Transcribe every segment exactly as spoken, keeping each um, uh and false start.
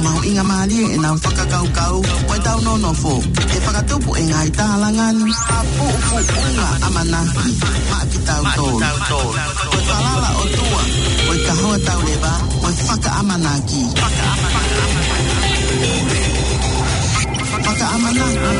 Mahuʻinga mālie ʻenau fakakaukau mo ʻetau nonofo. ʻE fakatupu e ngaahi tālanga ni ha puʻupuʻunga ʻamanaki maʻa kitautolu. Ko e falala ʻOtua, ko e kahoa tauleva, ko e fakaʻamanaki. Fakaʻamanaki.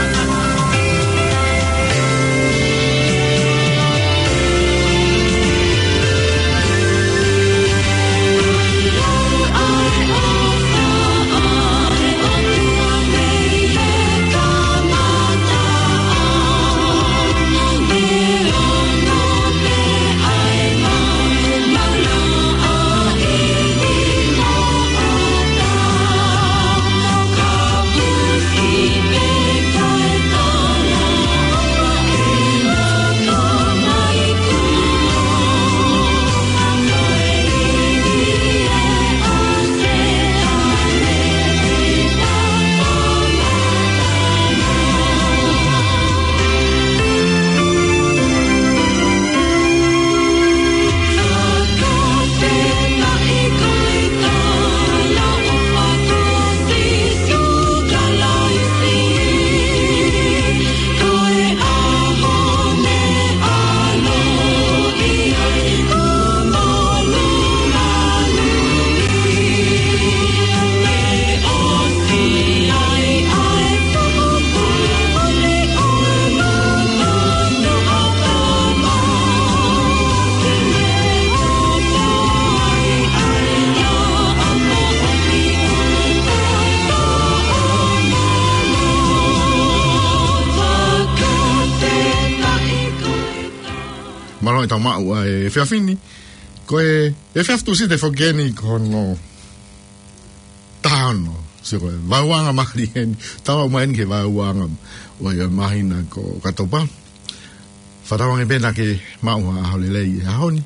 Mālō e tau maʻu ʻa e efiafi ni. Ko e efiafi Tūsite foki eni ko hono taha ono. Sio ko e vaeuanga mālie eni. Tau aʻu mai eni ki he vaeuanga ʻo e māhina ko ʻOkatopa. Fakatauange pē naʻa ke maʻu ha ʻaho lelei he ʻaho ni.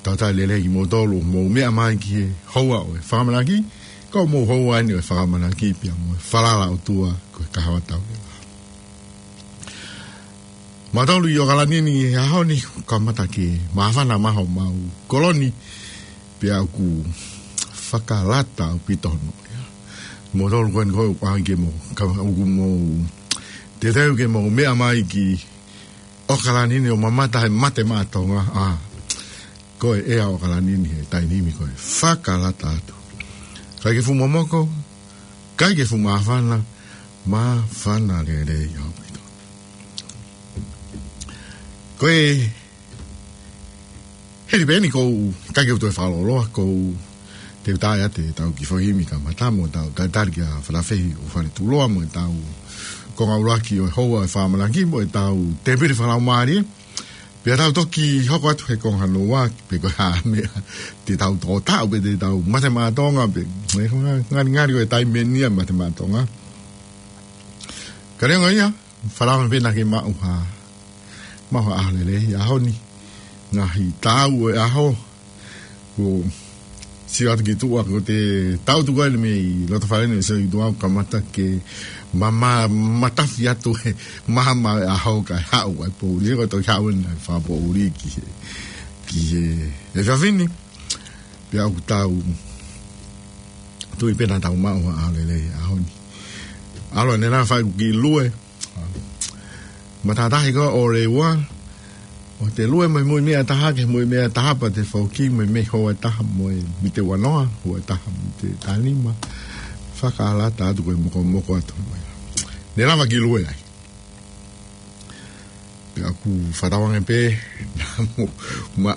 Tautai lelei kimoutolu ʻoku mou meʻa mai ki he houa ʻo e fakaʻamanaki. Ko hoʻomou houa eni ʻo e fakaʻamanaki pea mo e falala ʻOtua ko e kahoa tauleva. Mautolu ʻi ʻOkalani ni he ʻaho ni, kamata ke māfana mai homau koloni, pea ʻoku fakalata ʻaupito hono ia. Mautolu ko eni ko e ʻoku ʻai ke mou, ka ʻoku mou teuteu ke mou meʻa mai ki ʻOkalani ni ʻo mamata he Mate Maʻa Tonga, ʻa, ko e ʻea ʻo ʻOkalani ni he taimi ni ko e fakalata atu. ʻIkai ke fuʻu momoko, ʻikai ke fuʻu māfana, māfana lelei ʻaupito. Ko e hili pē eni ʻoku ou, ʻikai ke u toe fakalōloa, ʻoku ou teuteu atu ʻetau kiʻi foʻi himi kamata mo ʻetau talitali kia Falafehi ʻo Faletuloa mo ʻetau konga ʻuluaki ʻo e houa ʻo e fakaʻamanaki mo ʻetau tēpile fakalaumālie. Pea tau toki hoko atu he konga hono ua, pe ko e hā e meʻa te tau tō taʻu, pe te tau Mate Maʻa Tonga, pe, e, ngalingali ko e taimi eni ia Mate Maʻa Tonga. Ka neongo ia, fakatauange pē naʻa ke maʻu ha, maʻu ha ʻaho lelei he ʻaho ni. Ngaahi taʻu ʻo e ʻaho, ʻoku sio atu ki tuʻa, ko e taʻu tuku eni mei loto fale ni, sio ki tuʻa kamata ke ma, ma, matafi atu he mahama ʻo e ʻaho kae haʻu ai poʻuli, ko e toki haʻu eni ʻa e fakapoʻuli ki he, ki he efiafi ni. Pea ʻoku tau tui pē naʻa tau maʻu ha ʻaho lelei he ʻaho ni. ʻAlu ʻanenai fai ʻeku kiʻi lue. Matātahi ko ē ʻo e ua, ʻo te lue mai mo e meʻa ʻe taha ki he mo e meʻa ʻe taha pea te foki mai mei he houa ʻe taha mo e miniti ua noa, houa ʻe taha miniti taha nima. Fakalata atu ko e mokomoko atu mai. Ne lava ke lue ai. Pea ʻoku fakatauange pē naʻa mo, ma,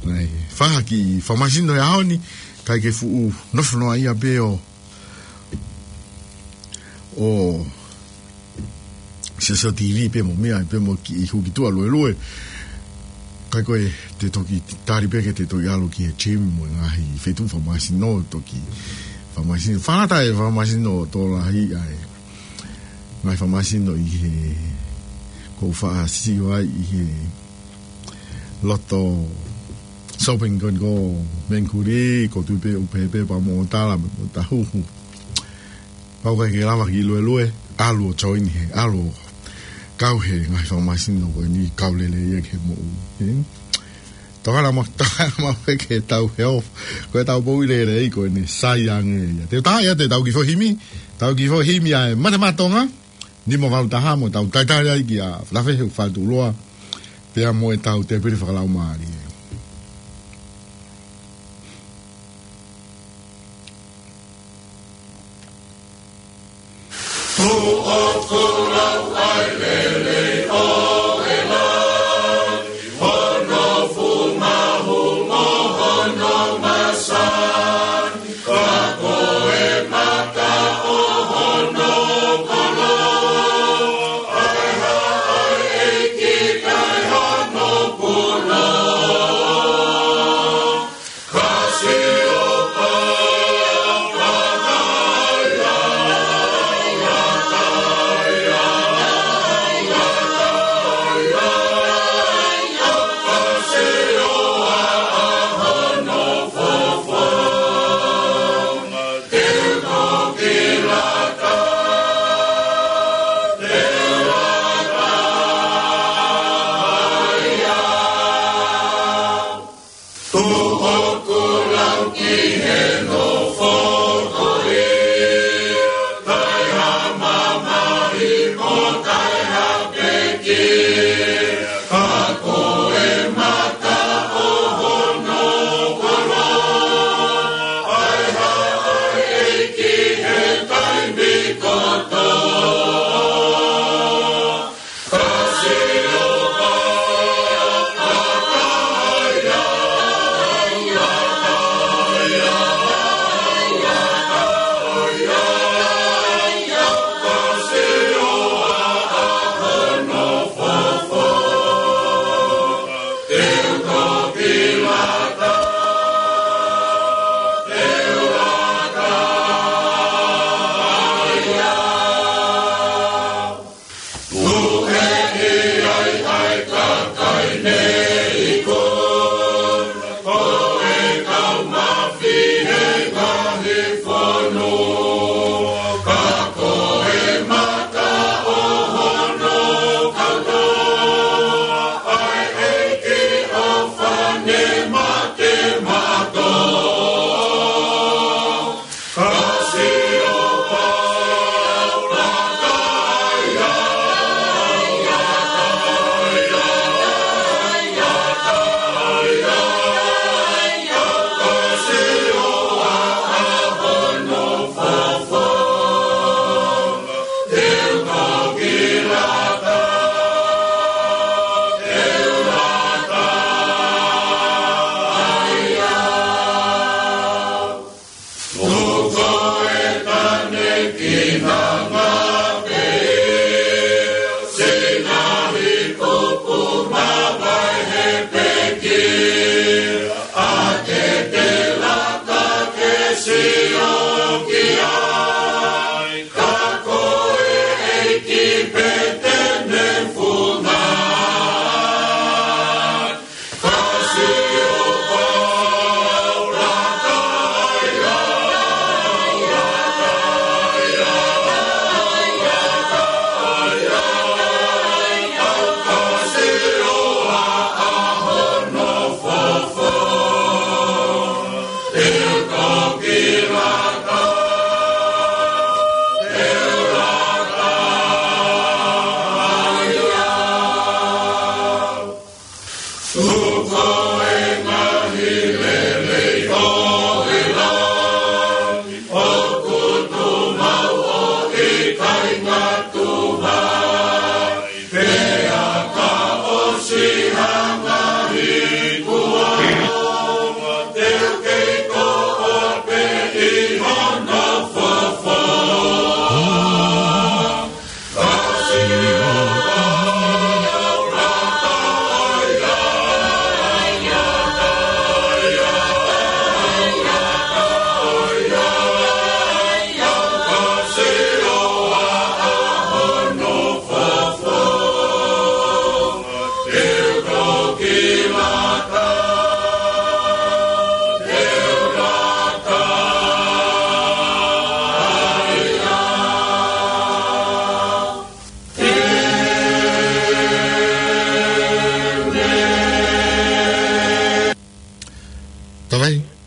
naʻe fai ha kiʻi fakamasino he ʻaho ni, ʻikai ke fuʻu nofo noa ia pē ʻo ʻo sio sio T V pē mo e meʻa, pē mo e kiʻi hū ki tuʻa luelue. Kae ko e te toki tali pē ke te toki ʻalu ki he gym mo e ngaahi feituʻu fakamasino, toki fakamasino. Fakalata e fakamasino tokolahi ʻa e ngaahi fakamasino ʻi he, ʻoku ou faʻa sio ai ʻi he loto shopping ko eni ko Mengkuri, ʻoku ou tui pē ʻoku pehē pē pea mo Tala, mo Tahuhu. Pau ʻikai ke lava ke luelue, ʻalu ʻo join he, ʻalu ʻo kau he ngaahi fakamasino ko eni, kau lelei ia ki he moʻui, ē? Tokanga mo, tokanga mo pē ke tau hē ʻo, ko e tau poʻuli lelei ko eni sai ange ia. Te u tā ia te tau kiʻi foʻi himi, tau kiʻi foʻi himi ʻa e Mate Maʻa Tonga, nima valu taha mo tau talitali ai kia Lafehe Faletuʻuloa, pea mo e tau tēpile fakalaumālie.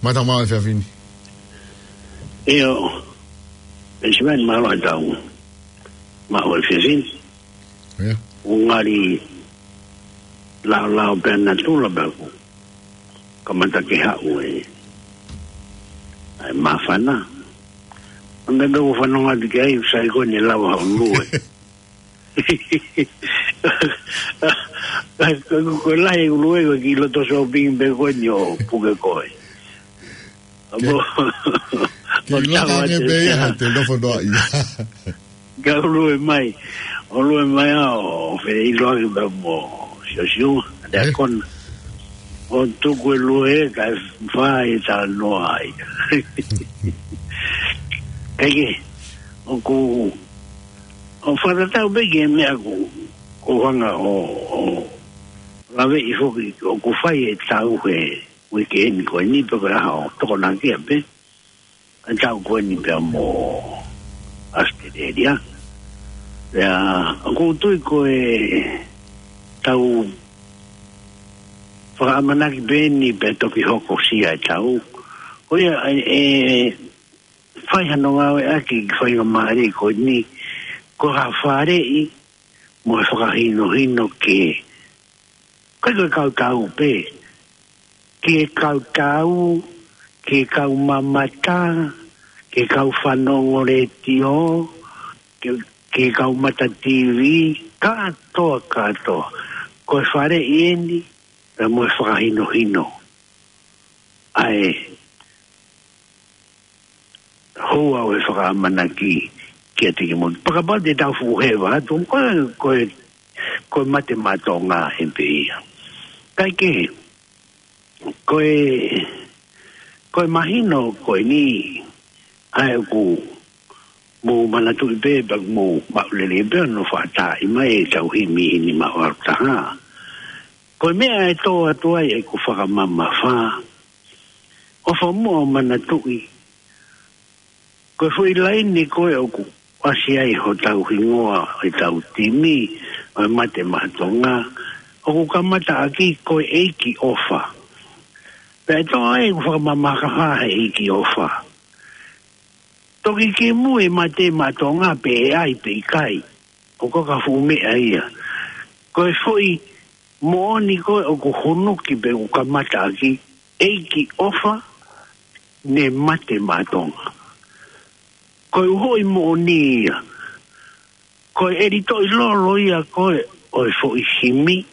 Mālō e efiafi ni. ʻIo, ʻe Siveni, mālō e tau maʻu e efiafi ni. ʻIo. ʻOku ngali laolao pē ʻa natula pea kuo kamata ke haʻu e, ʻa e māfana. ʻA e meʻa pē ʻoku fanongo atu ki ai, sai ko eni lava hoʻo lue. Ka, ka, ko e lahi e lue ko e kiʻi loto sōpingi pē ko eni ʻo puke koe. Ke, ʻo, ke ʻo ʻilo tau ange atu pē ia, ʻa e te nofo noa ia. Ka ʻo lue mai, ʻo lue mai ʻa ʻo feiloaki pē mo Siosiua, ʻa e, ʻe, kona. ʻO tuku e lue kae fai e talanoa ai. Kae kehe, ʻoku, ʻo fakatatau pē ki he meʻa ʻoku, ʻoku ou hanga ʻo, ʻo laveʻi foki, ʻoku fai e tau he uike ni ko eni pe ko e hā ʻo tokonaki ia pē. ʻA e tau ko eni pea mo ʻAositelēlia. Pea ʻoku ou tui ko e tau fakaʻamanaki pē eni pea toki hokosia e tau. Ko ia ʻe, ʻe fai hano ngāueʻaki ki he faingamālie ko eni, ko ha faleʻi mo e fakahinohino ke, ʻikai ko e kau tau pē, ki he kau tau, ki he kau mamata, ki he kau fanongo letiō, ki, ki he kau mata TV, kātoa, kātoa. Ko e faleʻi eni, pea mo e fakahinohino. ʻA e houa ʻo e fakaʻamanaki kiate kimoutolu. Pea kapau te tau fuʻu heva atu, ko e, ko e, ko e mate maʻa Tonga eni pē ia. Kae kehe, ko e, ko e mahino ko eni, ʻa ia ʻoku mou manatuʻi pē, pea mou maʻu lelei pē hono faʻa taaʻi mai ʻetau himi ʻi he nima ʻo Autaha. Ko e meʻa ʻe tō atu ai ʻeku fakamamafa, ʻofa muʻa ʻo manatuʻi, ko e foʻi laine ko ē ʻoku ʻasi ai hotau hingoa ʻo ʻetau timi ʻo e Mate Maʻa Tonga, ʻoku kamata ʻaki ko e ʻEiki ʻOfa. Pea ʻe tō ai ʻeku fakamamafa he ʻEiki ʻOfa. Toki kimui e Mate Maʻa Tonga pe ʻe ʻai pe ʻikai, ʻoku ʻikai ko ha fuʻu meʻa ia. Ko e foʻi moʻoni ko ē ʻoku hunuki pe ʻoku kamata ʻaki, ʻEiki ʻOfa, ne mate maʻa Tonga. Ko e uhoʻi moʻoni ia. Ko e ʻelitoʻi lolo ia ko ē ʻo e foʻi himi,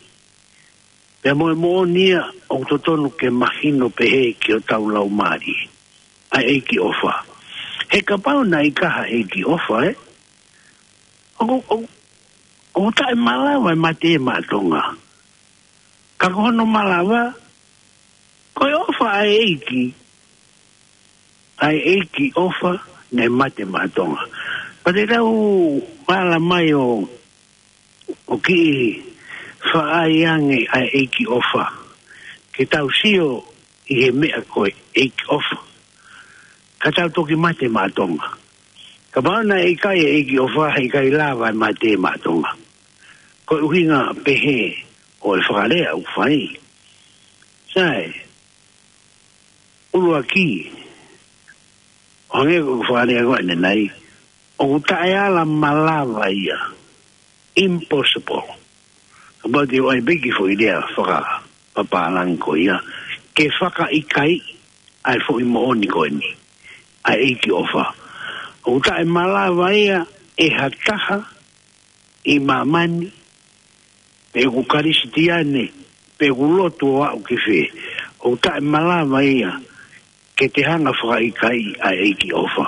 pea mo e moʻoni ia ʻoku totonu ke mahino pehē ki hotau laumālie. ʻA e ʻEiki ʻOfa. He kapau naʻe ʻikai ha ʻEiki ʻOfa, ē? ʻOku, ʻoku, ʻoku taʻemalava e Mate Maʻa Tonga. Ka ko hono malava, ko e ʻofa ʻa e ʻEiki, ʻa e ʻEiki ʻOfa, ne mate maʻa Tonga. Pea te tau ala mai ʻo, ʻo kiʻi faʻa ʻai ange ʻa e ʻEiki ʻOfa, ke tau sio ʻi he meʻa ko e ʻEiki ʻOfa, ka tau toki mate maʻa Tonga. Kapau naʻe ʻikai e ʻEiki ʻOfa, heʻikai lava e Mate Maʻa Tonga. Ko e ʻuhinga pehē ʻo e fakalea ʻoku fai. Sai, ʻuluaki, ʻo hangē ko e fakalea ko eni nai, ʻoku taʻeala malava ia. Impossible. Kapau te u ʻai pē ki he foʻi lea fakapapālangi ko ia, ke fakaʻikaiʻi ʻa e foʻi moʻoni ko eni, ʻa e ʻEiki ʻOfa. ʻOku taʻemalava ia ʻe ha taha ʻi māmani, pe ʻoku Kalisitiane, pe ʻoku lotu ʻo aʻu ki fē, ʻoku taʻemalava ia ke te hanga fakaʻikaiʻi ʻa e ʻEiki ʻOfa.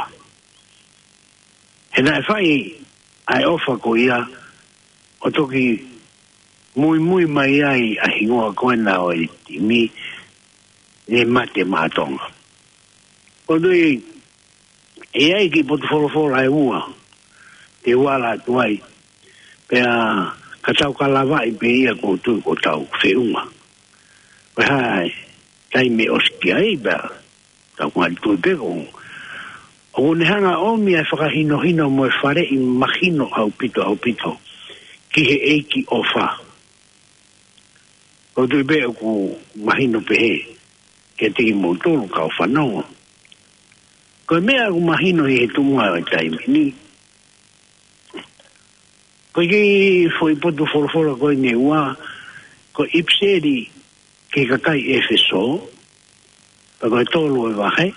He naʻe fai ʻa e ʻofa ko ia, ʻo toki muimui mai ai ʻa e hingoa ko ena ʻo e timi, ne Mate Maʻa Tonga. ʻOku ou tui, ʻe ʻi ai e kiʻi potu folofola ʻe ua te u ala atu ai, pea ka tau ka lavaʻi pē ia, ʻoku ou tui kuo tau feʻunga. Pea ʻi he taimi ʻosi ki ai pea tau ngali tui pē ko, ʻoku ne hanga ʻomi ʻa e fakahinohino mo e faleʻi mahino ʻaupito, ʻaupito ki he ʻEiki ʻOfa. ʻOku ou tui pē ʻoku mahino pehē. kiate kimoutolu kau fanongo. Ko e meʻa ʻoku mahino ʻi he tuʻunga ʻo e taimi ni, ko e kiʻi foʻi potu folofola ko eni ʻe ua, ko e ʻipiseli ki he kakai ʻEfesō, pea ko e tolu ʻo e vahe,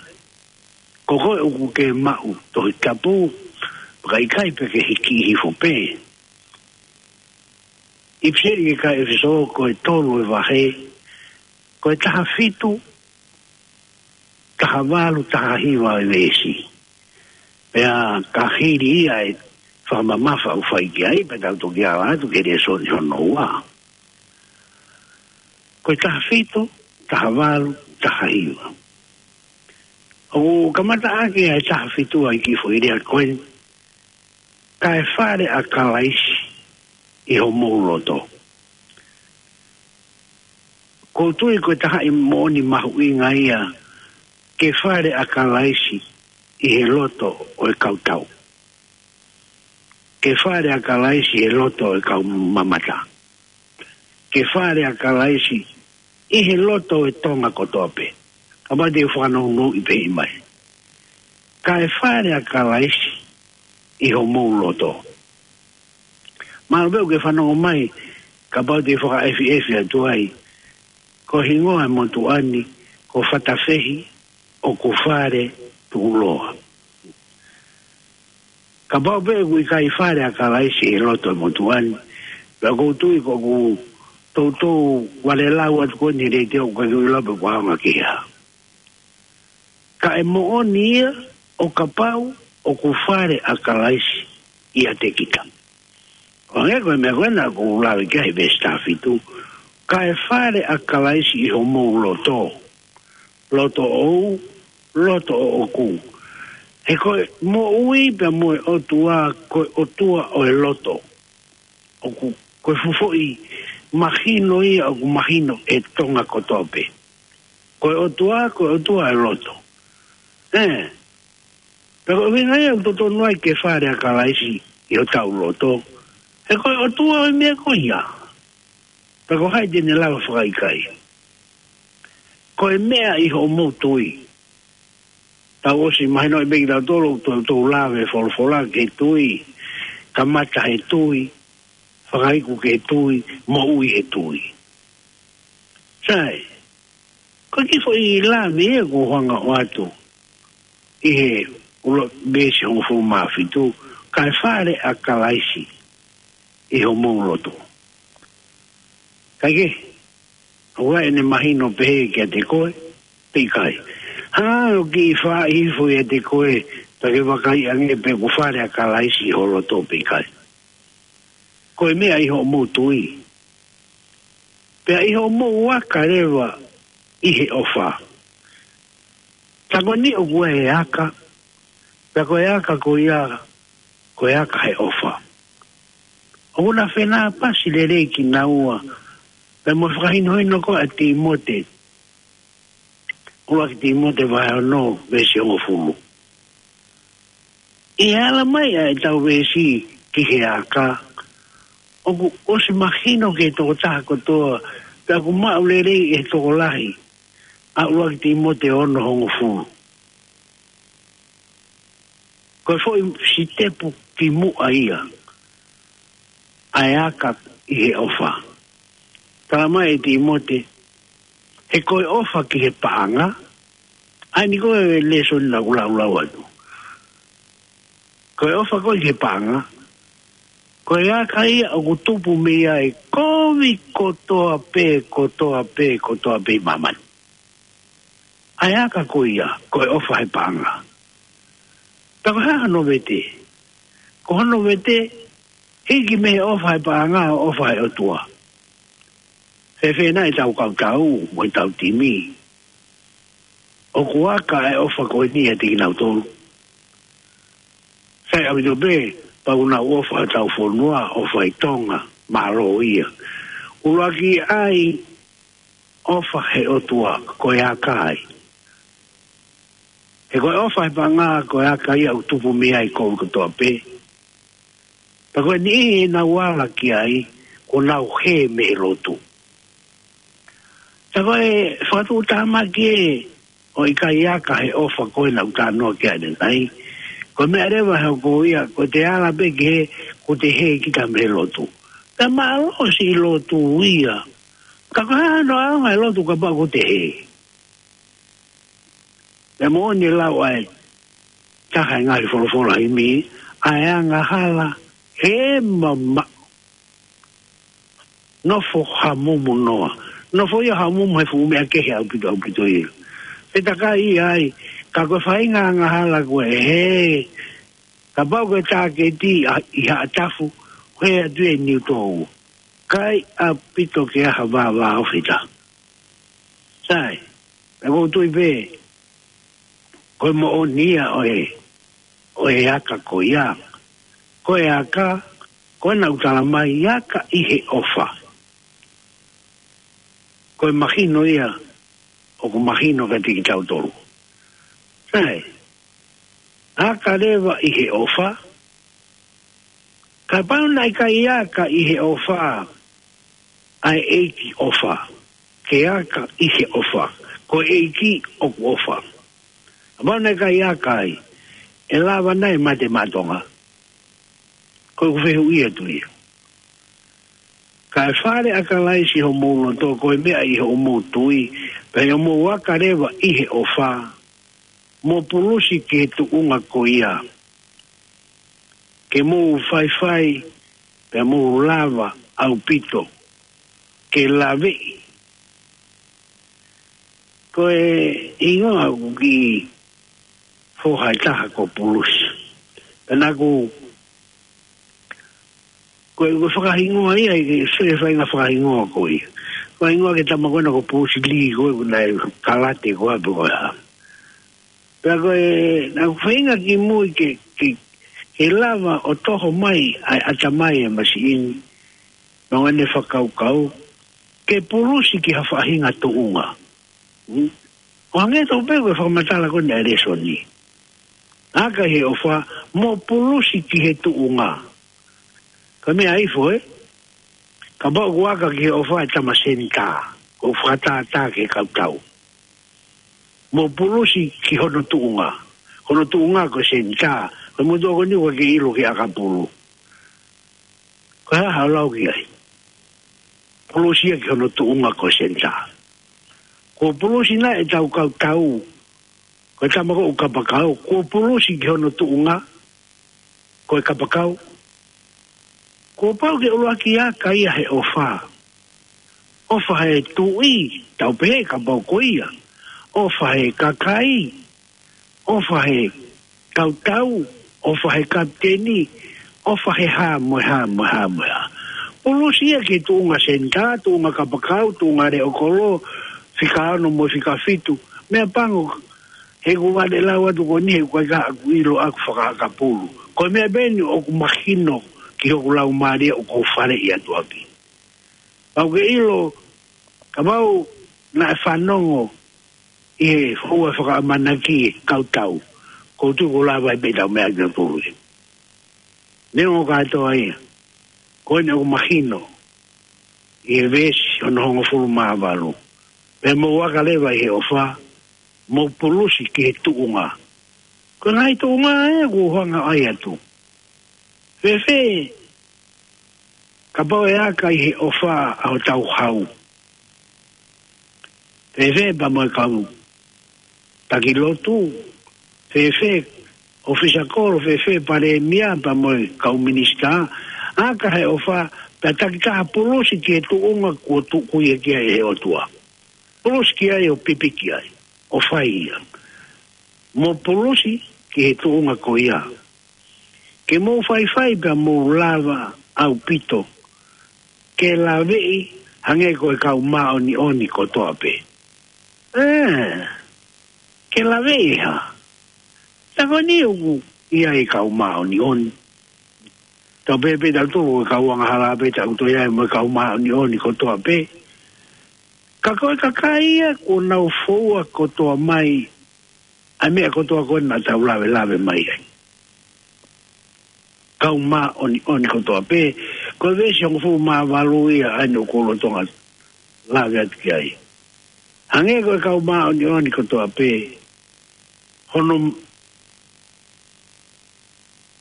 ko koe ʻoku ke maʻu Tohi Tapu, pea ʻikai pē ke hiki hifo pē. ʻIpiseli ki he kakai ʻEfesō, ko e tolu ʻo e vahe, ko e taha fitu, taha valu, taha hiva ʻo e veesi. Pea ka hili ia e fakamamafa ʻoku fai ki ai, pea tau toki ala atu ki he lēsoni hono ua. Ko e taha fitu, taha valu, taha hiva. ʻOku kamata ʻaki ʻa e taha fitu ʻa e kiʻi foʻi lea ko eni, kae fale ʻa Kalaisi ʻi homou loto. ʻOku ou tui ko e taha ʻi he moʻoni mahuʻinga ia, ke fale ʻa Kalaisi ʻi he loto ʻo e kau tau. Ke fale ʻa Kalaisi ʻi he loto ʻo e kau mamata. Ke fale ʻa Kalaisi ʻi he loto ʻo e Tonga kotoa pē. Kapau te u fakanounou ʻi pē ʻi mai. Kae fale ʻa Kalaisi ʻi homou loto. Mahalo pē ʻoku ke fanongo mai, kapau te u fakaʻefiʻefi atu ai, ko e hingoa ʻo e motuʻa ni, ko Fatafehi ʻoku Fale Tuʻuloa. Kapau pē ʻoku ʻikai fale ʻa Kalaisi ʻi he loto ʻo e motuʻa ni, pea ʻoku ou tui ko ʻeku toutou valelau atu ko eni he leitiō ʻoku ʻikai ke u ʻilo pe ʻoku ʻaonga ki he hā. Ka ʻe moʻoni ia ʻo kapau ʻoku fale ʻa Kalaisi ʻiate kita. ʻO hangē ko e meʻa ko ena ʻoku ou lave ki ai he veesi taha fitu, kae fale ʻa Kalaisi ʻi homou loto. Loto ʻou, loto ʻoʻoku. He ko e moʻui pea mo e ʻOtua, ko e ʻOtua ʻo e loto. ʻOku, ko e fuʻu foʻi mahino ia ʻoku mahino ʻe he Tonga kotoa pē. Ko e ʻOtua, ko e ʻOtua ʻo e loto. ʻE, pea ko e ʻuhinga ia ʻoku totonu ai ke fale ʻa Kalaisi ʻi hotau loto. He ko e ʻOtua ʻo e meʻa ko ia. Pea ko hai te ne lava fakaʻikaiʻi? Ko e meʻa ʻi hoʻomou tui. Tau ʻosi mahinoʻi pē kitautolu, ʻoku tau, tau lave folofola ki he tui, kamata he tui, fakaiku ki he tui, moʻui he tui. Sai, ko e kiʻi foʻi lave ia ʻoku ou hanga ʻo ʻoatu ʻi he ʻuluaki veesi hongofulu mā fitu, kae fale ʻa Kalaisi ʻi homou loto. Kae kehe, ʻoku ʻi ai ʻene mahino pehē kiate koe, pe ʻikai. Hanga ʻo kiʻi fai hifo ʻiate koe, pea ke vakaiʻi ange pe ʻoku fale ʻa Kalaisi ʻi ho loto pe ʻikai. Ko e meʻa ʻi hoʻomou tui. Pea ʻi hoʻomou aka leva ʻi he ʻofa. Tā ko eni ʻoku ʻi ai e aka, pea ko e aka ko ia, ko e aka he ʻofa. ʻOku na fenāpasi lelei kinaua, pea mo e fakahinohino ko ē ʻa Tīmote. ʻUluaki Tīmote vahe ono, veesi hongofulu. ʻI he ala mai ʻa ʻetau veesi ki he aka, ʻoku ʻosi mahino ki he tokotaha kotoa, pea ʻoku maʻu lelei ʻe he tokolahi, ʻa ʻuluaki Tīmote ono hongofulu. Ko e foʻi sitepu ki muʻa ia, ʻa e aka ʻi he ʻofa. Tala mai ʻe Tīmote, he ko e ʻofa ki he paʻanga, ʻa eni ko e lēsoni naʻa ku laulau atu. Ko e ʻofa ko ē ki he paʻanga, ko e aka ia ʻoku tupu mei ai e kovi kotoa pē, kotoa pē, kotoa pē ʻi māmani. ʻA e aka ko ia, ko e ʻofa he paʻanga. Pea ko e hā hono vete? Ko hono vete, hiki mei he ʻofa he paʻanga ʻo e ʻofa he ʻOtua. Fēfē nai ʻetau kau tau, mo ʻetau timi? ʻOku aka e ʻofa ko eni ʻiate kinautolu. Sai ʻaupito pē, pea ʻoku nau ʻofa hotau fonua, ʻofa ʻi Tonga, mālō ia. ʻUluaki ʻa e ʻofa he ʻOtua, ko e aka ia. He ko e ʻofa he paʻanga, ko e aka ia ʻoku tupu mei ai e kovi kotoa pē. Pea ko e niʻihi ʻe nau ala ki ai, kuo nau hē mei he lotu. Ko e fakatuʻutāmaki ē ʻo e ʻikai aka he ʻofa ko ē naʻa ku talanoa ki ai ʻanenai. Ko e meʻa leva he ʻoku ʻikai, ko e te ala pē ki he, ko e te hē kita mei he lotu. Pea mālohi siʻi lotu ia. Ka ko e hā hono ʻaonga e lotu kapau ko e te hē? Pea moʻoni e lau ʻa e taha e ngaahi folofola himi, ʻa e angahala he mamaʻo. Nofo hamumu noa. Nofo ia hamumu he fuʻu meʻa kehe ʻaupito ʻaupito ia. Pea takai ia ai, ka ko e faʻahinga angahala ko ē, hē, kapau ko e tāketi ʻa, ʻi Haʻatafu, hē atu ʻi Niutōua. ʻIkai ʻaupito ke ʻi ai ha vāvāofi ʻe taha. Sai, pea ʻoku ou tui pē, ko e moʻoni ia ʻo e, ʻo e aka ko ia. Ko e aka, ko ena ʻoku tala mai aka ʻi he ʻofa. Ko e mahino ia, ʻoku mahino kiate kitautolu. Sai, aka leva ʻi he ʻofa, kapau naʻe ʻikai aka ʻi he ʻofa, ʻa e ʻEiki ʻofa. Ke aka ʻi he ʻofa. Ko e ʻEiki ʻoku ʻofa. Kapau naʻe ʻikai aka ai, ʻe lava nai mate maʻa Tonga? Ko ʻeku fehuʻi atu ia. Kae fale ʻa Kalaisi homou loto, ko e meʻa ʻi hoʻomou tui, pea ʻi hoʻomou aka leva ʻi he ʻofa, mo pulusi ki he tuʻunga ko ia. Ke mou faifai, pea mou lava ʻaupito ke laveʻi. Ko e hingoa ʻoku kiʻi foha ʻe taha ko Pulusi. Pea naʻa ku, ko e, ko e fakahingoa ia, ʻi he sui e faʻahinga fakahingoa ko ia. Fakahingoa ki he tama ko ena ko Pulusi Lī, ko e, ko e naʻe kalate ko ē pē ko ia. Pea ko e, naʻa ku feinga ki mui ke, ke, ke lava ʻo toho mai ʻa e ʻatamai e masiʻini, mo ʻene fakakaukau, ke pulusi ki ha faʻahinga tuʻunga. Hmm? ʻO hangē tofu pē ko e fakamatala ko ena e lēsoni. Aka he ʻofa, mo pulusi ki he tuʻunga. Ko e meʻa ifo ē, kapau ʻoku aka ki he ʻofa e tama senitā, ʻoku fakatātā ki he kautau. Mo pulusi ki hono tuʻunga. Hono tuʻunga ko e senitā. Ko e motuʻa ko eni ʻoku ke ʻilo ki he ʻakapulu. Ko e hā haʻo lau ki ai? Pulusi ia ki hono tuʻunga ko e senitā. Ko e pulusi nai ʻetau kautau. Ko e tama ko ē ʻoku kapakau. Ko e pulusi ki hono tuʻunga ko e kapakau. Kuo pau ke ʻuluaki aka ia he ʻofa. ʻOfa he tuʻi, tau pehē kapau ko ia. ʻOfa he kakai, ʻofa he kautau, ʻofa he kapiteni, ʻofa he hā mo e hā mo e hā mo e hā. Pulusi ia ki he tuʻunga senitā, tuʻunga kapakau, tuʻunga leʻo kolo, fika ono mo e fika fitu. Meʻapango, he ʻoku vale lau atu ko eni he ʻoku ʻikai ke u ʻilo ʻaku fakaʻakapulu. Ko e meʻa pē eni ʻoku mahino ki hoku laumālie ʻoku ou faleʻi atu ʻaki. Pau ke ʻilo, kapau naʻe fanongo ʻi he foʻi fakaʻamanaki e kautau, ʻoku ou tui kuo lava ai pē ʻetau meʻa kinautolu. Neongo kātoa ia, ko eni ʻoku mahino ʻi he veesi hono hongofulu mā valu. Pea mou aka leva ʻi he ʻofa, mou pulusi ki he tuʻunga. Ko e ngaahi tuʻunga ē ʻoku ou hanga ai atu. Fēfē kapau ʻe aka ʻi he ʻofa ʻa hotau hau? Fēfē pea mo e kau taki lotu? Fēfē ʻōfisa kolo? Fēfē palēmia pea mo e kau minisitā? Aka he ʻofa, pea takitaha pulusi ki he tuʻunga kuo tuku ia ki ai ʻe he ʻOtua. Pulusi ki ai ʻo pipiki ai, ʻo fai ia. Mo pulusi ki he tuʻunga ko ia. Ke mou faifai pea mou lava ʻaupito ke laveʻi hangē ko e kau māʻoniʻoni kotoa pē. Ē, ke laveʻi ha. Tau ko eni ʻoku ʻi ai e kau māʻoniʻoni. Tau pehē pē tautolu ko e kau angahala pē tautolu ia mo e kau māʻoniʻoni kotoa pē. Ka ko e kakai ia kuo nau foua kotoa mai ʻa e meʻa kotoa ko ē naʻa tau lavelave mai ai. Kau māʻoniʻoni kotoa pē, ko e veesi hongofulu mā valu ia ʻa eni ʻoku ou lolotonga lave atu ki ai. Hangē ko e kau māʻoniʻoni kotoa pē, hono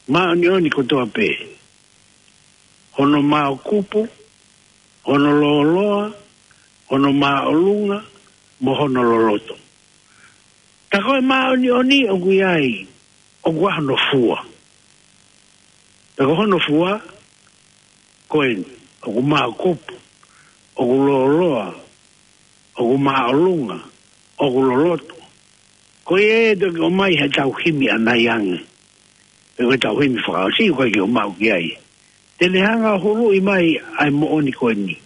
māʻoniʻoni kotoa pē, hono māʻokupu, hono lōloa, hono māʻolunga, mo hono loloto. Tā ko e māʻoniʻoni ʻoku ʻi ai, ʻoku ʻi ai hono fua. Tā ko hono fua, ko eni, ʻoku māʻokupu, ʻoku lōloa, ʻoku māʻolunga, ʻoku loloto. Ko ia ʻe toki ʻomai he tau himi ʻanai ange. Pe ko e tau himi fakaʻosi, ko e ke ʻomai ki ai. Te ne hanga ʻo huluʻi mai ʻa e moʻoni ko eni.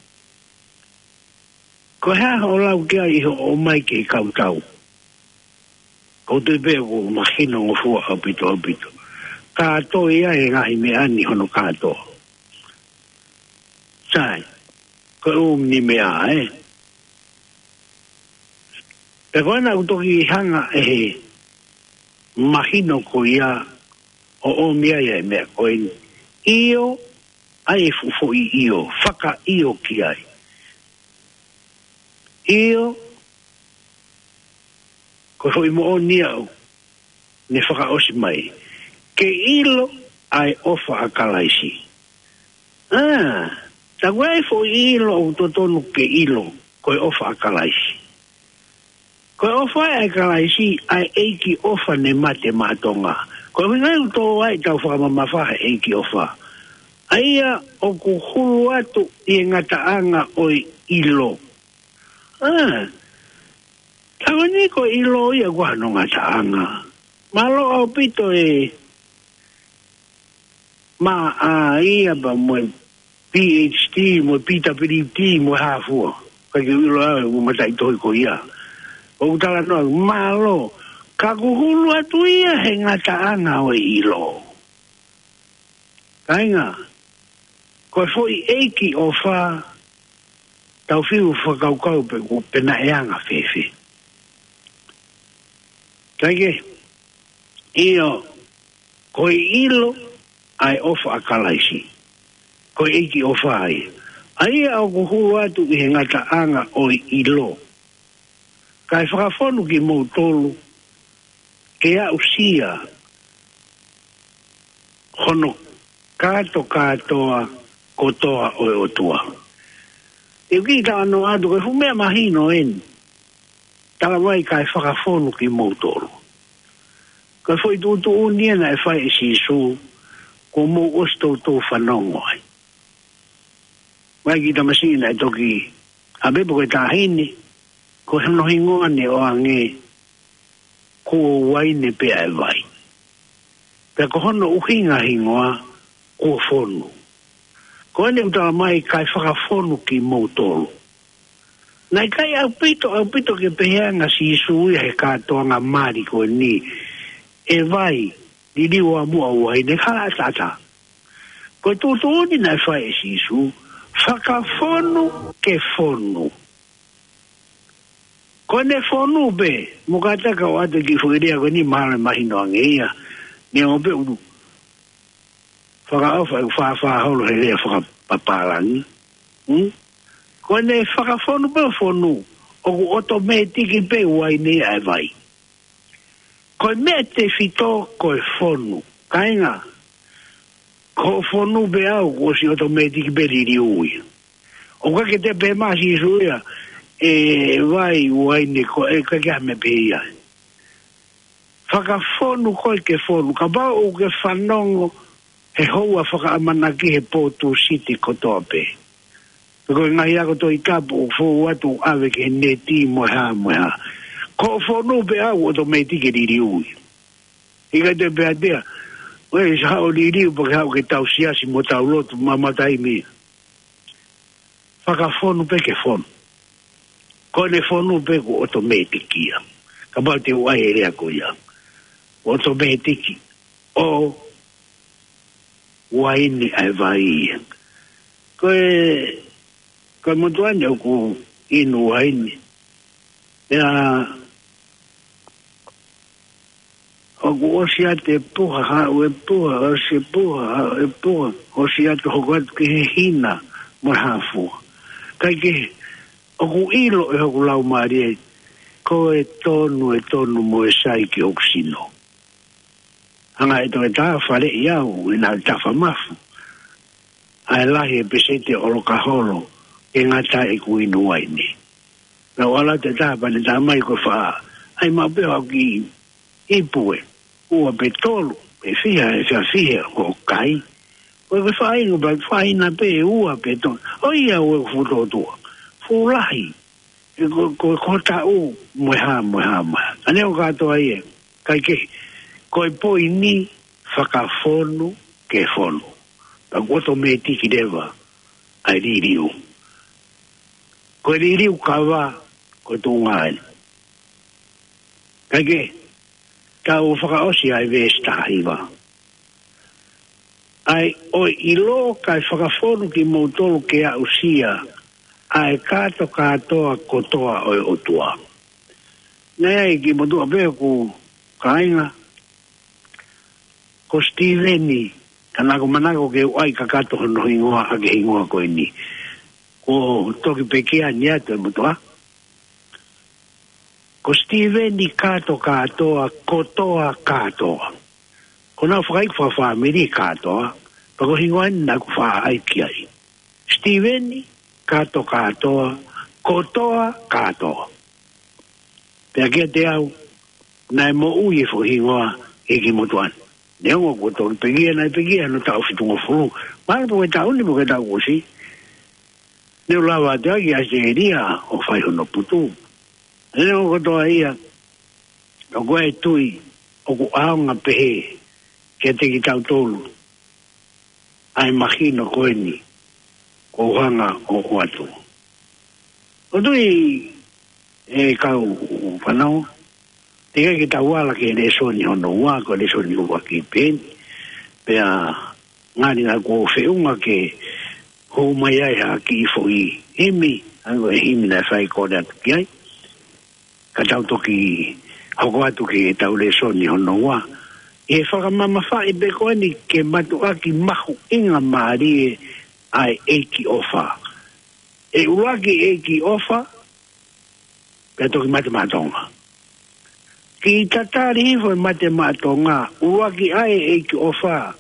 Ko e hā hoʻo lau ki ai ʻi hoʻo ʻomai ki he kau tau? ʻOku ou tui pē ʻoku mahino ngofua ʻaupito ʻaupito. Kātoa ia e ngaahi meʻa ni hono kātoa. Sai, ko e ʻū ni meʻa, ē. Pea ko ena ʻoku toki hanga ʻe he mahino ko ia ʻo ʻomi ai e meʻa ko eni. ʻIo, ʻa e fuʻu foʻi ʻio, fakaʻio ki ai. ʻIo, ko e foʻi moʻoni ia ʻoku ne fakaʻosi mai. Ke ʻilo ʻa e ʻofa ʻa Kalaisi. ʻA, tā ko e foʻi ʻilo ʻoku totonu ke ʻilo, ko e ʻofa ʻa Kalaisi. Ko e ʻofa ʻa Kalaisi, ʻa e ʻEiki ʻofa ne mate maʻa Tonga. Ko e ʻuhinga ia ʻoku tō ai ʻetau fakamamafa he ʻEiki ʻofa. ʻA ia ʻoku hulu atu ʻi he ngataʻanga ʻo e ʻilo. ʻA, tā ko eni ko e ʻilo ia ʻoku ʻi ai hono ngataʻanga. Mālō ʻaupito e maʻa ia pea mo e P H D, mo e P W D, mo e hā fua. Ka ke ʻilo au, mo mataʻitohi ko ia. ʻOku talanoa, mālō, ka ʻoku hulu atu ia he ngataʻanga ʻo e ʻilo. Kāinga, ko e foʻi ʻEiki ʻofa, tau fiu fakakaukau pe ʻoku pehē ʻe anga fēfē. Kae kehe, ʻio, ko e ʻilo ʻa e ʻofa ʻa Kalaisi. Ko e ʻEiki ʻofa ia. ʻA ia ʻoku hulu atu ʻi he ngataʻanga ʻo e ʻilo. Kae fakafonu kimoutolu, ke aʻusia hono kātokātoa kotoa ʻo e ʻOtua. ʻE uki ka ano atu, ko e fuʻu meʻa mahino eni. Talamai kae fakafonu kimoutolu. Ko e foʻi tuʻutuʻuni ia naʻe fai ʻe Sīsū, kuo mou ʻosi toutou fanongo ai. Mai ki tamasiʻi naʻe toki, ʻa pē pe ko e taʻahine, ko hono hingoa ne ʻoange, ko e uaine pē ʻa e vai. Pea ko hono ʻuhinga hingoa, ko e fonu. Ko eni ʻoku talamai kae fakafonu kimoutolu. Naʻe ʻikai ʻaupito, ʻaupito ke pehē ange ʻa Sīsū ia he kātoanga mali ko eni, ʻe vai, liliu ʻa muʻa uaine, hala ʻataʻatā. Ko e tuʻutuʻuni naʻe fai ʻe Sīsū, fakafonu ke fonu. Ko ʻene fonu pē, mo kātaki ʻo ʻoatu e kiʻi foʻi lea ko eni mahalo ʻe mahino ange ia, neongo pē ʻoku fakaʻofa ʻeku fāfā holo he lea fakapapālangi. Hmm? Ko ʻene fakafonu pē ʻo fonu, ʻoku ʻotomētiki pē uaine ʻa e vai. Ko e meʻa tefito ko e fonu. Kāinga, ko e fonu pē au, kuo ʻosi ʻotomētiki pē liliu ia. ʻOku ʻikai ke toe pehē mai ʻa Sīsū ia, ʻe vai, uaine, ko e ʻikai ke ʻi ai ha meʻa pehē ia. Fakafonu koe ke fonu, kapau ʻoku ke fanongo he houa fakaʻamanaki he pō Tūsite kotoa pē. Pe ko e ngaahi ako Tohi Tapu ʻoku fou atu ʻave ki he neti mo e hā mo e hā. Ko e fonu pē au ʻotomētiki liliu ia. ʻIkai toe pehē atu ia, ʻoe, sa haʻu ʻo liliu pea ke haʻu ke tau siasi mo tau lotu mo e taimi. Fakafonu pē ke fonu. Ko ʻene fonu pē kuo ʻotomētiki ia. Kapau te u ʻai e lea ko ia. ʻOtomētiki. ʻO uaine ʻa e vai ia. Ko e, ko e motuʻa ni ʻoku inu uaine. Ia, ʻoku ʻosi atu e puha, haʻu e puha, ʻosi e puha, haʻu e puha, ʻosi atu hoko atu ki he hina, mo e hā fua. Kae kehe, ʻoku ʻilo ʻe hoku laumālie, ʻe tonu, ʻe tonu mo e sai ki hoku sino. Hanga ʻe he toketā ʻo faleʻi au, ʻi he tafa mafu. ʻA e lahi e peseti ʻo e ʻola holo, ʻe ngata ʻeku inu uaine. Naʻe ʻalu atu e taha pea ne tā mai ko e faʻa, ʻai maʻu pē haʻaku kiʻi ipu ē, ua pe tolu, pe fiha, pe fiha fiha, ʻoku kai. Ko e faʻahinga, pe faʻahinga pē ua pe tolu. ʻOiauē, fuʻu tōtua. Fuʻu lahi. ʻE ko, ko, ko e taʻu mo e hā, mo e hā, mo e hā. ʻA ē ʻoku kātoa ia. Kaikehe, ko e poini fakafonu ke fonu. Pea kuo ʻotomētiki leva ʻa e liliu. Ko e liliu kava, ko e tuʻunga ē. Kaikehe, tau fakaʻosi ʻa e veesi taha hiva. ʻA ia ʻoku ʻilo kae fakafonu kimoutolu ke aʻusia ʻa e kātokātoa kotoa ʻo e ʻOtua. Naʻe ʻi ai e kiʻi motuʻa pē ʻoku kāinga, ko Sitīveni, ka naʻá ku manako ke u ʻai kakato hono hingoa ʻaki e hingoa ko eni. Kuo toki pekia ni atu e motuʻa. Ko Sitīveni Kātokātoa, Kotoa Kātoa. Ko ʻenau fakaiku fakafāmili Kātoa, pea ko e hingoa eni naʻá ku faʻa ʻai ki ai. Sitīveni Kātokātoa, Kotoa Kātoa. Pea kiate au, naʻe moʻui e foʻi hingoa ʻi he kiʻi motuʻa ni. Neongo kuo toki pekia, naʻe pekia hono taʻu fitungofulu. Mahalo ko e taʻu ni, ko e taʻu kuo ʻosi. Ne u lava atu ai ki ʻAositelēlia ʻo fai hono putu. Neongo kotoa ia, ʻoku ou tui ʻoku ʻaonga pehē kiate kitautolu ʻa e mahino ko eni kuo u hanga ʻo ʻoatu. ʻOku ou tui, ʻe kau fānau, teʻeki ke tau ala ki he lēsoni hono ua, ko e lēsoni ʻuluaki pē eni. Pea ngali naʻá ku feʻunga ke hū mai ai ha kiʻi foʻi himi, ʻa ia ko e himi naʻe fai kole atu ki ai. Ka tau toki hoko atu ki heʻetau lēsoni hono ua. ʻI he fakamamafaʻi pē ko eni ki he mātuʻaki mahuʻinga mālie ʻa e ʻEiki ʻofa. ʻE ʻuluaki ʻEiki ʻofa, pea toki mate maʻa Tonga. Kiʻi tatali hifo e mate maʻa Tonga, ʻuluaki ʻa e ʻEiki ʻofa,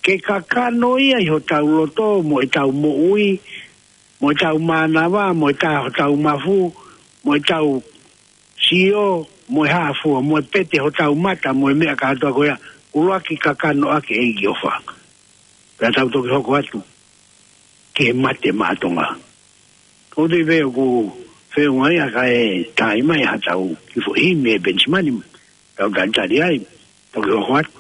ke kakano ia ʻi hotau loto mo ʻetau moʻui, mo ʻetau mānava, mo ʻetau, hotau mafu, mo ʻetau sio, mo e hā fua, mo e pete hotau mata, mo e meʻa kātoa ko ia, ʻuluaki kakano ʻaki e ʻEiki ʻofa. Pea tau toki hoko atu ki he mate maʻa Tonga. ʻOku ou tui pē ʻoku feʻunga ia kae tā mai haʻatau kiʻi foʻi himi ʻe Penisimani, tau talitali ai, toki hoko atu.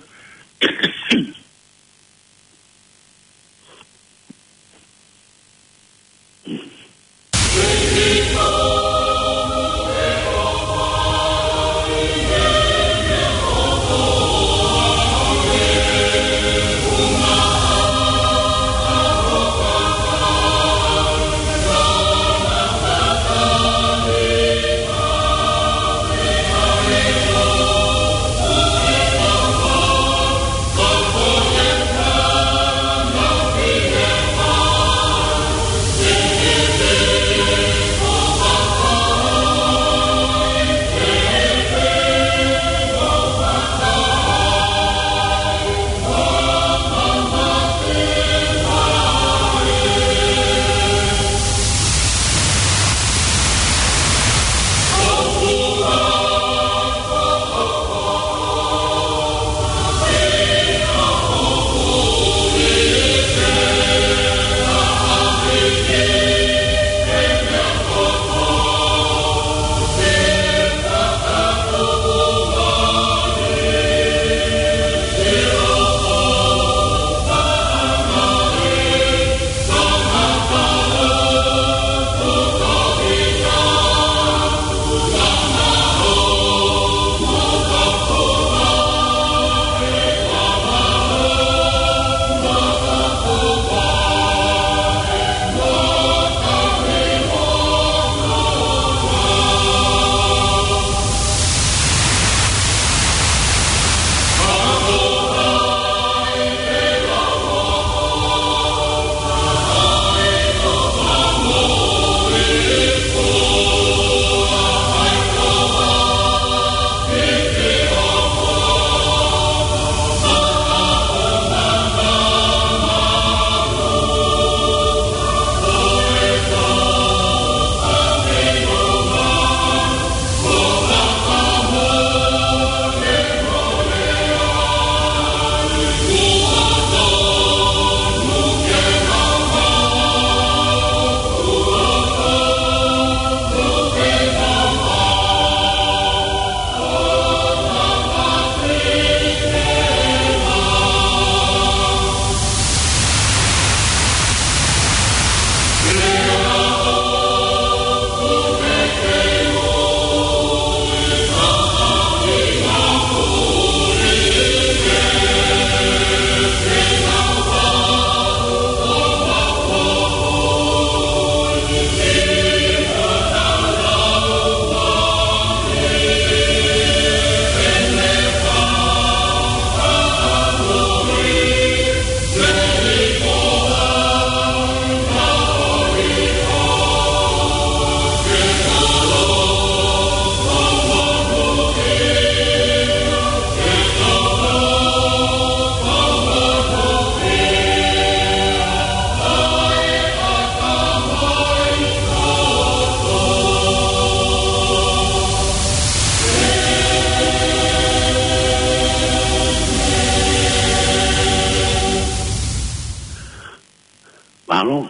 Mālō.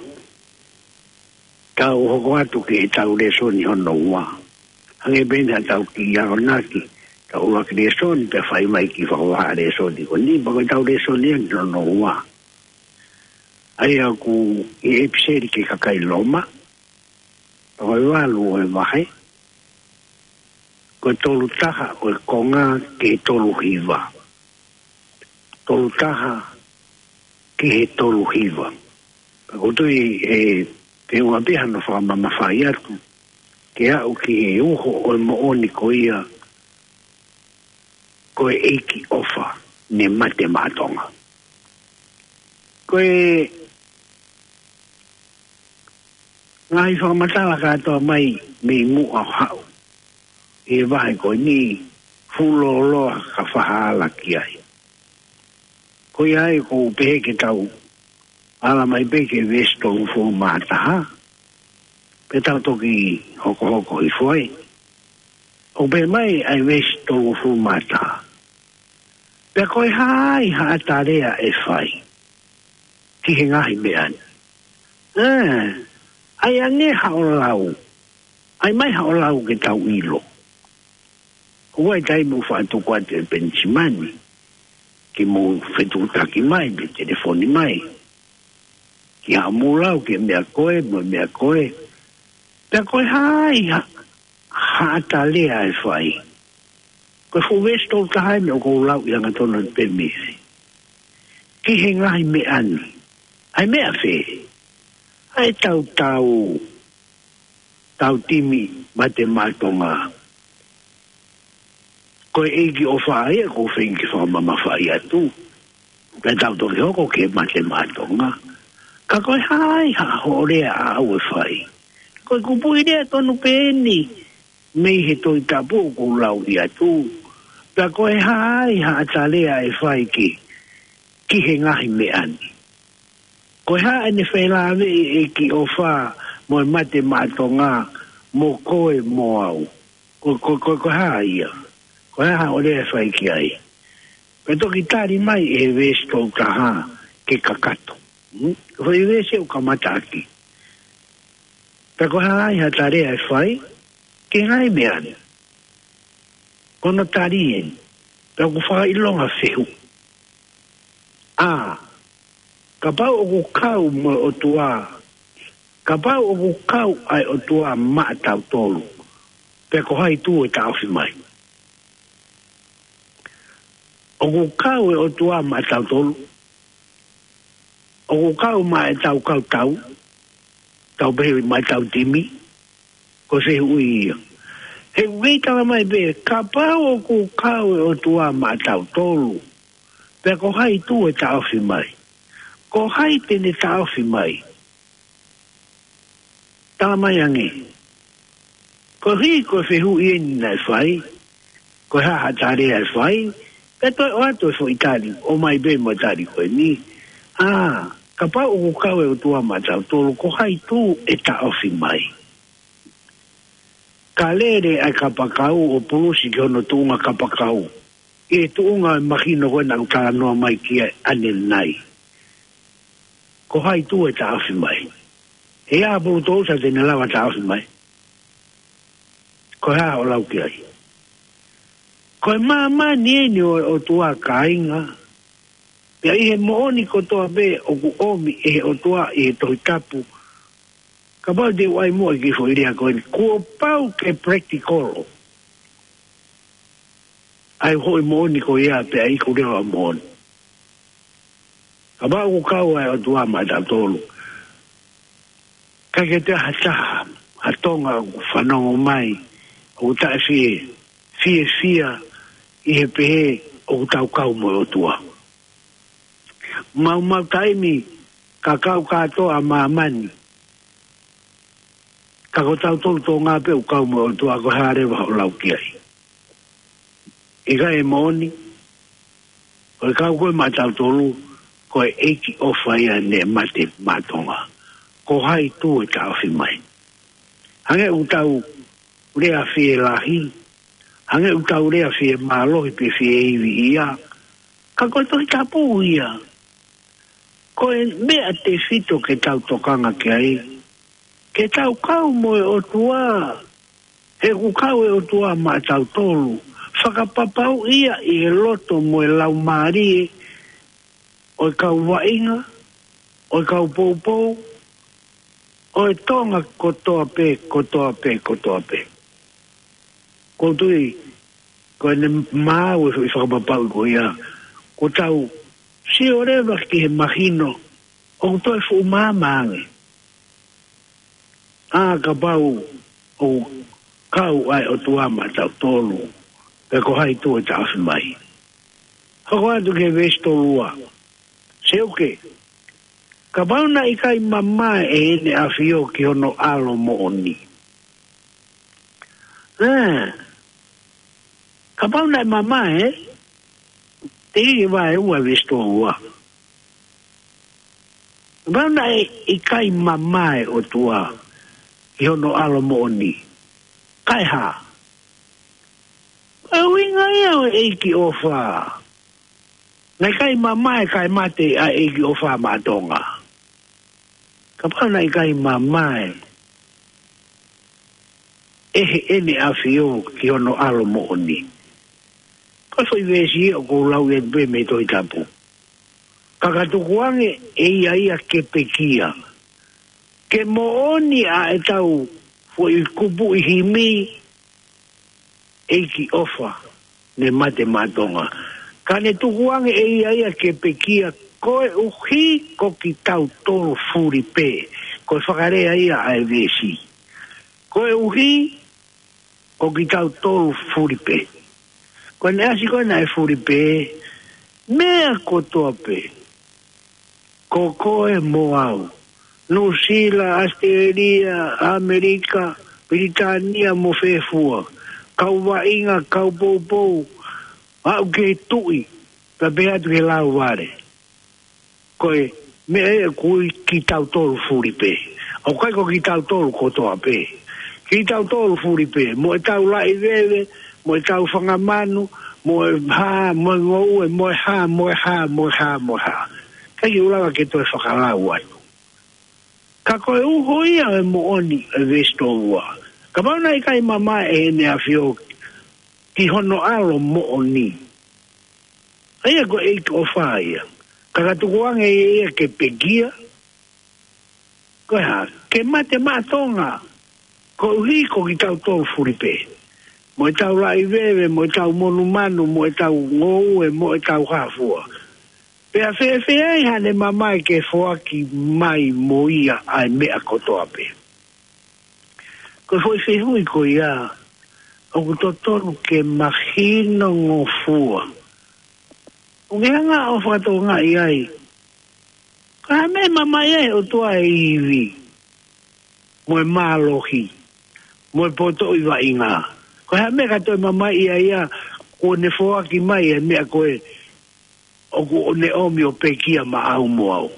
Tau hoko atu ki heʻetau lēsoni hono ua. Hangē pē naʻa tau kiʻi akonaki, tau ʻuluaki lēsoni pea fai mai ki he fakavahaʻa lēsoni ko eni, pea ko ʻetau lēsoni eni hono ua. ʻA ia ʻoku ʻi he ʻipiseli ki he kakai Loma, pea ko e valu ʻo e vahe, ko e tolu taha ʻo e konga ki he tolu hiva. Tolu taha ki he tolu hiva. Pea ʻoku ou tui ʻe feʻunga pē hano fakamamafaʻi atu, ke aʻu ki he uho ʻo e moʻoni ko ia, ko e ʻEiki ʻofa ne mate maʻa Tonga. Ko e ngaahi fakamatala kātoa mai mei muʻa ʻo haʻu ʻi he vahe ko eni, fuʻu lōloa ka fakahala ki ai. Ko ia ai ʻoku ou pehē ke tau ala mai pē ki he veesi tolungofulu mā taha, pea tau toki hokohoko hifo ai. ʻOku pehē mai ʻa e veesi tolungofulu mā taha: Pea ko e hā ai haʻata lea ʻe fai ki he ngaahi meʻa ni? ʻE, ʻai ange haʻo lau. ʻAi mai haʻo lau ke tau ʻilo. ʻOku ʻi ai e taimi ʻoku faʻa tuku atu ʻe Penisimani ke mou fetuʻutaki mai, pe telefoni mai, ki haʻamou lau ki he meʻa ko ē mo e meʻa ko ē. Pea ko e hā ai ha-, haʻata lea ʻe fai? Ko e fuʻu veesi tolu taha eni ʻoku ou lau ʻi hangatonu pē mei ai. Ki he ngaahi meʻa ni. ʻA e meʻa fē? ʻA e tau tau, tau timi mate maʻa Tonga. Ko e ʻEiki ʻofa ia ʻoku ou feinga ke fakamamafaʻi atu. Pea tau toki hoko ki he mate maʻa Tonga. Ka ko e hā ai haʻo lea ʻaʻau ʻe fai? Ko e kupuʻi lea tonu pē eni mei he Tohi Tapu ʻoku ou lau atu. Pea ko e hā ai haʻata lea ʻe fai ki, ki he ngaahi meʻa ni? Ko e hā ʻene felāveʻi e ʻEiki ʻofa mo e mate maʻa Tonga mo koe mo au? Ko, ko, ko, ko e hā ia? Ko e hā haʻo lea ʻe fai ki ai? Pea toki tali mai ʻe he veesi tolu taha ke kakato. Hmm? Ko e veesi ʻoku kamata ʻaki. Pea ko e hā ai haʻata lea ʻe fai ki he ngaahi meʻa ni? Ko hono tali eni, pea ʻoku fakaʻilonga fehuʻi. ʻA, kapau ʻoku kau mo e ʻOtua, kapau ʻoku kau ʻa e ʻOtua maʻatautolu, pea ko hai tuʻu ʻe taʻofi mai? ʻOku kau e ʻOtua maʻatautolu? ʻOku kau maʻa ʻetau kautau, tau pehē maʻa ʻetau timi? Ko e fehuʻi ia. He ʻoku kei tala mai pē, kapau ʻoku kau e ʻOtua maʻatautolu, pea ko hai tuʻu ʻe taʻofi mai? Ko hai te ne taʻofi mai? Tala mai ange. Koeʻuhi ko e fehuʻi eni naʻe fai, ko e hā haʻata lea ʻe fai, pea toe ʻoatu e foʻi tali, ʻomai pē mo e tali ko eni. ʻA, kapau ʻoku kau e ʻOtua maʻatautolu, ko hai tuʻu ʻe taʻofi mai? Ka lele ʻa e kapakau ʻo pulusi ki hono tuʻunga kapakau, ʻi he tuʻunga ʻo e mahino ko ē naʻa ku talanoa mai ki ai ʻanenai. Ko hai tuʻu ʻe taʻofi mai? He ʻa Pulutousa te ne lava taʻofi mai? Ko e hā hoʻo lau ki ai? Ko e māmani eni ʻo e ʻOtua, kāinga. Pea ʻi he moʻoni kotoa pē ʻoku ʻomi ʻe he ʻOtua ʻi he Tohi Tapu, kapau te u ʻai muʻa ki he foʻi lea ko eni, kuo pau ke practical ʻa e foʻi moʻoni ko ia pea iku leva ʻa moʻoni. Kapau ʻoku kau ʻa e ʻOtua maʻatautolu, ʻikai ke toe ʻi ai ha taha, ha Tonga ʻoku fanongo mai, ʻoku taʻefie, fiefia ʻi he pehē ʻoku tau kau mo e ʻOtua. Maumau taimi ka kau kātoa ʻa māmani, ka ko tautolu Tonga pē ʻoku kau mo e ʻOtua, ko e hā leva hoʻo lau ki ai? ʻIkai ʻe moʻoni? Ko e kau ko ē maʻatautolu, ko e ʻEiki ʻofa ia ne mate maʻa Tonga. Ko hai tuʻu ʻe taʻofi mai? Hangē ʻoku tau lea fielahi, hangē ʻoku tau lea fiemālohi pe fieivi ia, ka ko e Tohi Tapu ia. Ko e meʻa tefito ke tau tokanga ki ai, ke tau kau mo e ʻOtua, he ʻoku kau e ʻOtua maʻatautolu, fakapapauʻi ia ʻi he loto mo e laumālie ʻo e kau vaʻinga, ʻo e kau poupou, ʻo e Tonga kotoa pē, kotoa pē, kotoa pē. ʻOku ou tui, ko ʻene maau e foʻi fakapapau ko ia, ko ʻetau sio leva ki he mahino, ʻoku toe fuʻu maama ange. ʻA, kapau ʻoku kau ʻa e ʻOtua maʻatautolu, pe ko hai tuʻu ʻo taʻofi mai. Hoko atu ki he veesi tolu ua. Seuke, kapau naʻe ʻikai mamae ʻe heʻene ʻafio ki hono ʻAlo moʻoni. ʻE, kapau naʻe mamae, ē? Te ke vahe ua veesi tolu ua. Kapau naʻe ʻikai mamae ʻOtua ki hono ʻAlo moʻoni, kae hā? Ko e ʻuhinga ia ʻo e ʻEiki ʻofa. Naʻe ʻikai mamae kae mate ʻa e ʻEiki ʻofa maʻa Tonga. Kapau naʻe ʻikai mamae ʻe heʻene ʻafio ki hono ʻAlo moʻoni. Ko e foʻi veesi ia ʻoku ou lau atu pē mei he Tohi Tapu. Ka ka tukuange ʻe ia ia ke pekia. Ke moʻoni ʻa ʻetau foʻi kupuʻi himi, ʻEiki ʻofa, ne mate maʻa Tonga. Ka ne tukuange ʻe ia ia ke pekia koeʻuhi ko kitautolu fulipē. Ko e fakalea ia ʻa e veesi. Koeʻuhi ko kitautolu fulipē. Ko ʻene ʻasi ko ē naʻe fulipē, meʻa kotoa pē. Ko koe mo au. Nuʻusila, ʻAositelēlia, ʻAmelika, Pilitānia mo fē fua. Kau vaʻinga, kau poupou, aʻu ki he tuʻi, pea pehē atu ki he lauvale. Ko e meʻa ia ʻoku ui kitautolu fulipē. ʻOku ʻikai ko kitautolu kotoa pē. Kitautolu fulipē. Mo ʻetau laʻi veve, mo ʻetau fanga manu, mo e hā, mo e ngoue, mo e hā, mo e hā, mo e hā, mo e hā. ʻIkai ke u lava ke toe fakalau atu. Ka ko e uho ia e moʻoni e veesi tolu ua. Kapau naʻe ʻikai mamae ʻe heʻene ʻafio ki hono ʻAlo moʻoni. ʻA ia ko e ʻEiki ʻofa ia. Ka ka tukuange ia ia ke pekia. Ko e hā, ke mate maʻa Tonga. Koeʻuhi ko kitautolu fulipē. Mo ʻetau laʻi veve, mo ʻetau monumanu, mo ʻetau ngoue, mo ʻetau hā fua. Pea fēfē ai haʻane mamae ke foaki mai mo ia ʻa e meʻa kotoa pē. Ko e foʻi fehuʻi ko ia, ʻoku totonu ke mahino ngofua. ʻOku ke hanga ʻo fakatokangaʻi ai. Ko e hā e meʻa ʻe mamae ai ʻe he ʻOtua e ivi, mo e mālohi, mo e potoʻi vaʻinga. Ko e hā e meʻa ka toe mamae ai ia, kuo ne foaki mai e meʻa ko ē, ʻoku ne ʻomi ʻo pekia maʻau mo au.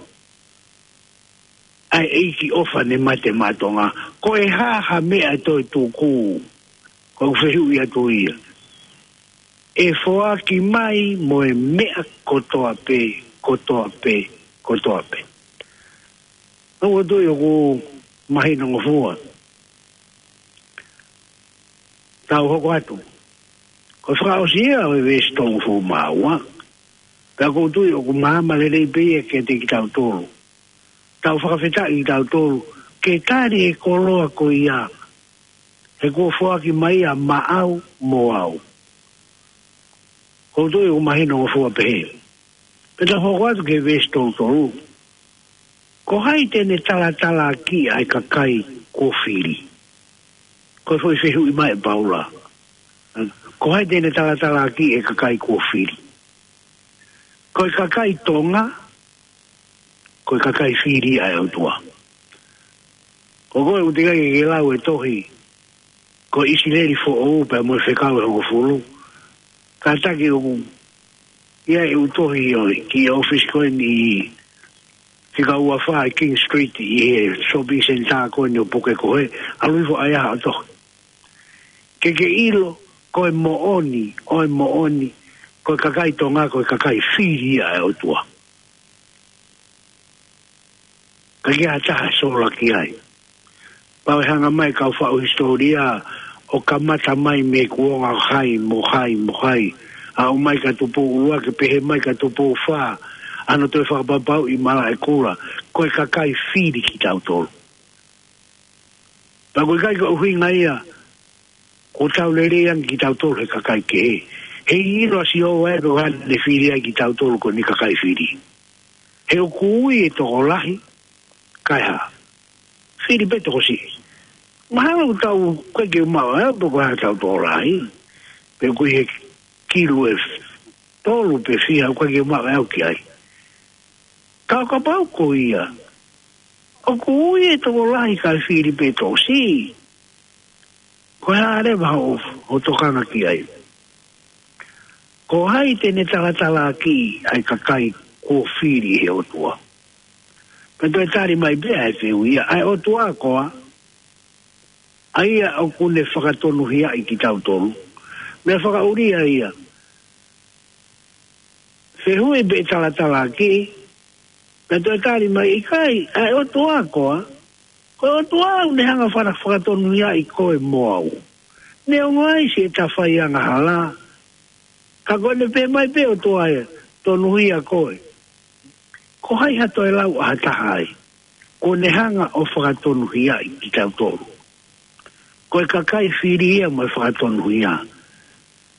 ʻA e ʻEiki ʻofa ne mate maʻa Tonga. Ko e hā ha meʻa ʻe toe tuku. Ko ʻeku fehuʻi atu ia. ʻE foaki mai mo e meʻa kotoa pē, kotoa pē, kotoa pē. ʻOku ou tui ʻoku mahino ngofua. Tau hoko atu. Ko e fakaʻosi ia ʻo e veesi tolungofulu mā ua. Pea ʻoku ou tui ʻoku maama lelei pē ia kiate kitautolu. Tau fakafetaʻi kitautolu ke tali e koloa ko ia. He kuo foaki mai ia maʻau mo au. ʻOku ou tui ʻoku mahino ngofua pehē. Pea tau hoko atu ki he veesi tolu tolu. Ko hai te ne talatalaaki ʻa e kakai kuo fili? Ko e foʻi fehuʻi mai ʻe Paula. Ko hai te ne talatalaaki ʻa e kakai kuo fili? Ko e kakai Tonga, ko e kakai fili ʻa e ʻOtua. Ko koe ʻoku teʻeki ke ke lau e tohi, ko ʻIsileli Foʻou pea mo e Fekau ʻe Hongofulu. Kātaki ʻoku ʻi ai e ʻū tohi ʻo e, ki he ʻōfisi ko eni ʻi Fika Ua Fā ʻi King Street ʻi he shopping centre ko eni ʻo puke ko ē, ʻalu hifo ʻai ʻa e tohi. Ke ke ʻilo, ko e moʻoni, ʻo e moʻoni, ko e kakai Tonga, ko e kakai fili ʻa e ʻOtua. Ka ʻikai ha taha ʻe sola ki ai. Pau ʻe hanga mai kau faʻu hisitōlia ʻo kamata mai mei he kuonga hai mo hai mo hai. Aʻu mai kia Tupou ʻUluaki, pehē mai kia Tupou Fā, ʻa hono toe fakapapauʻi ʻe Malaʻekula, ko e kakai fili kitautolu. Pea ʻoku ʻikai ko e ʻuhinga ia kuo tau lelei ange kitautolu he kakai kehe. He ʻilo ʻa Sihova ʻe pe ko e hā naʻa ne fili ai kitautolu ko ʻene kakai fili. He ʻoku ui e tokolahi, kae hā, fili pē tokosiʻi. Mahalo ʻoku tau, ʻoku ʻikai ke u maʻu ʻe au pe ko e hā ʻetau tokolahi. Pe ʻoku ʻi he kilu ʻe tolu pe fiha, ʻoku ʻikai ke u maʻu ʻe au ki ai. Ka ʻo kapau ko ia, ʻoku ui e tokolahi kae fili pē tokosiʻi, ko e hā leva hoʻo, hoʻo tokanga ki ai? Ko hai te ne talatalaakiʻi ʻa e kakai kuo fili ʻe he ʻOtua? Pea toe tali mai pē ʻa e fehuʻi ia, ʻa e ʻOtua koā, ʻa ia ʻoku ne fakatonuhiaʻi kitautolu? Meʻa fakaʻulia ia. Fehuʻi pe ʻe talatalaakiʻi, pea toe tali mai, ʻikai, ʻa e ʻOtua koā? Ko e ʻOtua ʻoku ne hanga fana fakatonuhiaʻi koe mo au. Neongo ʻa siʻeta fai angahala, ka ko ʻene pehē mai pē ʻOtua ʻe tonuhia koe. Ko hai ha toe lau ʻa ha taha ai? Kuo ne hanga ʻo fakatonuhiaʻi kitautolu. Ko e kakai fili ia mo e fakatonuhia.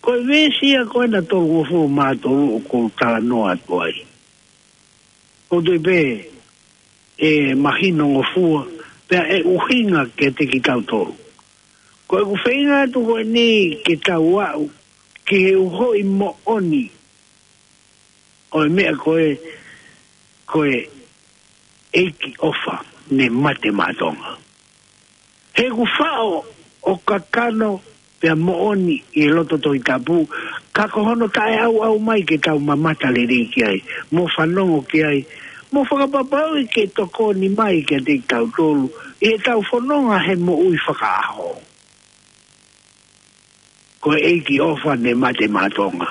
Ko e veesi ia ko ena tolungofulu mā tolu ʻoku ou talanoa atu ai. ʻOku ou tui pē ʻe mahinongofua, pea ʻe ʻuhinga kiate kitautolu. Ko ʻeku feinga atu ko eni ke tau aʻu ki he uhoʻi moʻoni ʻo e meʻa ko e, ko e ʻEiki ʻofa ne mate maʻa Tonga. He ʻoku faʻo ʻo kakano pea moʻoni ʻi he loto Tohi Tapu, ka ko hono taʻeʻauʻau mai ke tau mamata lelei ki ai, mo fanongo ki ai, mo fakapapauʻi ke tokoni mai kiate kitautolu ʻi heʻetau fononga he moʻui fakaʻaho. Ko e ʻEiki ʻofa ne mate maʻa Tonga.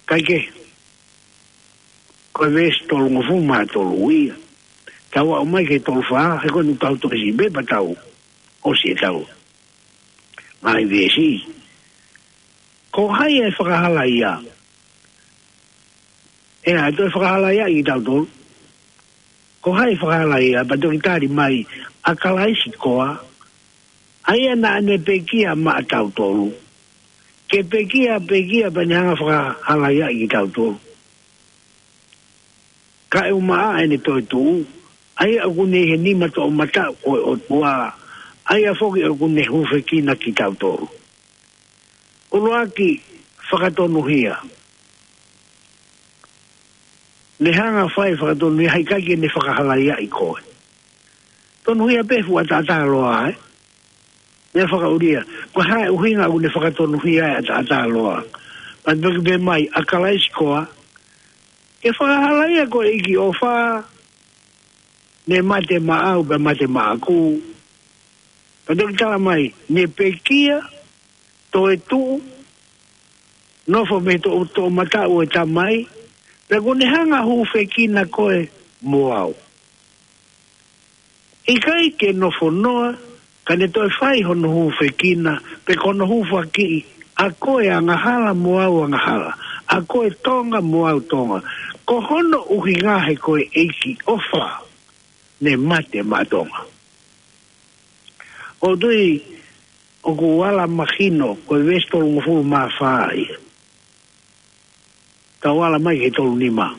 Kae kehe, ko e veesi tolungofulu mā tolu ia. Tau aʻu mai ki he tolu fā, he ko eni tau toki siʻi pē pea tau ʻosi ʻetau ngaahi veesi. Ko hai ʻe fakahalaia? ʻE, ʻa e toe fakahalaia ʻi tautolu. Ko hai ʻe fakahalaia? Pea toki tali mai, ʻa Kalaisi koā, ʻa ia naʻa ne pekia maʻa tautolu. Ke pekia, pekia pea ne hanga fakahalaia ʻi tautolu. Kae ʻumaʻā ʻene toetuʻu, ʻa ia ʻoku ne ʻi he nima toʻomataʻu ʻo e ʻOtua, ʻa ia foki ʻoku ne hūfekina kitautolu. ʻUluaki, fakatonuhia. Ne hanga fai fakatonuhia, ʻikai ke ne fakahalaiaʻi koe. Tonuhia pē fuʻu ʻataʻatā loa, ē? Meʻa fakaʻulia, ko e hā e ʻuhinga ʻoku ne fakatonuhia e ʻataʻatā loa? Pea toki pehē mai, ʻa Kalaisi koā, ke fakahalaia ko e ʻEiki ʻofa, ne mate maʻau pea mate maʻaku. Pea toki tala mai, ne pekia, toetuʻu, nofo mei he toʻo, toʻomataʻu ʻo e Tamai, pea kuo ne hanga hūfekina koe mo au. ʻIkai ke nofo noa, ka ne toe fai hono hūfekina, pe ko hono hūfakiʻi, ʻa koe angahala mo au angahala, ʻa koe Tonga mo au Tonga. Ko hono ʻuhinga he ko e ʻEiki ʻofa ne mate maʻa Tonga. ʻOku ou tui ʻoku ala mahino, ko e veesi tolungofulu mā fā ia. Tau ala mai ki he tolu nima.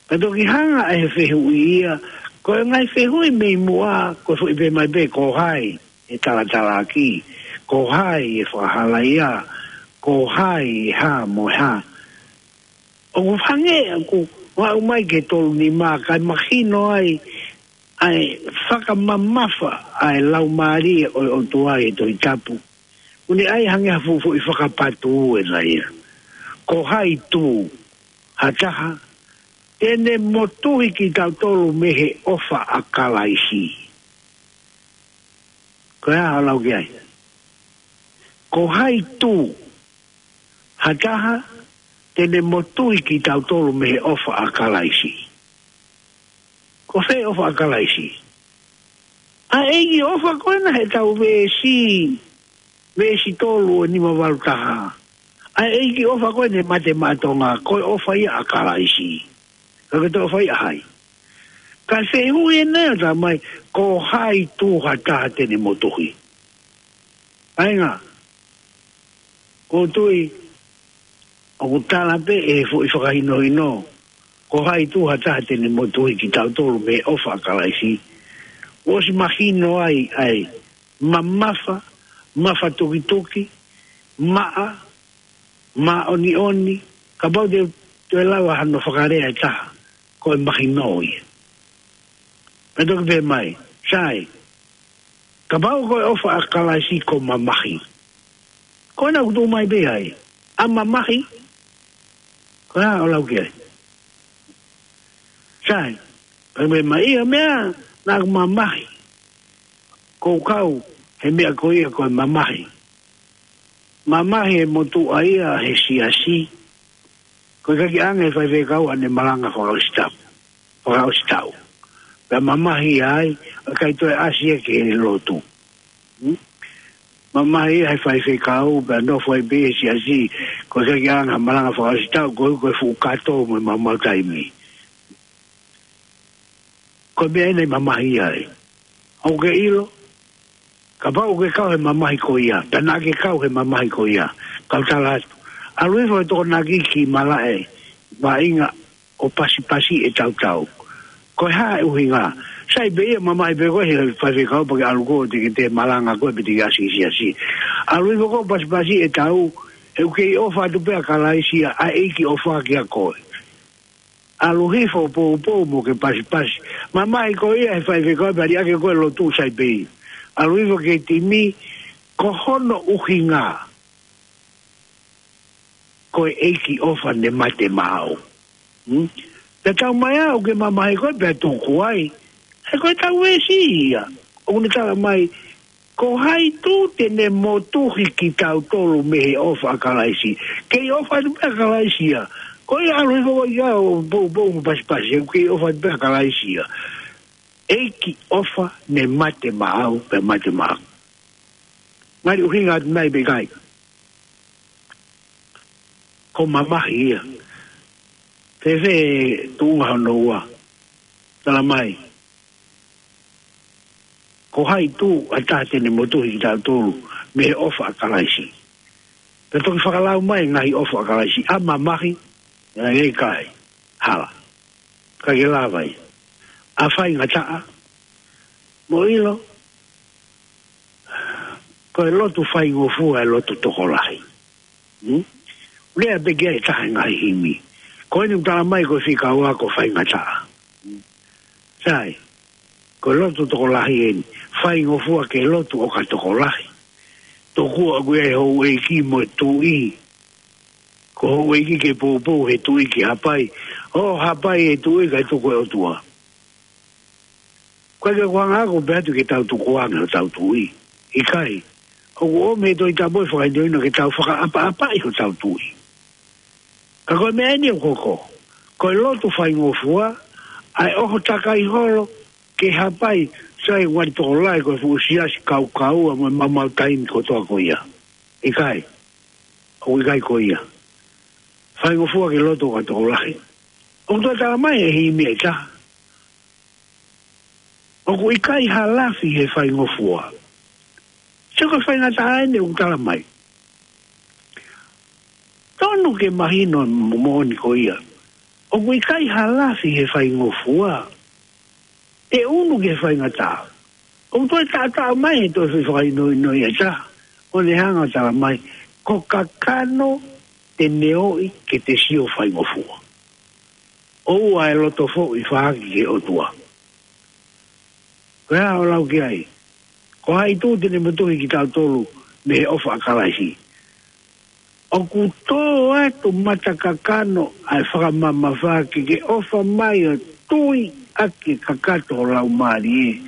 Ka toki hanga ʻe he fehuʻi ia, ko e ngaahi fehuʻi mei muʻa, ko e foʻi pehē mai pē, ko hai ʻe talatalaakiʻi, ko hai ʻe fakahalaia, ko hai ʻe hā mo e hā. ʻOku hangē ʻoku aʻu mai ki he tolu nima kae mahino ai ʻa e fakamamafa ʻa e Laumālie ʻo e ʻOtua ʻi he Tohi Tapu. ʻOku ne ʻai hangē ha fuʻu foʻi fakapatu ʻena ia. Ko hai tū ha taha te ne motuhi kitautolu mei he ʻofa ʻa Kalaisi? Ko e hā hoʻo lau ki ai? Ko hai tū ha taha te ne motuhi kitautolu mei he ʻofa ʻa Kalaisi? Ko fē ʻofa ʻa Kalaisi? ʻA e ʻEiki ʻofa ko ena he tau veesi, veesi tolu ʻo e nima valu taha. ʻA e ʻEiki ʻofa ko ena ne mate maʻa Tonga, ko e ʻofa ia ʻa Kalaisi. Ka ke toe ʻofa ia hai? Ka se hui ena ʻo talamai, ko hai tū ha taha te ne motuhi. Kāinga, ʻoku ou tui, ʻoku tala pē ʻe he foʻi fakahinohino, ko hai tū ha taha te ne motuhi kitautolu mei he ʻofa ʻa Kalaisi. ʻOsi mahino ai, ai, mamafa, mafatukituki, maʻa, māʻoniʻoni, kapau te, te lava hano fakalea ʻe taha, ko e mahino ia. Pea toki pehē mai, sai, kapau ko e ʻofa ʻa Kalaisi ko mamahi. Ko ena ʻoku tuʻu mai pē ai, ʻa mamahi, ko e hā ʻoku lau ki ai? Sai, pea pehē mai ia meʻa, naʻa ku mamahi. Ko u kau, he meʻa ko ia ko e mamahi. Mamahi e motuʻa ia he siasi. Ko e ʻikai ke ʻange faifekau ʻene malanga fakaʻosi taʻu. Fakaʻosi taʻu. Pea mamahi ai, ʻikai toe ʻasi ia ki he lotu. Hmm? Mamahi ia he faifekau, pea nofo ai pē he siasi. Ko e ʻikai ke ʻange ha malanga fakaʻosi taʻu, ko e, ko e fuʻu kato mo e maumau taimi. Ko e meʻa ena ʻi mamahi ai. ʻOku ke ʻilo, kapau ʻoku ke kau he mamahi ko ia, pea naʻa ke kau he mamahi ko ia, kau tala atu. ʻAlu hifo he Tokonaki ki malaʻe, vaʻinga ʻo pasipasi e tautau. Ko e hā e ʻuhinga? Sai pē ia mamahi pē koe he faifekau pea ke ʻalu koe ʻo te ke te malanga koe pe te ke ʻasi ki he siasi. ʻAlu hifo koe ʻo pasipasi e tau, he ʻoku kei ʻofa atu pē ʻa Kalaisi ia, ʻa e ʻEiki ʻofa kia koe. ʻAlu hifo poupou mo ke pasipasi. Mamahi ko ia he faifekau pea liʻaki koe lotu sai pē ia. ʻAlu hifo ki he timi, ko hono ʻuhinga, ko e ʻEiki ʻofa ne mate maʻau. Hmm? Pea tau mai ʻoku ke mamahi koe pea tuku ai. He ko e tau veesi ia. ʻOku ne tala mai, ko hai tū te ne motuhi kitautolu mei he ʻofa ʻa Kalaisi. Kei ʻofa atu pē ʻa Kalaisi ia. Ko ia ʻalu hifo ia ʻo poupou mo pasipasi, he kei ʻofa atu pē ʻa Kalaisi ia. ʻEiki ʻofa ne mate maʻau, pea mate maʻau. Ngali ʻuhinga atu nai pe ʻikai? Ko mamahi ia. Fēfē tuʻunga hono ua? Tala mai, ko hai tū ha taha te ne motuhi kitautolu mei he ʻofa ʻa Kalaisi. Pea toki fakalau mai ngaahi ʻofa ʻa Kalaisi, ʻa mamahi, ʻa e ʻikai, hala. ʻIkai ke lava ia. ʻA faingataʻa, mou ʻilo, ko e lotu faingofua e lotu tokolahi. Hmm? Lea pē ki ai ʻe taha e ngaahi himi. Ko eni ʻoku tala mai ko e fika ua ko faingataʻa. Hmm? Sai, ko e lotu tokolahi eni. Faingofua ke lotu ʻo ka tokolahi. Tokua ʻoku ʻi ai e houʻeiki mo e tuʻi. Ko e houʻeiki ke poupou he tuʻi ke hapai. ʻO hapai e tuʻi kae tuku e ʻOtua. Ko e ke kuanga ako pē atu ke tau tukuange hotau tuʻi. ʻIkai. ʻOku ʻomi he Tohi Tapu e fakahinohino ke tau fakaʻapaʻapaʻi hotau tuʻi. Ka ko e meʻa eni ʻoku hoko. Ko e lotu faingofua, ʻa e ʻoho takai holo, ke hapai, sai ngali tokolahi ko e fuʻu siasi kaukaua mo e maumau taimi kotoa ko ia. ʻIkai. ʻOku ʻikai ko ia. Faingofua ke lotu ʻo ka tokolahi. ʻOku toe tala mai he himi ʻe taha, ʻoku ʻikai ha lafi he faingofua. Sai ko e faingataʻa eni ʻoku tala mai. Tonu ke mahino mo-, moʻoni ko ia. ʻOku ʻikai ha lafi he faingofua. Te unu ke faingataʻa. ʻOku toe taʻataʻa mai he toe fakahinohino ia ʻe taha. ʻO ne hanga ʻo tala mai, ko kakano te ne ō ke te sio faingofua. ʻOua ʻe loto foʻi faʻaki ki he ʻOtua. Ko e hā hoʻo lau ki ai? Ko hai tū te ne motuhi kitautolu mei he ʻofa ʻa Kalaisi. ʻOku tō atu mata kakano ʻa e fakamamafa ke ke ʻofa mai ʻo tui ʻaki e kakato ho laumālie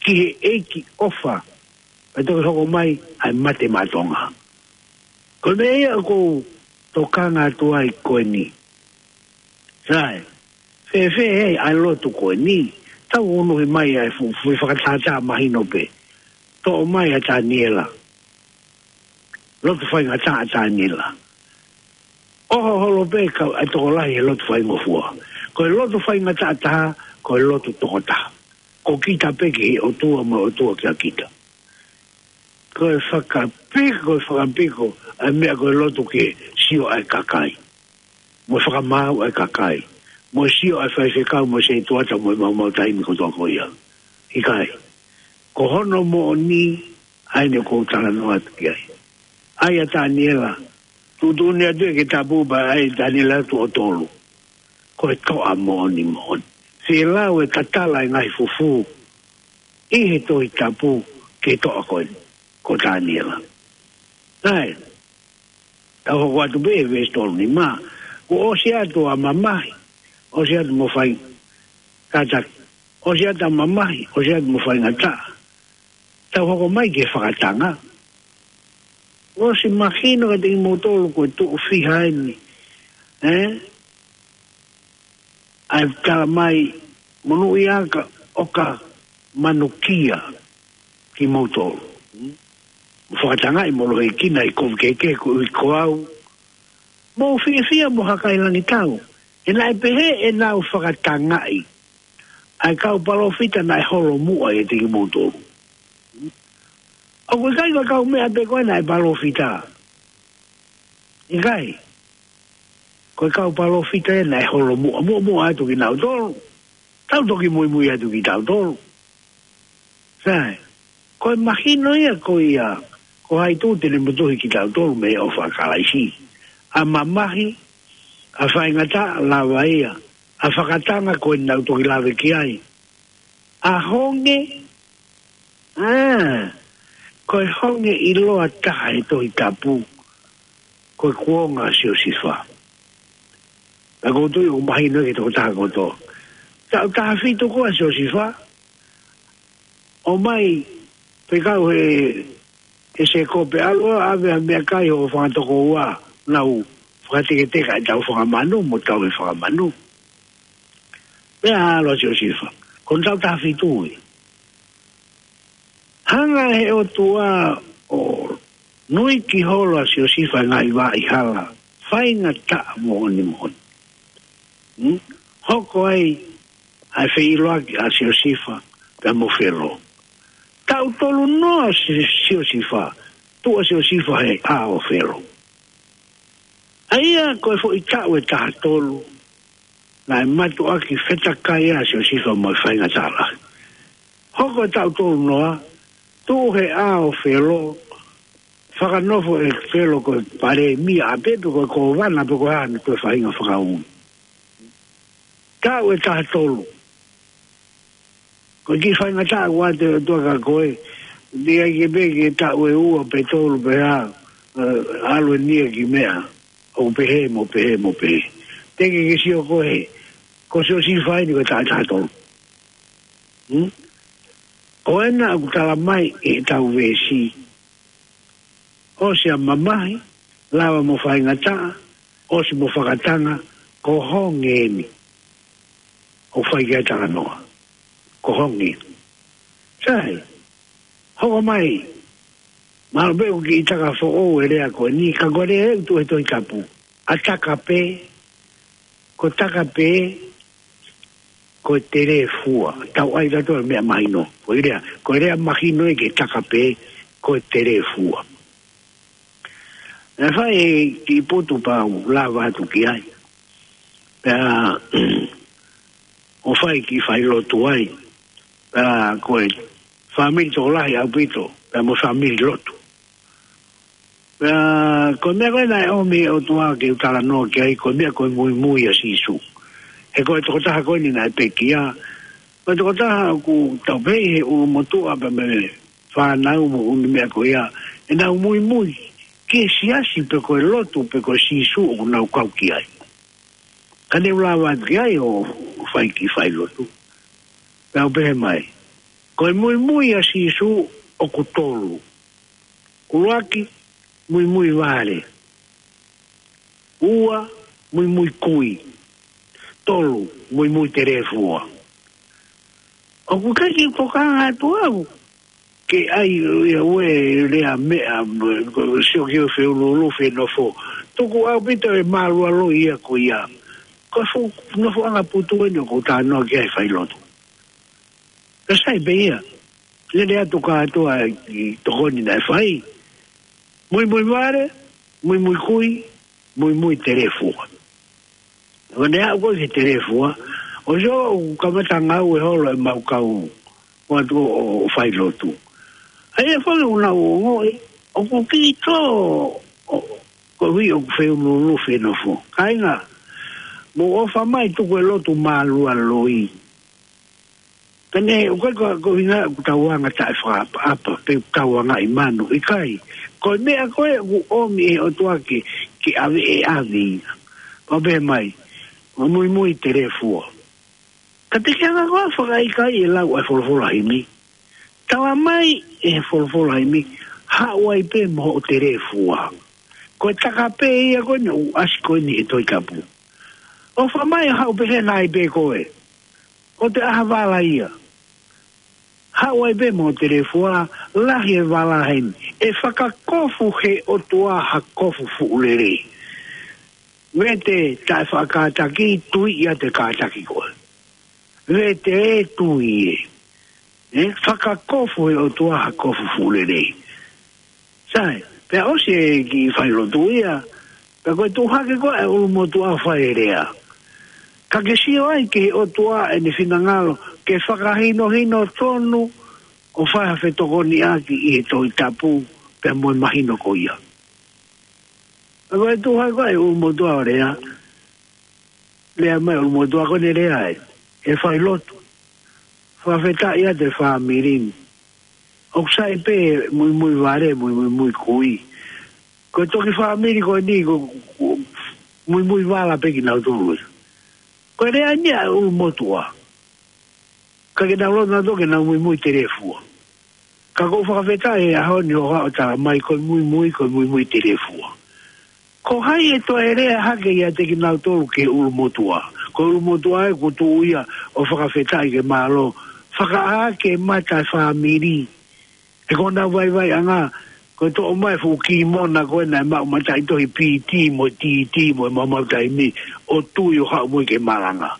ki he ʻEiki ʻofa. Pea toki hoko mai ʻa e mate maʻa Tonga. Ko e meʻa ia ʻoku ou tokanga atu ai ko eni. Sai, fēfē ʻa e lotu ko eni? Tau unuhi mai ʻa e fu-, fu-, fakatātā mahino pē. Toʻo mai ʻa Taniela. Lotu faingataʻa ʻa Taniela. ʻOho holo pē ka ʻa e tokolahi he lotu faingofua. Ko e lotu faingataʻa taha, ko e lotu tokotaha. Ko kita pē ki he ʻOtua mo e ʻOtua kia kita. Ko e fakapiko, ko e fakapiko, ʻa e meʻa ko e lotu ke sio ʻa e kakai. Mo e fakamaau ʻa e kakai. Mo e sio ʻa e faifekau, mo e setuata, mo e maumau taimi kotoa ko ia. ʻIkai. Ko hono moʻoni, ʻa eni ʻoku ou talanoa atu ki ai. ʻAi ʻa Taniela, tuʻutuʻuni atu ʻe ke tapu pea ʻai ʻa Taniela tuʻo tolu. Ko e toʻa moʻoni moʻoni. Fie lau e tatala e ngaahi fufū ʻi he Tohi Tapu ki he toʻa ko eni, ko Taniela. Naʻe, tau hoko atu pē he veesi tolu nima. Kuo ʻosi atu ʻa mamahi, ʻosi atu mo fai, kātaki, ʻosi atu ʻa mamahi, ʻosi atu mo faingataʻa. Tau hoko mai ki he fakatanga. ʻOsi mahino kiate kimoutolu ko e tuʻu fiha eni. ʻE? ʻAi tala mai monūʻia ka ʻoka manukia kimoutolu. Mo fakatangaʻi mo lohikina ʻi kovi kehekehe ko ui ko au. Mou fiefia mo hakailangitau. ʻE naʻe pehē ʻenau fakatangaʻi ʻa e kau palōfita naʻe holomuʻa ʻiate kimoutolu. ʻOku ʻikai ko e kau meʻa pē ko ē naʻe palōfita. ʻIkai. Ko e kau palōfita ē naʻe holomuʻa, muʻomuʻa atu kinautolu. Tau toki muimui atu kitautolu. Sai. Ko e mahino ia ko ia, ko hai tū te ne motuhi kitautolu mei he ʻofa ʻa Kalaisi. ʻA mamahi, ʻa faingataʻa lava ia, ʻa fakatanga ko ē naʻa ku toki lave ki ai. ʻA honge, ʻa, ko e honge ʻiloa taha he Tohi Tapu, ko e kuonga ʻa Siosifa. Naʻa ku tui ʻoku mahino ki he tokotaha kotoa. Taʻu taha fitu ko ē ʻa Siosifa, ʻomai, fekau he, he Sēkope ʻalu ʻo ʻave ʻa e meʻakai ʻo e fanga tokoua, nau fakateketeka ʻetau fanga manu, mo tau he fanga manu. Pea ʻalu ʻa Siosifa, ko e taʻu taha fitu ē. Hanga he ʻOtua ʻo nuiki holo ʻa Siosifa he ngaahi vaʻa hala, faingataʻa moʻoni moʻoni. Hmm? Hoko ai ʻa e feʻiloaki ʻa Siosifa pea mo Felo. Taʻu tolu noa ʻa Si-, Siosifa, tuʻu ʻa Siosifa he ʻao ʻo Felo. ʻA ia ko e foʻi taʻu ʻe taha tolu, naʻe mātuʻaki fetakai ʻa Siosifa mo e faingataʻa lahi. Hoko e taʻu tolu noa, tuʻu he ʻao ʻo Felo, fakanofo ʻe Felo ko e palēmia ʻa pē pe ko e kōvana pe ko e hā ʻene toe faʻahinga fakaui. Taʻu ʻe taha tolu. Ko e kiʻi faingataʻa ʻoku ʻoatu ʻe he ʻOtua kia koe, ʻe ʻai ke pē ke taʻu ʻe ua pe tolu pe hā, ʻe, ʻalu eni ia ki meʻa, ʻo pehē mo pehē mo pehē. Te ke ke sio koe, ko Siosifa eni ko e taʻu ʻe taha tolu. Hmm? Ko ena ʻoku tala mai ʻe he taʻu veesi. ʻOsi ʻa mamahi, lava mo faingataʻa, ʻosi mo fakatanga, ko honge eni. ʻOku fai ki ai e talanoa. Ko honge. Sai, hoko mai, mahalo pē ʻoku kiʻi taka foʻou e lea ko eni, ka ko e lea ʻoku tuʻu he Tohi Tapu. ʻA taka pē, ko taka pē, ko e telefua. Tau ʻai tautolu e meʻa mahino. Ko e lea, ko e lea mahino ē ke taka pē, ko e telefua. ʻE fai e kiʻi putu pea u lava atu ki ai. Pea, ʻo fai kiʻi failotu ai. Pea ko e fāmili tokolahi ʻaupito, pea mo e fāmili lotu. Pea, ko e meʻa ko ē naʻe ʻomi ʻe he ʻOtua ke u talanoa ki ai, ko e meʻa ko e muimui ʻa Sīsū. He ko e tokotaha ko eni naʻe pekia. Ko e tokotaha ʻoku tau pehē ʻi he ʻulumotuʻa pea mo e fānau mo e ʻū meʻa ko ia. ʻEnau muimui ki he siasi pe ko e lotu pe ko Sīsū ʻoku nau kau ki ai. Ka ne u lava atu ki ai ʻo fai kiʻi failotu. Pea u pehē mai. Ko e muimui ʻa Sīsū ʻoku tolu. ʻUluaki, muimui vale. Ua, muimui kui. Tolu, muimui telefua. ʻOku ʻikai ke u tokanga atu au ke ʻai ia ʻo lea meʻa, ko e sio ki he feuluulufi e nofo. Tuku ʻaupito e mālualoi ia ko ia. Ko e fuʻu nofoʻanga putu eni ʻoku ou talanoa ki ai, failotu. Ka sai pē ia. Lele atu kātoa ʻi he tokoni naʻe fai. Muimui vale, muimui kui, muimui telefua. ʻO ne aʻu ko ē ki he telefua, ʻosi ʻoku kamata ngāue holo ʻemau kau ʻoatu ʻo, ʻo failotu. ʻA ia foki ʻoku nau ongoʻi, ʻoku kiʻi tō, ʻo, koeʻuhi ʻoku feuluulufi e nofo. Kāinga, mou ʻofa mai tuku e lotu mālualoi. Pea neʻe ʻikai ko, ko e ʻuhinga ʻoku tau anga taʻefakaʻapaʻapa, pe ʻoku tau anga ʻi manu, ʻikai. Ko e meʻa ko ē ʻoku ʻomi ʻe he ʻOtua ke, ke ʻave ʻe ʻave ia. Pea pehē mai, ʻo muimui telefua. Ka te ke hanga koā ʻo fakaʻikaiʻi e lau ʻa e folofola himi. Talamai ʻe he folofola himi, haʻu ai pē mo hoʻo telefua. Ko e taka pē ia ko eni ʻoku ʻasi ko eni he Tohi Tapu. ʻOfa mai ʻo haʻu pē he naʻe pē ko ē. ʻO te ʻaha vala ia. Haʻu ai pē mo hoʻo telefua, lahi e vala heni. ʻE fakakofu he ʻOtua ha kofu fuʻu lelei. Vete taʻefakakātaki, tui ia te kātaki koe. Vete ē, tui ē. ʻE fakakofu he ʻOtua ha kofu fuʻu lelei. Sai, pea ʻosi e kiʻi failotu ia, pea ko e tuʻu hake ko ē ʻa e ʻulumotuʻa ʻo fai e lea. Ka ke sio ai ki he ʻOtua ʻene finangalo, ke fakahinohino tonu ʻo fai ha fetokoniʻaki ʻi he Tohi Tapu, pea mo e mahino ko ia. Pea ko e tuʻu hake ko ē ʻa e ʻulumotuʻa ʻo lea, lea mai ʻulumotuʻa ko eni lea ai, ʻe failotu. Fakafetaʻi atu e fāmili ni. ʻOku sai pē muimui vale, muimui kui. Ko e toki fāmili ko eni ko, ko muimui vala pē kinautolu ia. Ko e lea eni ʻa e ʻulumotuʻa. Ka ke nau loto nautolu ke nau muimui telefua. Ka ʻoku ou fakafetaʻi he ʻaho ni hoʻo talamai ko e muimui, ko e muimui telefua. Ko hai ʻe toe lea hake ʻiate kinautolu ki he ʻulumotuʻa? Ko e ʻulumotuʻa ē kuo tuʻu ia ʻo fakafetaʻi ke mālō. Fakaʻā ke mata e fāmili. He ko honau vaivaiʻanga, ko e toʻo mai e fuʻu kimona ko ē naʻe maʻu mataʻitohi P T mo e T T mo e maumau taimi, ʻo tui ʻo haʻu mo ia ke malanga.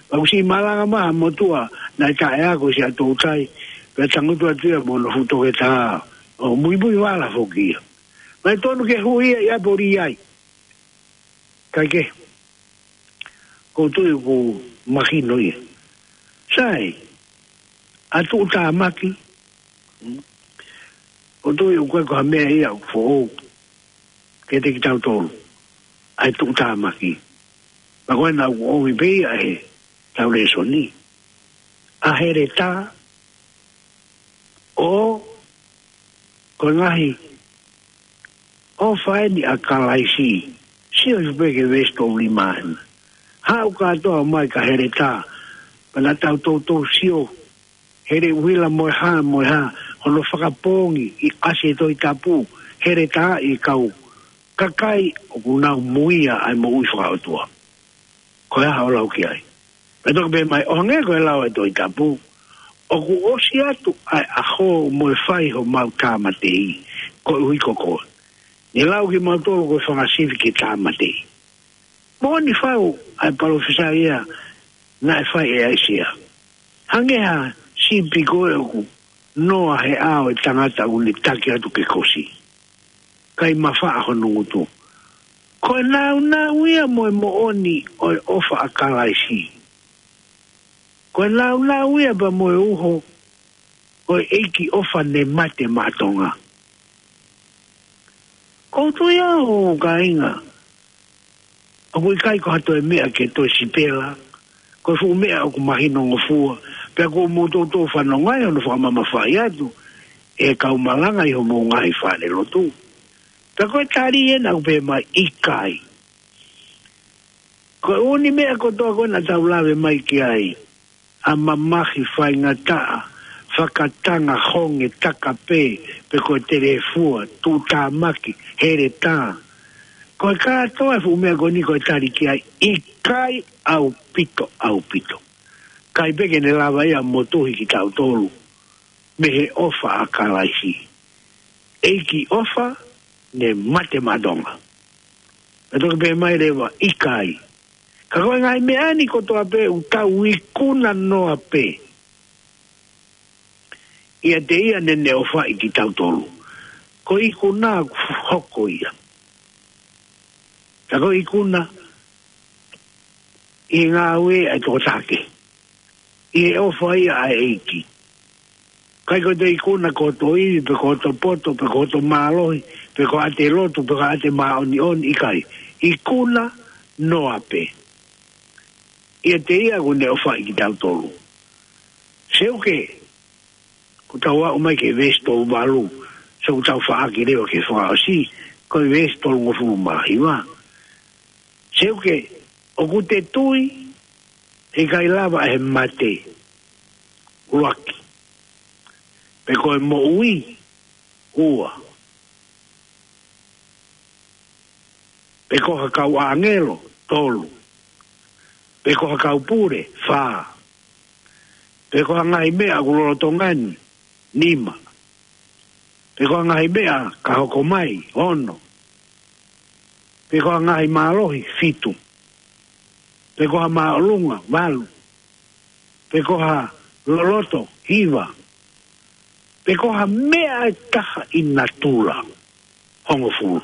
Pea kuo ʻosi malanga mai ha motuʻa naʻe taʻeako ʻi Siaʻatoutai, pea tangutu atu ia mo hono fuʻu toketā, ʻo muimui vala foki ia. Naʻe tonu ke hui ia ʻi ʻApelī ai. Kae kehe, ʻoku ou tui ʻoku mahino ia. Sai, ʻa e tuʻutāmaki, ʻoku ou tui ʻoku ʻikai ko ha meʻa ia ʻoku foʻou kiate kitautolu, ʻa e tuʻutāmaki. Pea ko ena ʻoku ʻomi pē ia ʻe heʻetau lēsoni. ʻA e heletā, ʻo ko e ngaahi ʻofa eni ʻa Kalaisi. Sio hifo pē ki he veesi tolu nima ena. Haʻu kātoa mai ki he heletā, pea naʻa tau toutou sio, hele ʻuhila mo e hā, mo e hā, hono fakapoongi ʻi he ʻasi e Tohi Tapu, heletā ʻi he kau kakai ʻoku nau muia ʻa e moʻui fakaʻotua. Ko e hā hoʻo lau ki ai? Pea toki pehē mai, ʻo hangē ko e lau ʻa e Tohi Tapu, ʻoku ʻosi atu ʻa e ʻaho mo e fai homau tāmateʻi, koeʻuhi ko koe. Ne lau kimautolu ko e fanga sivi ke tāmateʻi. Moʻoni fau ʻa e palōfisai ia naʻe fai ʻe ʻAisea. Hangē ha sipi ko ē ʻoku noa he ʻao ʻo e tangata ʻoku ne taki atu ke kosi, kae mafaʻa hono ngutu. Ko e nāunau ia mo e moʻoni ʻo e ʻofa ʻa Kalaisi. Ko e nāunau ia pea mo e uho ʻo e ʻEiki ʻofa ne mate maʻa Tonga. ʻOku ou tui au, kāinga, ʻoku ʻikai ko ha toe meʻa ke toe sipela, ko e fuʻu meʻa ʻoku mahinongofua, pea kuo mou toutou fanongo ai hono fakamamafaʻi atu ʻe he kau malanga ʻi homou ngaahi fale lotu. Pea ko e tali ena ʻoku pehē mai ʻikai. Ko e ʻū meʻa kotoa ko ē naʻa tau lave mai ki ai, ʻa e mamahi, faingataʻa, fakatanga, honge, taka pē, pe ko e telefua, tuʻutāmaki, heletā. Ko e kātoa e fuʻu meʻa ko eni ko e tali ki ai, ʻikai ʻaupito, ʻaupito. ʻIkai pē ke ne lava ia ʻo motuhi kitautolu mei he ʻofa ʻa Kalaisi. ʻEiki ʻofa, ne mate maʻa Tonga. Naʻe toki pehē mai leva, ʻikai. Ka ko e ngaahi meʻa ni kotoa pē ʻoku tau ikuna noa pē ʻiate ia naʻa ne ʻofaʻi kitautolu. Ko e ikuna ʻoku hoko ia. Ka ko e ikuna ʻi he ngāue ʻa e tokotaha kehe. ʻI he ʻofa ia ʻa e ʻEiki. ʻIkai ko e ikuna ko hoto ivi, pe ko hoto poto, pe ko hoto mālohi, pe ko haʻate lotu, pe ko haʻate māʻoniʻoni, ʻikai. Ikuna noa pē ʻiate ia ʻoku ne ʻofaʻi kitautolu. Seuke, ʻoku tau aʻu mai ki he veesi tolu valu, seuke tau faʻaki leva ki he fakaʻosi, ko e veesi tolungofulu mā hiva. Seuke, ʻoku te tui, ʻe ʻikai lava ʻe he mate, ʻuluaki. Pe ko e moʻui, ua. Pe ko ha kau ʻāngelo, tolu. Pe ko ha kau pule, fā. Pe ko ha ngaahi meʻa ʻoku lolotonga ni, nima. Pe ko ha ngaahi meʻa ka hoko mai, ono. Pe ko ha ngaahi mālohi, fitu. Pe ko ha māʻolunga, valu. Pe ko ha loloto, hiva. Pe ko ha meʻa ʻe taha ʻi natula, hongofulu.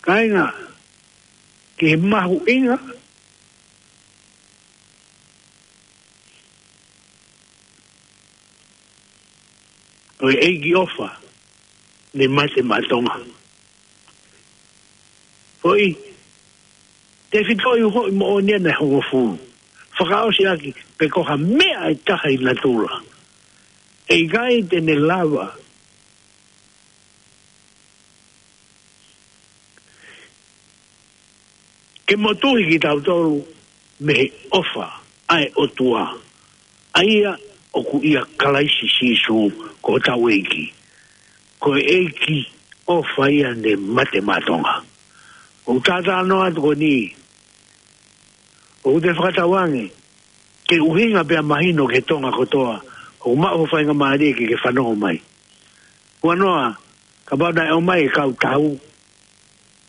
Kāinga, ki he mahuʻinga ʻo e ʻEiki ʻofa, ne mate maʻa Tonga. Foʻi, tefitoʻi uhoʻi moʻoni ʻa e hongofulu. Fakaʻosi ʻaki, pe ko ha meʻa ʻe taha ʻi natula, ʻe ʻikai te ne lava ke motuhi kitautolu mei he ʻofa ʻa e ʻOtua, ʻa ia ʻoku ʻia Kalaisi Sīsū ko hotau ʻEiki. Ko e ʻEiki ʻofa ia ne mate maʻa Tonga. ʻOku ou talanoa atu ko eni, ʻoku te fakatauange ke ʻuhinga pea mahino ki he Tonga kotoa ʻoku maʻu ho faingamālie ke ke fanongo mai. Huanoa, kapau naʻe ʻomai e kau tau,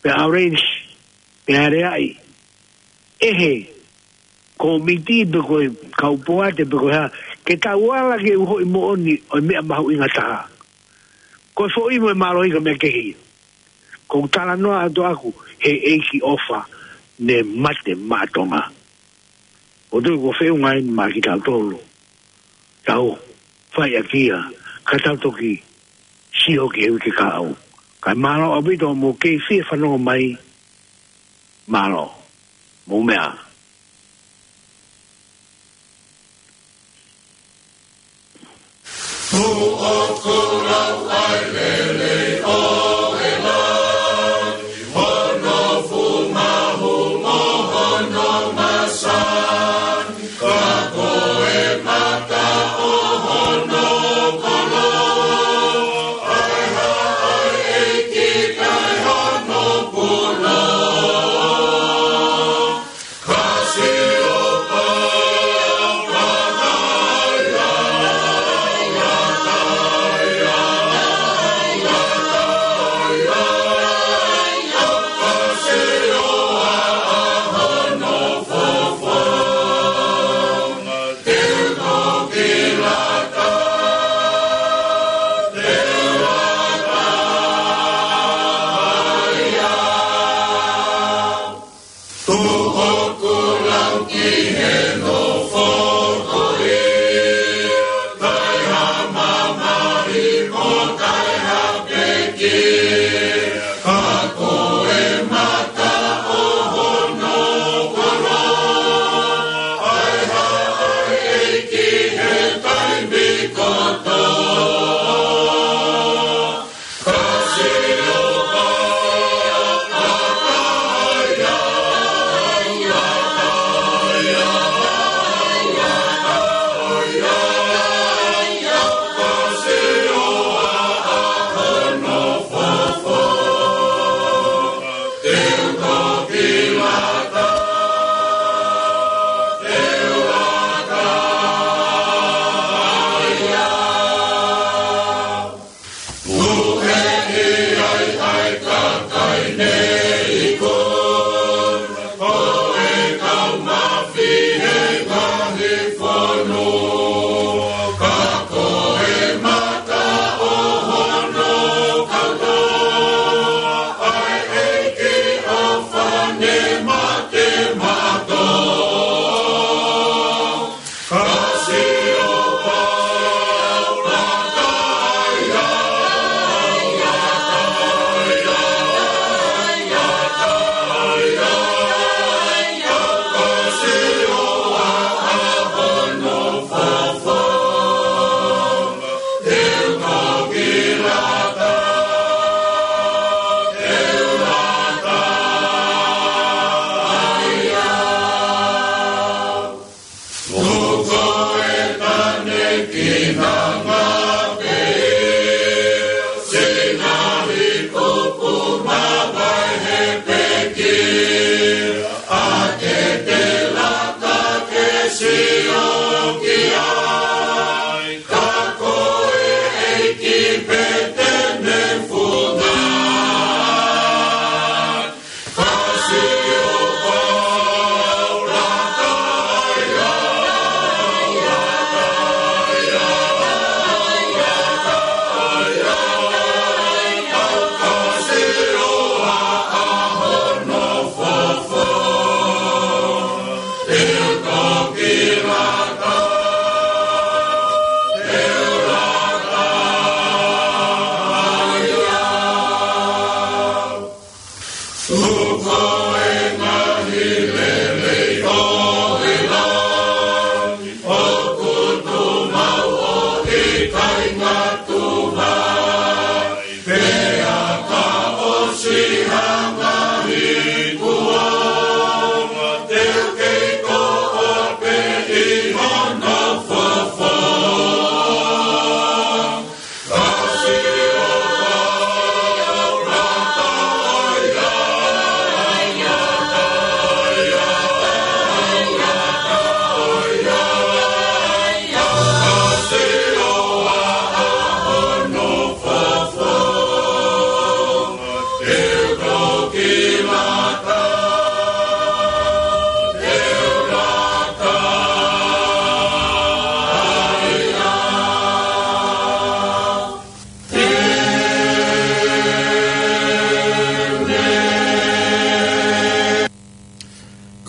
pe ʻaolenisi, pe aleaʻi, ʻe he kōmiti pe ko e kau poate pe ko e hā, ke tau ala ke uhoʻi moʻoni ʻo e meʻa mahuʻinga taha. Ko e foʻi mo e mālohi ka meʻa kehe ia. ʻOku ou talanoa atu ʻaʻaku he ʻEiki ʻofa ne mate maʻa Tonga. ʻOku ou tui ko e feʻunga eni maʻa kitautolu. Tau fai ʻaki ia, ka tau toki sio ki he uike kahaʻu. Kae mālō ʻaupito hoʻomou kei fie fanongo mai, mālō. Mou meʻa.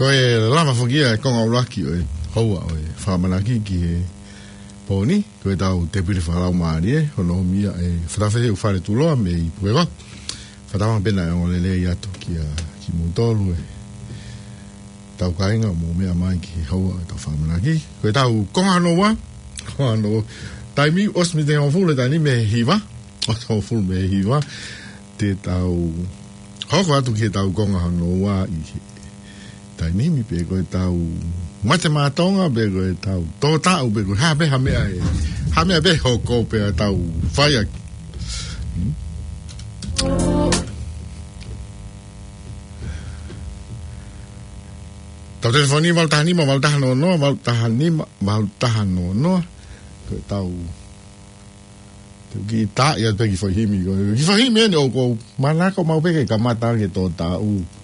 Ko e lava foki ia e konga ʻuluaki ʻo e houa ʻo e fakamanaki ki he pō ni, ko ʻetau tēpile fakalaumālie, hono ʻomi ia ʻe Fatafehe ʻUfaletuloa mei Pukekohe. Fakatauange pē naʻe ongo lelei atu kia kimoutolu ʻetau kāinga ʻoku mou meʻa mai ki he houa ʻo ʻetau fakamanaki. Ko ʻetau konga hono ua, konga hono ua. Taimi ʻosi mei he hongofulu he taimi ni mei he hiva, ʻosi hongofulu mei he hiva. Te tau hoko atu ki heʻetau konga hono ua ʻi he taimi ni, pe ko ʻetau mate maʻa Tonga, pe ko ʻetau tō taʻu, pe ko e hā pē ha meʻa ʻe, ha meʻa pē ʻe hoko pea tau fai ʻaki. Hmm? Tau telefoni valu taha nima, valu taha noa noa, valu taha nima, valu taha noa noa. Ko ʻetau Te u kiʻi tā ia pē ki he foʻi himi ko ē. Ki he foʻi himi eni ʻoku ou manako maʻu pē ke kamata ke tō taʻu.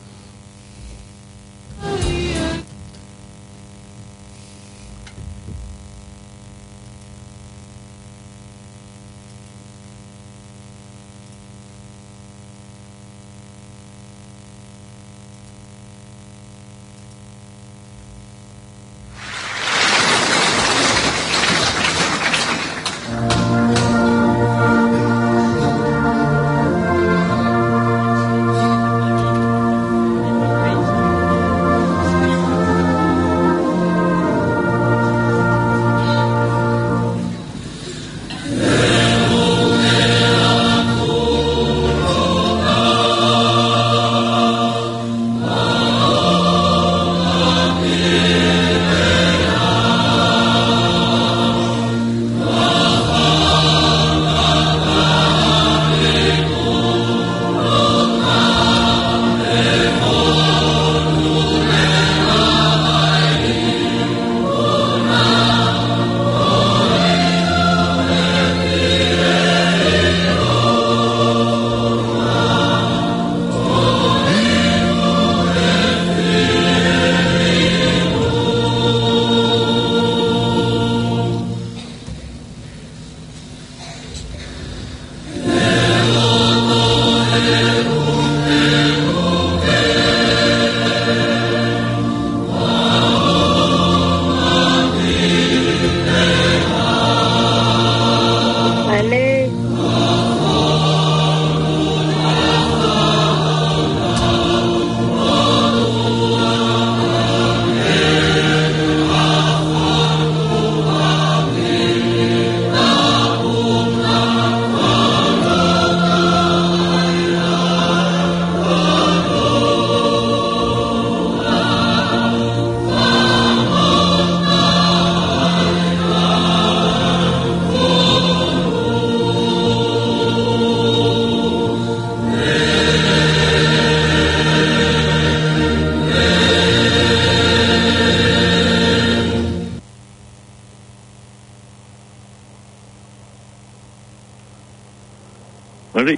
Mālō.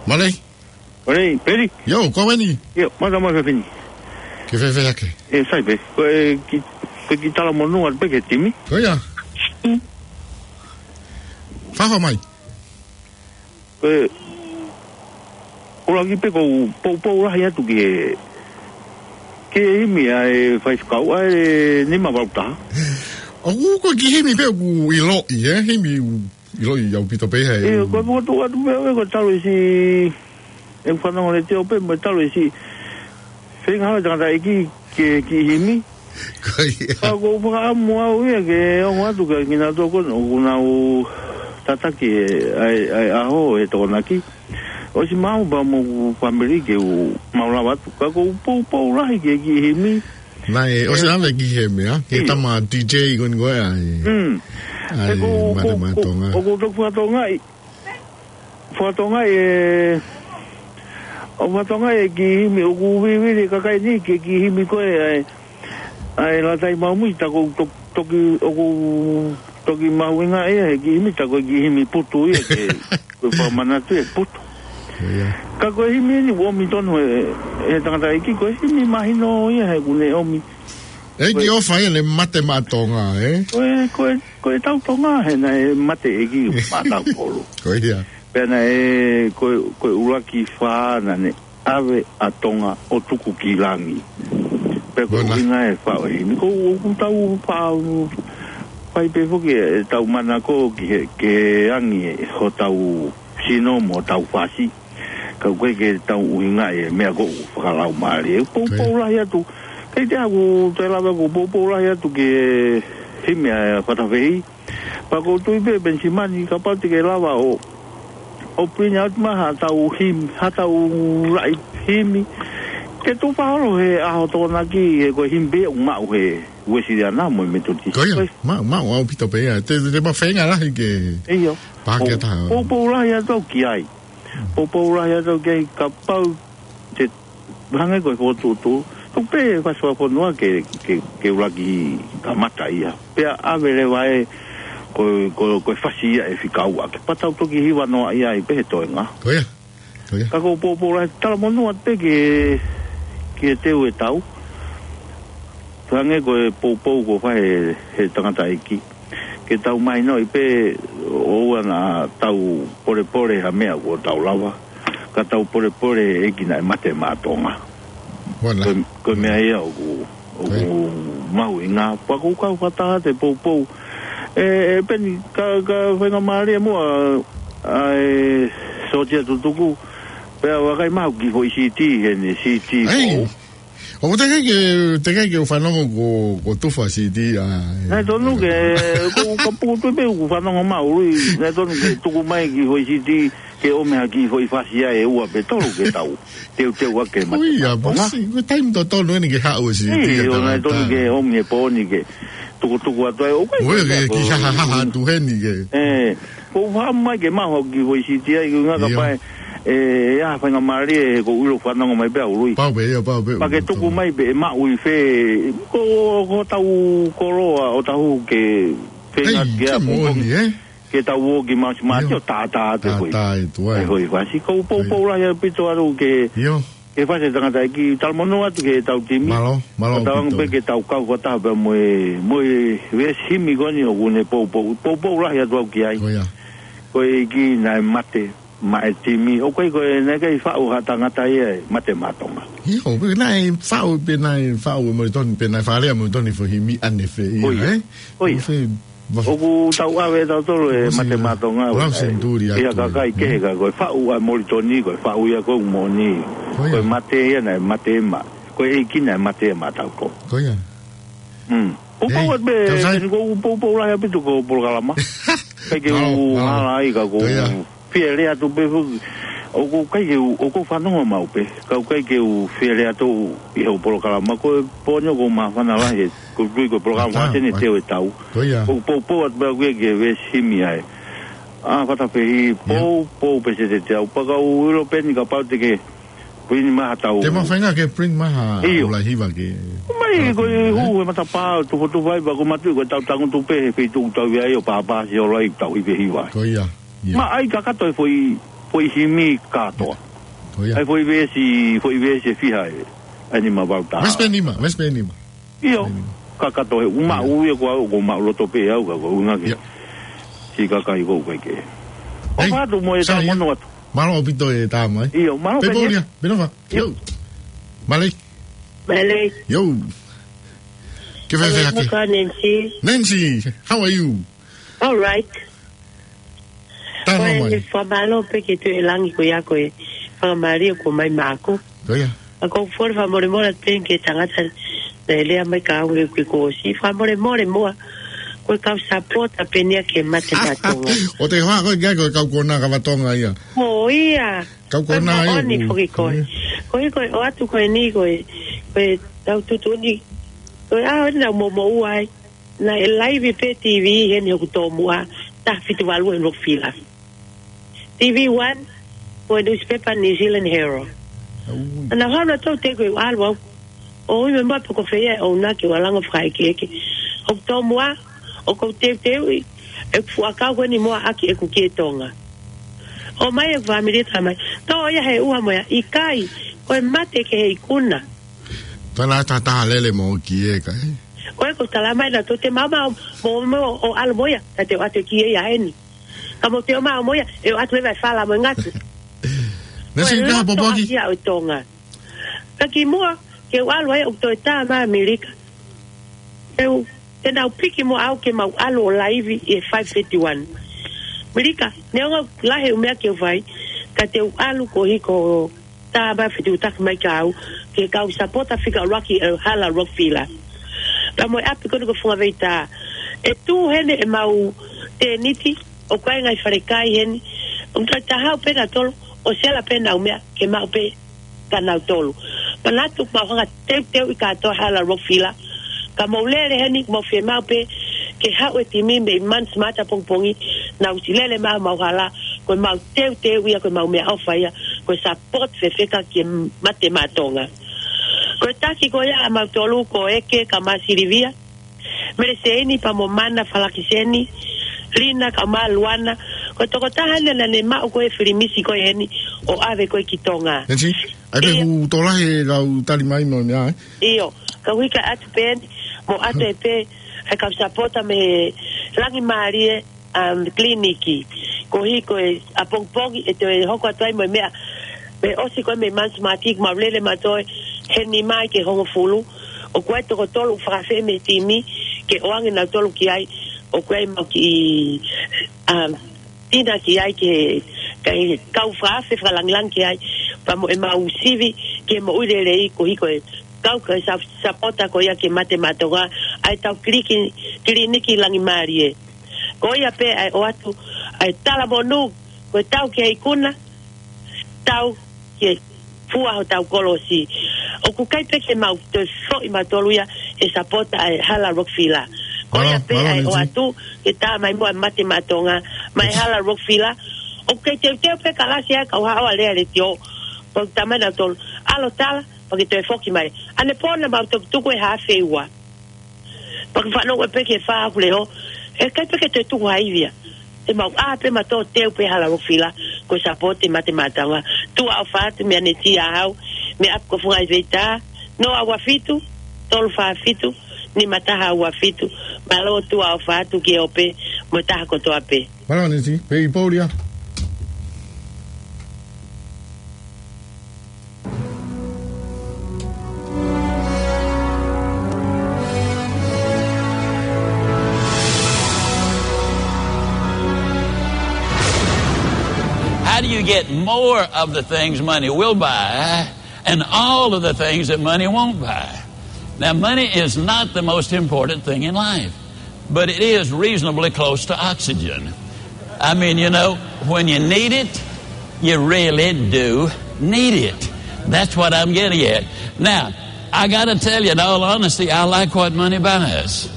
Mālō. Mālō, Peli. ʻIo, ko eni. ʻIo, mālō, mālō, Peli. Ke fēfē hake? ʻE, sai pē. Ko e ki-, ko e kiʻi talamonū atu pē ki he timi. Ko ia. Mm. Fakahā mai. Ko e, ʻuluaki pē ʻoku ou poupou lahi atu ki he, ki he himi ʻa e faifekau ʻa e nima valu taha. ʻOku ko e kiʻi himi pē ʻoku ʻiloʻi, ē? Himi ʻoku ʻiloʻi ʻaupito pē ia, ē? ʻIo, ko e fokotuʻu atu pē, ʻe, ko e talu ʻe siʻi, ʻe fanongo le teo pē, mo e talu ʻe siʻi feinga ʻa e tangataʻeiki ke, ke kiʻi himi. Ko ia. Ka ʻoku ou fakaʻamu au ia ke ongo atu kia kinautolu ko ē ʻoku nau tataki ʻa e, ʻa e ʻaho ʻo e Tokonaki. ʻOsi maʻu pea mo hoku fāmili ke u, mau lava atu. Ka ʻoku ou poupou lahi ki he kiʻi himi. Naʻe, ʻosi ʻave ki he meʻa, ki he, ʻio, tama D J ko eni ko ē ʻa e, mm, ʻa e, ʻe, ko, mate ko, maʻa ko, Tonga. ʻOku ou toki fakatokangaʻi, fakatokangaʻi ʻe, ʻoku fakatokangaʻi e kiʻi himi ʻoku vivili e kakai ni ki he kiʻi himi ko ē ʻa e, ʻa e Lātai Maumui, tā ko e to-, toki, ʻoku toki mahuʻinga ia he kiʻi himi, tā ko e kiʻi himi putu ia ke, ko e fakamanatu e putu. Ko ia. Ka ko e himi eni ʻoku ʻomi tonu ʻe, ʻe he tangataʻeiki, ko e himi mahino ia he ʻoku ne ʻomi. ʻE, ko e kiʻi ʻofa ia ne mate maʻa Tonga, ē? Ko e, ko e, ko e tau Tonga he naʻe mate ʻeiki maʻa tautolu. Ko ia. Pea naʻe, ko e, ko e ʻuluaki fā naʻa ne ʻave ʻa Tonga ʻo tuku ki langi. Pea ko e ʻuhinga e faʻo himi. Ko ʻoku tau faʻa fai pē foki e tau manako ki he, ke angi e hotau sino mo hotau fasi. Ka ʻoku ʻikai ke tau ʻuhinga e meʻa ko ʻoku fakalaumālie. Poupou lahi atu. Kei te aku te lava ko poupou lahi atu ke himi a fatafehi. Pea ko tui pē Penisimani kapau te ke lava ʻo, ʻo print out mai ha tau himi, ha tau laʻi himi. Ke tu faholo he ʻaho Tokonaki he ko e himi pē ʻoku maʻu he Uesiliana mo e Metotisi. Ko ia, maʻu, maʻu ʻaupito pē ia. Te, te mafenga lahi ke pake taha. Poupou lahi atu ki ai. Poupou lahi atu ki ai kapau te hangē ko e fokotuʻutuʻu. Tuku pē fasi fakafonua ke, ke, ke ulaki kamata ia. Pea ʻave leva e ko, ko, ko e fasi ia e fika ua. Ke patau toki hiva noa ia i pē he toenga. Ko ia. Ko ia. Ka ko poupou lahi talamonū atu pē ke, ke teu e tau. Hangē ko e poupou ko fai he, he tangataʻeiki. Ke tau mahinoʻi pē ʻoua naʻa tau polepole ha meʻa kuo tau lava. Ka tau polepole e ʻEiki naʻe mate maʻa Tonga. Ko, ko e meʻa ia ʻoku, ʻoku mahuʻinga. Pea ʻoku kau fakataha te poupou. E, e Peni, ka, ka faingamālie muʻa, ʻa e sōtia tutuku. Pea vakai mau ki foʻi siti, heni siti. ʻOku teʻeki ke, teʻeki ke u fanongo ko, ko tufa siti a. Naʻe tonu ke, ko ka putu pē u fanongo mau, lui. Naʻe tonu ke tuku mai ki foʻi siti, ke ʻomi ha ki foʻi fasi a e ua pe tolu ke tau. Teuteu ake mate. Ui, a bosi, ko e taimi totonu eni ke haʻu e siti. ʻIo, naʻe tonu ke ʻomi e pōni ke tukutuku atu ai. ʻOku ʻikai ke ki hahahaha atu heni ke. Ko u faʻa mai ke maho ki foʻi siti ai, ko ngā kapai, e, e aha faingamālie he ko u ʻilo fanongo mai pē au lui. Pau pē, ia pau pē. Pea ke tuku mai pē e maʻu i fē, ko, ko tau koloa ʻo tahu ke fenga ki a pōngi. Ke tau ō ki Mausi Māti ʻo tātā atu e foʻi. Tātā atu ai. E foʻi fasi, ko u poupou lahi ʻaupito atu ke. Ke fasi e tangataʻeiki talamonū atu ke tau timi. Mālō, mālō ʻaupito. Pē ke tau kau fakataha pea mo e, mo e veesi himi ko eni ʻoku ne poupou, poupou lahi atu au ki ai. Ko ia. Ko e ʻEiki naʻe mate maʻa e timi. ʻOku ʻikai ko e naʻe ʻikai faʻu ha tangata ia e mate maʻa Tonga. ʻIo, pē naʻe faʻu, pē naʻe faʻu e Molitoni, pē naʻe fakalea Molitoni foʻi himi ʻanefē ia, ē? Ko ia. ʻOku tau ʻave tautolu e mate maʻa Tonga. Lau senituli atu. Ia kakai kehe ka ko e faʻu ʻa Molitoni, ko e faʻu ia ko moʻoni. Ko e mate ia naʻe mate maʻa. Ko e ʻEiki naʻe mate maʻa tautolu. Ko ia. Mm. Poupou atu pē, ko u poupou lahi ʻaupito ko polokalama. Pea ke u hala ai ka ko u fie lea atu pē foki. ʻOku ʻikai ke u, ʻoku ou fanongo mau pē. Ka ʻoku ʻikai ke u fie lea atu ʻi hoʻo polokalama ko e pōni ʻoku ou māfana lahi. Ko tui ko e polokalama ʻa tene teu e tau. Ko u poupou atu pē au ki he veesi himi ai. ʻA fatafehi, poupou pē se te te au. Pea ka u ʻilo pē ni kapau te ke print mai ha tau. Te mau fainga ke print mai ha ula hiva ke. Mai ko e hū e matapā, tufotufa ai pea ko matu ko e tau tangutu pē he feituʻu tau ia ʻo pāpā si ola i tau hiva hiva. Ko ia. Maʻa ai kakato e foʻi, foʻi himi kātoa. Ko ia. Ai foʻi veesi, foʻi veesi e fiha e. Ai nima vau tā. Veesi pē nima, veesi pē nima. ʻIo, kakato he u maʻu ia ko au, ko maʻu loto pē au ka ko u ngake. Ia. Si kakai ko u kai ke. ʻOfa atu mo e tau mono atu. Mālō ʻaupito e tā mai. ʻIo, mālō pē. Pea pōlia, pē nova. ʻIo. Mālō. Mālō. ʻIo. Ke fēfē hake? Nancy. Nancy, how are you? All right. Tano mai. Ko e fakamālō pē ki he Tuʻi ʻo Langi ko ia ko e fakamālō kuo ʻomai maʻaku. Ko ia. ʻA ko u fole fakamolemole pē ki he tangata naʻe lea mai ka au ke kuo ʻosi. Fakamolemole muʻa. Ko e kau sapota pē nia ke mate maʻa Tonga. ʻO te hoa ko e kia ko e kau kona kava Tonga ia. Ko ia. Kau kona ia. Ko e moʻoni foki ko e. Ko e ko e ʻoatu ko eni ko e. Ko e tau tuʻutuʻuni. Ko e ʻaho eni naʻa mo mo uai. Naʻe laivi pē TV heni hoku tōmuʻa, taha fitu valu heni hoku fila. TV One, ko e newspaper New Zealand Herald. Ana hana tau te ko e ʻalu au. ʻO ui me mape ko fea ʻo na ke ua lango fakaekeeke. Hoku tōmuʻa, ʻoku ou teuteuʻi, ʻeku fuʻu ʻakau ko eni muʻa ʻaki ʻeku kie Tonga. ʻOmai ʻeku fāmili tā mai. Tō ia he ua mo ia, ʻikai, ko e mate ke he ikuna. Tana tata lele mo ki e ka, ē? Ko e ko tala mai na to te mama mo, mo, ʻo ʻalu mo ia, ta te ʻoatu ki e ia eni. Ka mo te o ma mo ia, e ʻoatu e vai fala mo e ngatu. Ko e loto ʻaʻaku ia ʻo Tonga. Ka kimuʻa ke u ʻalu ai ʻoku toe tā mai ʻAmelika. Te u, te nau piki muʻa au ke mau ʻalu ʻo laivi ʻi he five fifty-one. ʻAmelika, neongo lahi e meʻa ke u fai, ka te u ʻalu koeʻuhi ko e tā mai fetuʻutaki mai kia au, ke kau sapota fika ʻuluaki ʻa e Hala Rockville. Pea mo e ʻapi ko eni ko Funga Veita. ʻE tuʻu heni ʻemau tēniti, ʻoku ʻi ai e ngaahi falekai heni, ʻoku tau haʻu pē nautolu, ʻo sela pē ʻenau meʻa, ke maʻu pē kia nautolu. Manatu mau hanga teuteuʻi kātoa Hala Rockville, ka mau lele heni, mau fiemaʻu pē, ke haʻu e timi mei Manu Mahuta ʻapongipongi, nau ʻosi lele mai homau hala, ko ʻemau teuteu ia, ko ʻemau meʻaʻofa ia, ko e support fefeka ki he Mate Maʻa Tonga. Ko e taki ko ia ʻamautolu, ko ʻEke kae ʻumaʻā Silivia, Mele Seini pea mo Mana Falakiseni, Lina kae ʻumaʻā Luana, ko e tokotaha naʻa ne maʻu ko e filimisi ko eni ʻo ʻave ko ē ki Tonga. Eti, ʻai pē ʻIo. Hu tolahi e kau tali mai mo e meʻa, ē? ʻIo, ka u hika atu pē eni, mo ʻoatu ē pē, ʻa e kau sapota mei he Langimālie, um, Kiliniki. Koeʻuhi ko e ʻapongipongi ʻe toe hoko atu ai mo e meʻa. Mei he ʻosi ko ē mei Manu Mahuta, mau lele mautolu heni mai ki he hongofulu. ʻOku ʻi ai e toko tolu ʻoku fakafeʻao mei he timi, ke ʻoange nautolu ki ai, ʻoku ʻi ai ʻemau kiʻi, um, tina ki ai ke, ke kau fakaafe fakalangilangi ki ai, pea mo ʻemau sivi ki he moʻui lelei koeʻuhi ko e kau ka sa-, sapota ko ia ki he Mate Maʻa Tonga, ʻa ʻetau kiliki-, kiliniki Langimālie. Ko ia pē ʻa e ʻoatu, ʻa e talamonū, ko e tau ki he ikuna, tau ki he fua hotau kolosi. ʻOku ʻikai pē ke mau toe foʻi mautolu ia he sapota ʻa e Hala Rockville. Ko ia pē ʻa e ʻoatu, ke tā mai muʻa e Mate Maʻa Tonga, mei he Hala Rockville. ʻOku kei teuteu pē kalasi ʻa e kau haʻo ʻa Lea Letiō. Pea tā mai nautolu, ʻalu ʻo tala, pea ke toe foki mai. ʻAnepō naʻa mau tukutuku e haafe ua. Pea ke fanongo pē ki he fā ʻaku leʻo. ʻE ʻikai pē ke toe tuku ha ivi ia. ʻE mau ʻā pē mautolu ʻo teu pē Hala Rockville, ko e support e Mate Maʻa Tonga. Tuʻa ʻofa atu mei Aneti Ahau, mei ʻapi ko Funga Veita, noa ua fitu, tolu fā fitu, nima taha ua fitu. Mālō, tuʻa ʻofa atu ki he ope mo e taha kotoa pē. Mālō Aneti, pea ʻi Pōlia. How do you get more of the things money will buy and all of the things that money won't buy? Now, money is not the most important thing in life, but it is reasonably close to oxygen. I mean, you know, when you need it, you really do need it. That's what I'm getting at. Now, I gotta tell you, in all honesty, I like what money buys.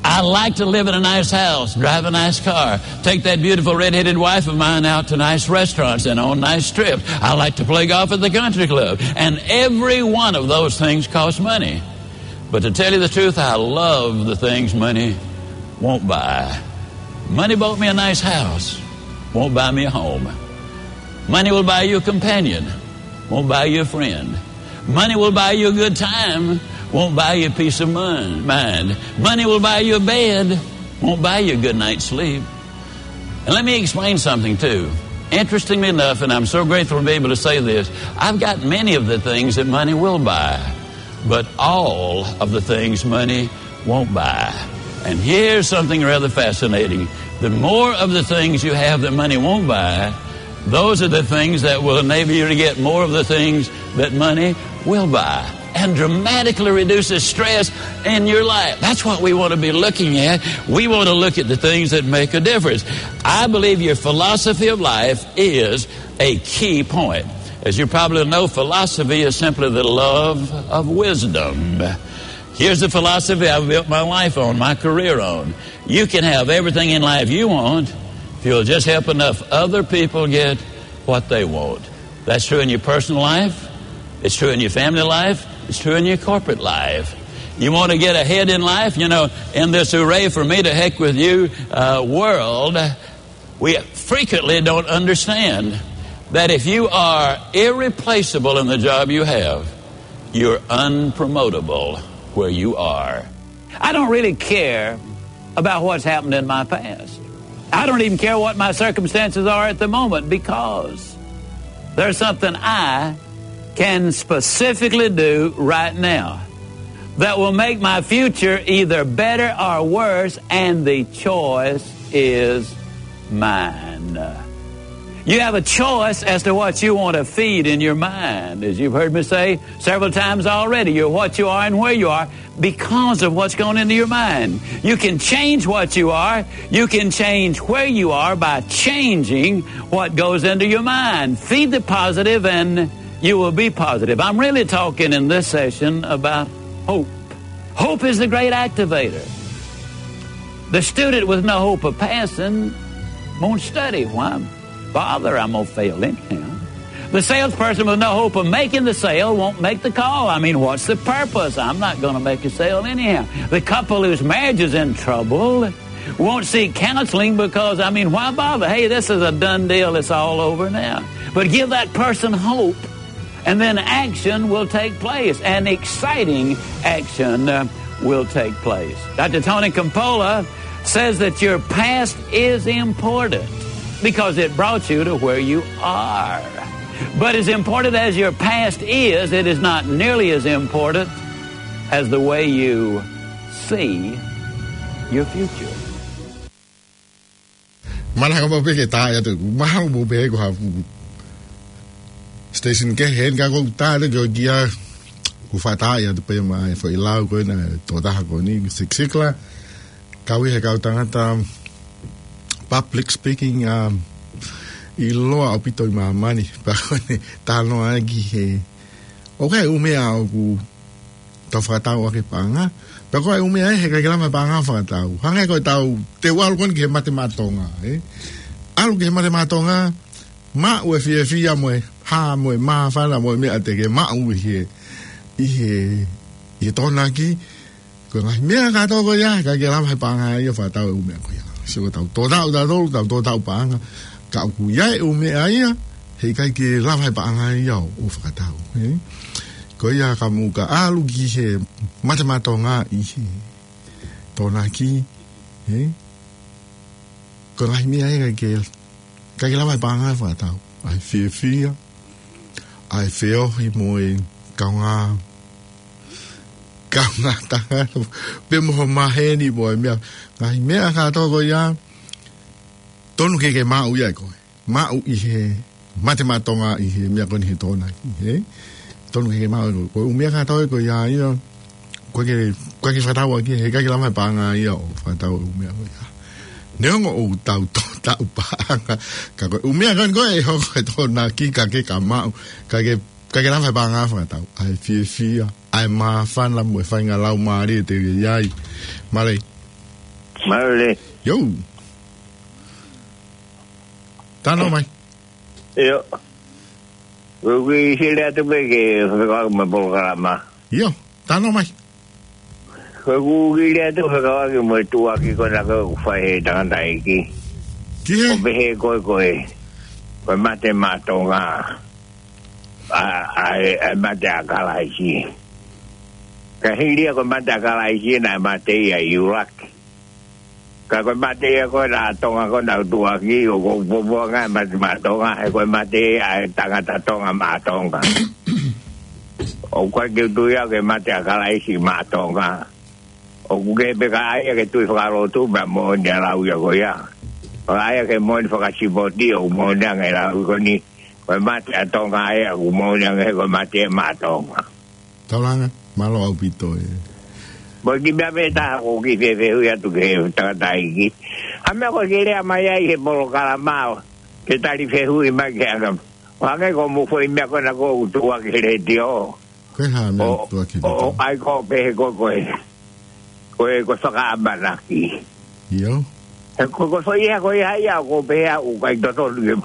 I like to live in a nice house, drive a nice car, take that beautiful red-headed wife of mine out to nice restaurants and on nice trips. I like to play golf at the country club. And every one of those things costs money. But to tell you the truth, I love the things money won't buy. Money bought me a nice house, won't buy me a home. Money will buy you a companion, won't buy you a friend. Money will buy you a good time, won't buy you peace of mon-, mind. Money will buy you a bed, won't buy you a good night's sleep. And let me explain something, too. Interestingly enough, and I'm so grateful to be able to say this, I've got many of the things that money will buy, but all of the things money won't buy. And here's something rather fascinating. The more of the things you have that money won't buy, those are the things that will enable you to get more of the things that money will buy and dramatically reduces stress in your life. That's what we want to be looking at. We want to look at the things that make a difference. I believe your philosophy of life is a key point. As you probably know, philosophy is simply the love of wisdom. Here's the philosophy I've built my life on, my career on. You can have everything in life you want if you'll just help enough other people get what they want. That's true in your personal life. It's true in your family life. It's true in your corporate life. You want to get ahead in life, you know, in this hooray for me to heck with you, uh, world, we frequently don't understand that if you are irreplaceable in the job you have, you're unpromotable where you are. I don't really care about what's happened in my past. I don't even care what my circumstances are at the moment, because There's something I can specifically do right now that will make my future either better or worse, and the choice is mine. You have a choice as to what you want to feed in your mind. As you've heard me say several times already, you're what you are and where you are because of what's going into your mind. You can change what you are. You can change where you are by changing what goes into your mind. Feed the positive and you will be positive. I'm really talking in this session about hope. Hope is the great activator. The student with no hope of passing won't study. Why bother? I'm going to fail anyhow. The salesperson with no hope of making the sale won't make the call. I mean, what's the purpose? I'm not going to make a sale anyhow. The couple whose marriage is in trouble won't seek counseling because, I mean, why bother? Hey, this is a done deal. It's all over now. But give that person hope, and then action will take place. An exciting action, uh, will take place. Doctor Tony Campolo says that your past is important because it brought you to where you are. But as important as your past is, it is not nearly as important as the way you see your future. Mālō, ka mau pē ke tā ia te, mau mau pē ko ha fu station kehe, ka ko u tā te ko kia, ko u fakatā ia te pē mai foʻi lau ko ena, tō taha ko eni, Zig Ziglar, kau ia he kau tangata public speaking, um, ʻiloa ʻaupito ʻi māmani, pea ko ʻene talanoa ki he, ʻoku ʻi ai e ʻū meʻa ʻoku tau fakatau ʻaki e paʻanga, pea ko e ʻū meʻa ia he ʻikai ke lava e paʻanga fakatau. Hangē ko ʻetau teu ʻalu ko eni ki he mate maʻa Tonga, ē? ʻAlu ki he mate maʻa Tonga, maʻu e fiefia mo e hā mo e māfana mo e meʻa te ke maʻu ʻi he, ʻi he, ʻi he Tokonaki, ko e ngaahi meʻa kātoa ko ia, ʻikai ke lava he paʻanga ia ʻo fakatau e ʻū meʻa ko ia. Sio, tau tō taʻu tautolu, tau tō taʻu paʻanga, ka ʻoku ʻi ai e ʻū meʻa ia he ʻikai ke lava he paʻanga ia ʻo, ʻo fakatau, ē? Ko ia ka mou ka ʻalu ki he mate maʻa Tonga ʻi he Tokonaki, ē? Ko e ngaahi meʻa ia ʻikai ke, ʻikai ke lava he paʻanga ʻo fakatau. ʻA e fiefia, ʻa e feohi mo e kaungā, kaungā tangata, pea mo ho maheni mo e meʻa. Ngaahi meʻa kātoa ko ia, tonu ke ke maʻu ia ʻe koe. Maʻu ʻi he mate maʻa Tonga ʻi he meʻa ko eni he Tokonaki, ē? Tonu ke ke maʻu ʻe koe. Ko e ʻū meʻa kātoa ko ia ia, ʻoku ʻikai ke, ʻoku ʻikai ke fakatau ʻaki, he ʻikai ke lava he paʻanga ia ʻo fakatau e ʻū meʻa ko ia. Neongo ʻoku tau tō taʻu paʻanga, ka ko e ʻū meʻa ko eni ko ē ʻe hoko he Tokonaki ka ke ka maʻu, ka ke, ʻikai ke lava he paʻanga ʻo fakatau. ʻA e fiefia, ʻa e māfana mo e faʻahinga laumālie te ke ʻi ai. Mālō. Mālō. Yo. Talanoa mai. ʻIo. Ko e kiʻi lea atu pē ke fekauʻaki mo e polokalama. ʻIo, talanoa mai. Ko e kiʻi lea atu fekauʻaki mo e tuʻuaki ko ena ʻoku fai he tangataʻeiki. Ki he? ʻO pehē ko e, ko e, ko e mate maʻa Tonga. ʻA, ʻa e, ʻa e mate ʻa Kalaisi. Ka hili ia ko e mate ʻa Kalaisi naʻe mate ia ʻi ʻIulaki. Ka ko e mate ia ko ena ʻa Tonga ko ena ʻoku tuʻuaki, ʻoku ou poupou ange e mate maʻa Tonga, he ko e mate ia ʻa e tangata Tonga maʻa Tonga. ʻOku ʻikai ke u tui au ki he mate ʻa Kalaisi maʻa Tonga. ʻOku kehe pē ka ʻai ia ki he tui fakalotu, pea moʻoni ʻa e lau ia ko ia. Ka ʻai ia ki he moʻoni fakasipoti, ʻoku moʻoni ange e lau ko eni. Ko e mate ʻa Tonga ia, ʻoku moʻoni ange he ko e mate maʻa Tonga. Taulanga, mālō ʻaupito ē. Mo e kiʻi meʻa pē taha ʻoku ou kiʻi fefehuʻi atu ki he tangataʻeiki. Hā e meʻa ko ē ke lea mai ai he polokalama ʻo ke tali fehuʻi mai ki he anga. ʻO hangē ko hoʻomou foʻi meʻa ko ena ʻoku tuʻuaki he letiō. Ko e hā e meʻa ʻoku tuʻuaki he letiō? ʻO ʻai ko ē pehē ko e, ko e, ko e fakaʻamanaki. ʻIo. He ko e, ko e foʻi ʻea ko ia ia ʻoku ou pehē au ʻoku ʻikai totonu ke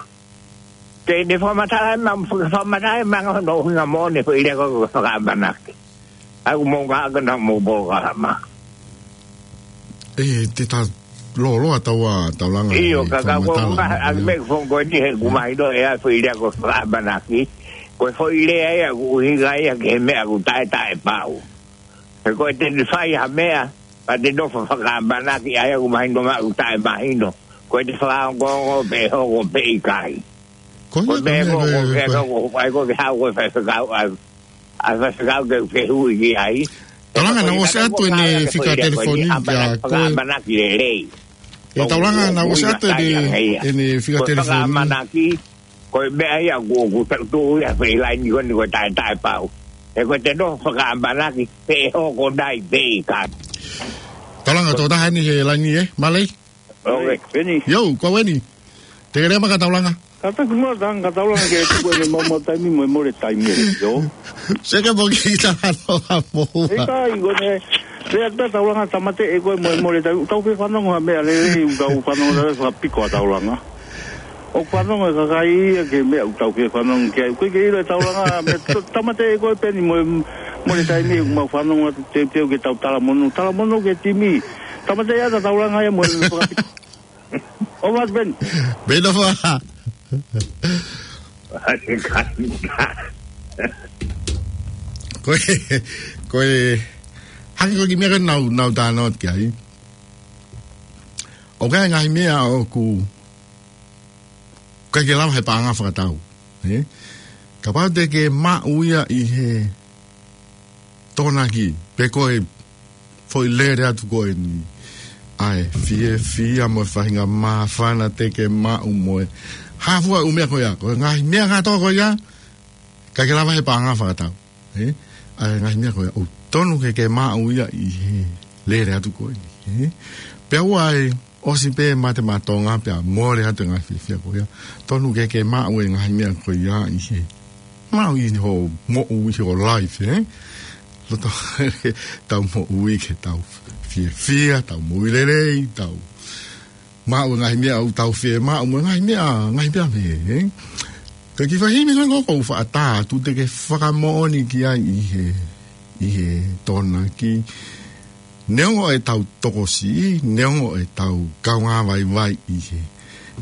Te ne fakamatala mai, fakamatala mai ange hono ʻuhinga moʻoni e foʻi lea ko e fakaʻamanaki. ʻA ia ʻoku mou ngāueʻaki ʻa hoʻomou polokalama. ʻE, te ta lōloa taua, Taulanga, ʻio, he ka, ka, ko e fakamatala, ʻuhinga, ʻa e ʻio. Meʻa ko eni he ʻoku mahino ʻe au e foʻi lea ko e fakaʻamanaki. Ko e foʻi lea ia ʻoku ʻuhinga ia ki he meʻa ʻoku taʻetaʻepau. He ko e te ne fai ha meʻa, ka te nofo fakaʻamanaki, ʻa ia ʻoku mahino maʻu taʻemahino. Ko e te fakaongoongo pe hoko pe ʻikai. Ko ia, ko ia, ko ia, ko ia. Ko e meʻa ko, ko e, ko e, ko e, ko e fai fekau, ʻa, ʻa e fai fekau ke fehuʻi ki ai. Taulanga, naʻa ku ʻosi atu ʻene fika telefoni kia koe. ʻE Taulanga, naʻa ku ʻosi atu ʻene, ʻene fika telefoni. Ko e meʻa ia ʻoku, ʻoku tau tuʻu ia he laini ko eni ko e taʻetaʻe pau. He ko e te nofo fakaʻamanaki, pea ʻe hoko nai pē ka. Taulanga, tokotaha eni he laini ē, mālō. ʻOi, Peni. Yo, ko Weni. Te ke lea mai kia Taulanga. Kātaki muʻa Taulanga, kia Taulanga ke tuku ʻene maumau taimi mo e mole taimi ē, yo. Seke mo ki ta ano a mo. ʻIkai, ko ʻene, lea atu Taulanga, tāmateʻi ʻe koe mo e mole taimi. Tau fefanongo ha meʻa lelei, tau fanongo lelei fakapiko ʻa Taulanga. ʻOku fanongo e kakai ia ki he meʻa ʻoku tau fefanongo ki ai. Ko e ke ʻilo ʻe Taulanga, meʻa to-, tāmateʻi ʻe koe Peni mo e mole taimi ʻoku mau fanongo atu teuteu ke tau talamonū. Talamonū ki he timi. Tāmateʻi ʻa Taulanga ia mo e fakapiko. ʻOfa atu Peni. Peni ʻofa. Ko e, ko e, hangē ko e kiʻi meʻa ko ē naʻa ku, naʻa ku talanoa ki ai. ʻOku ʻi ai e ngaahi meʻa ʻoku ʻikai ke lava he paʻanga fakatau, ē? Kapau te ke maʻu ia ʻi he Tokonaki, pe ko e foʻi lele atu ko eni. ʻA e fiefia mo e faʻahinga māfana te ke maʻu mo e hā fua e ʻū meʻa ko ia. Ko e ngaahi meʻa kātoa ko ia, ʻikai ke lava he paʻanga fakatau, ē? ʻA e ngaahi meʻa ko ia, ʻoku tonu ke ke maʻu ia ʻi he lele atu ko eni, ē? Pea ʻoua ʻe ʻosi pē mate maʻa Tonga pea mole atu e ngaahi fiefia ko ia. Tonu ke ke maʻu e ngaahi meʻa ko ia ʻi he, maʻu ʻi hoʻo moʻui, ʻi hoʻo life, ē? Loto, tau moʻui ke tau fiefia, tau moʻui lelei, tau maʻu e ngaahi meʻa ʻoku tau fiemaʻu, mo e ngaahi meʻa, ngaahi meʻa pehē, ē? Ka ki he faʻahinga ko ē ʻoku ou faʻa tā atu te ke fakamoʻoni ki ai ʻi he, ʻi he Tokonaki. Neongo ʻetau tokosiʻi, neongo ʻetau kaungā vaivai ʻi he,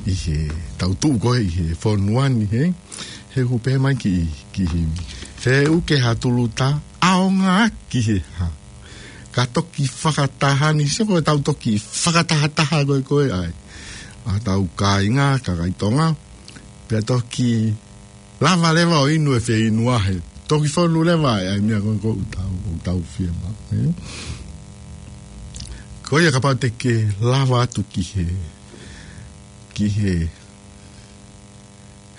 ʻi heʻetau tuʻu ko ē ʻi he fonua ni, ē? He ʻoku pehē mai ki, ki he himi. Feʻuke ha tuluta, ʻaonga ki he hā. Ka toki fakataha ni, sio ko ʻetau toki fakatahataha ko ē ko ē ʻa e, ʻa ʻetau kāinga, kakai Tonga. Pea toki lava leva ʻo inu e feinu ʻa he. Toki fonu leva ʻa e, ʻa e meʻa ko ē ʻoku tau, ʻoku tau fiemaʻu, ē? Ko ia kapau te ke lava atu ki he, ki he,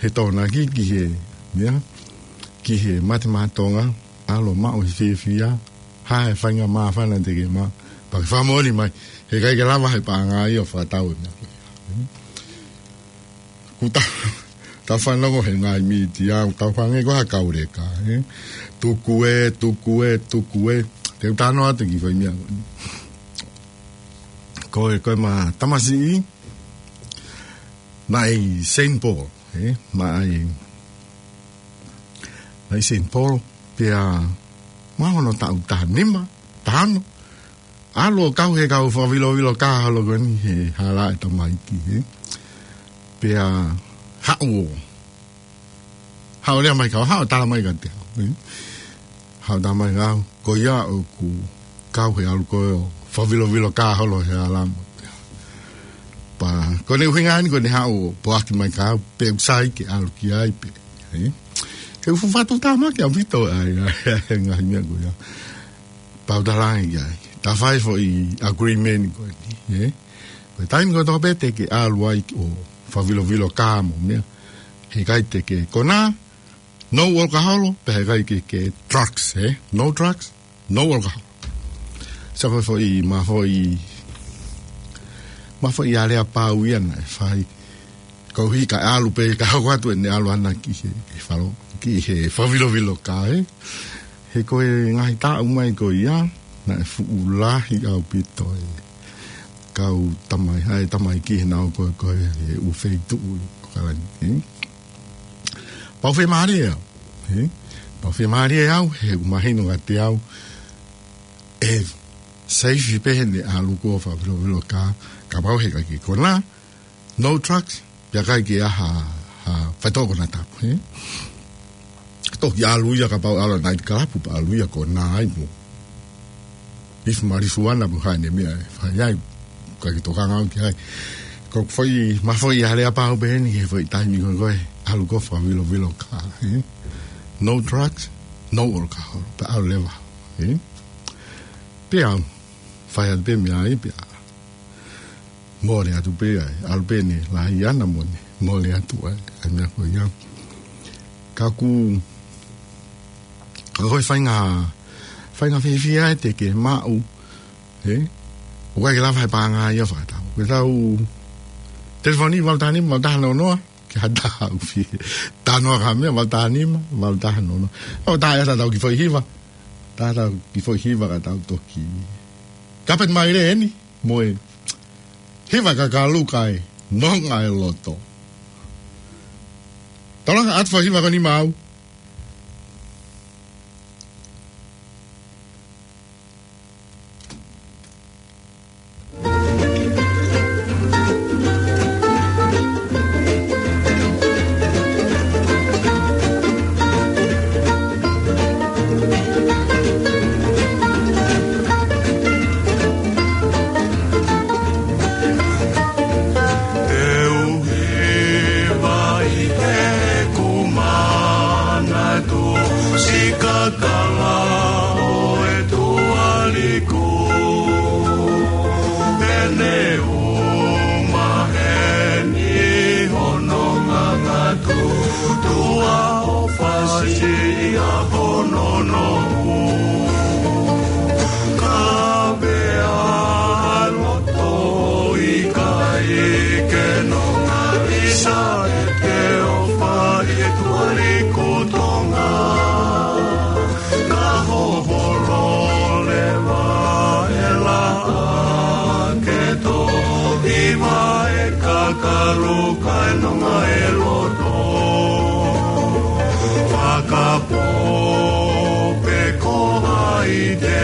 he Tokonaki, ki he, meʻa, ki he mate maʻa Tonga, ʻalu ʻo maʻu e fiefia, hā e faʻahinga māfana te ke maʻu, pea ke fakamoʻoni mai, he ʻikai ke lava he paʻanga ia ʻo fakatau e meʻa ko ia. Kuo tau, tau fanongo he ngaahi mītia, tau hangē ko ha kau leka, ē? Tuku ē, tuku ē, tuku ē. Te u talanoa atu ki he foʻi meʻa ko eni. Ko e, ko ʻema tamasiʻi, naʻe ʻi Saint Paul, ē? Naʻe ʻi, naʻe ʻi Saint Paul, pea mahalo hono taʻu taha nima, taha ono, ʻalu ʻo kau he kau fakavilovilo kā holo ko eni he hala ʻa e tamaiki, ē. Pea haʻu ʻo, haʻu ʻo lea mai kiate au, haʻu ʻo tala mai kiate au, ē. Haʻu ʻo tala mai kiate au, ko ia ʻoku kau he ʻalu ko ē ʻo fakavilovilo kā holo he hala mo. Pea, ko ʻene ʻuhinga eni ko ʻene haʻu ʻo poaki mai kiate au, pe ʻoku sai ke ʻalu ki ai pē, ē. He ʻoku fuʻu fakatātā mai kiate au ʻaupito ʻa e, ʻa e, ʻa e ngaahi meʻa ko ia. Pea u talaange ki ai. Ta fai foʻi agreement ko eni, ē? Ko e taimi kotoa pē te ke ʻalu ai ʻo fakavilovilo kā mo meʻa, he ʻikai te ke konā, no alcohol, pea he ʻikai ke, ke drugs, ē? No drugs, no alcohol. Sio ko e foʻi, ʻema foʻi, ʻema foʻi aleapau ia naʻe fai. Koeʻuhi ka ʻalu pē, ka hoko atu ʻene ʻalu ʻana ki he, he falo, ki he fakavilovilo kā, ē? He ko e ngaahi taʻu mai ko ia, naʻe fuʻu lahi ʻaupito e kau tamai, ʻa e tamaiki he naʻa nau ko ē, ko ē he ʻū feituʻu ʻi ʻAokalani, ē? Pea u fiemālie au, ē? Pea u fiemālie au, he ʻoku mahino kiate au, ʻe seifi pē heʻene ʻalu ko ē ʻo fakavilovilo kā, kapau he ʻikai ke konā, no drugs, pea ʻikai ke ʻi ai ha, ha faitoʻo konatapu, ē? Toki ʻalu ia kapau ʻalu night club, pea ʻalu ia konā ai mo. If marijuana mo ha ʻene meʻa ʻe fai ai, ʻikai ke tokanga au ki ai. Ko e foʻi, ʻema foʻi aleapau pē eni, he foʻi taimi ko ē ko ē. ʻalu ko e fakavilovilo ka, ē? No drugs, no alcohol. Pea ʻalu leva, ē? Pea fai atu pē meʻa ai, pea mole atu pē ai, ʻalu pē ʻene lahi ʻana mo ʻene mole atu ai, ʻa e meʻa ko ia. Ka ʻoku, ka ko e faʻahinga, faʻahinga fiefia ē te ke maʻu, ē? ʻOku ʻikai ke lava he paʻanga ia ʻo fakatau. Ko ʻetau telefoni, valu taha nima, valu taha noa noa, ke ha taha ʻoku fie talanoa ki ha meʻa, valu taha nima, valu taha noa noa. ʻO tā ʻetau kiʻi foʻi hiva, tā ʻetau kiʻi foʻi hiva ka tau toki kapet mai leva eni, mo e hiva kakalu kae nonga e loto. Tolanga atu foʻi hiva ko eni maʻau. Te u hiva ʻi heʻeku manatu, siʻi kakala ʻo e tuʻa liku. Pea ne u maheni hono ngangatu, tuʻa ʻofa siʻi ʻa hono noʻu. Ka vea loto ʻikai ke nonga, ʻisa ʻete ʻofa ʻi he tuʻa liku Tonga. Ka hoholo leva e laʻā ke tō, hiva e kakalu kae nonga e loto. Fakapō pē ko hai te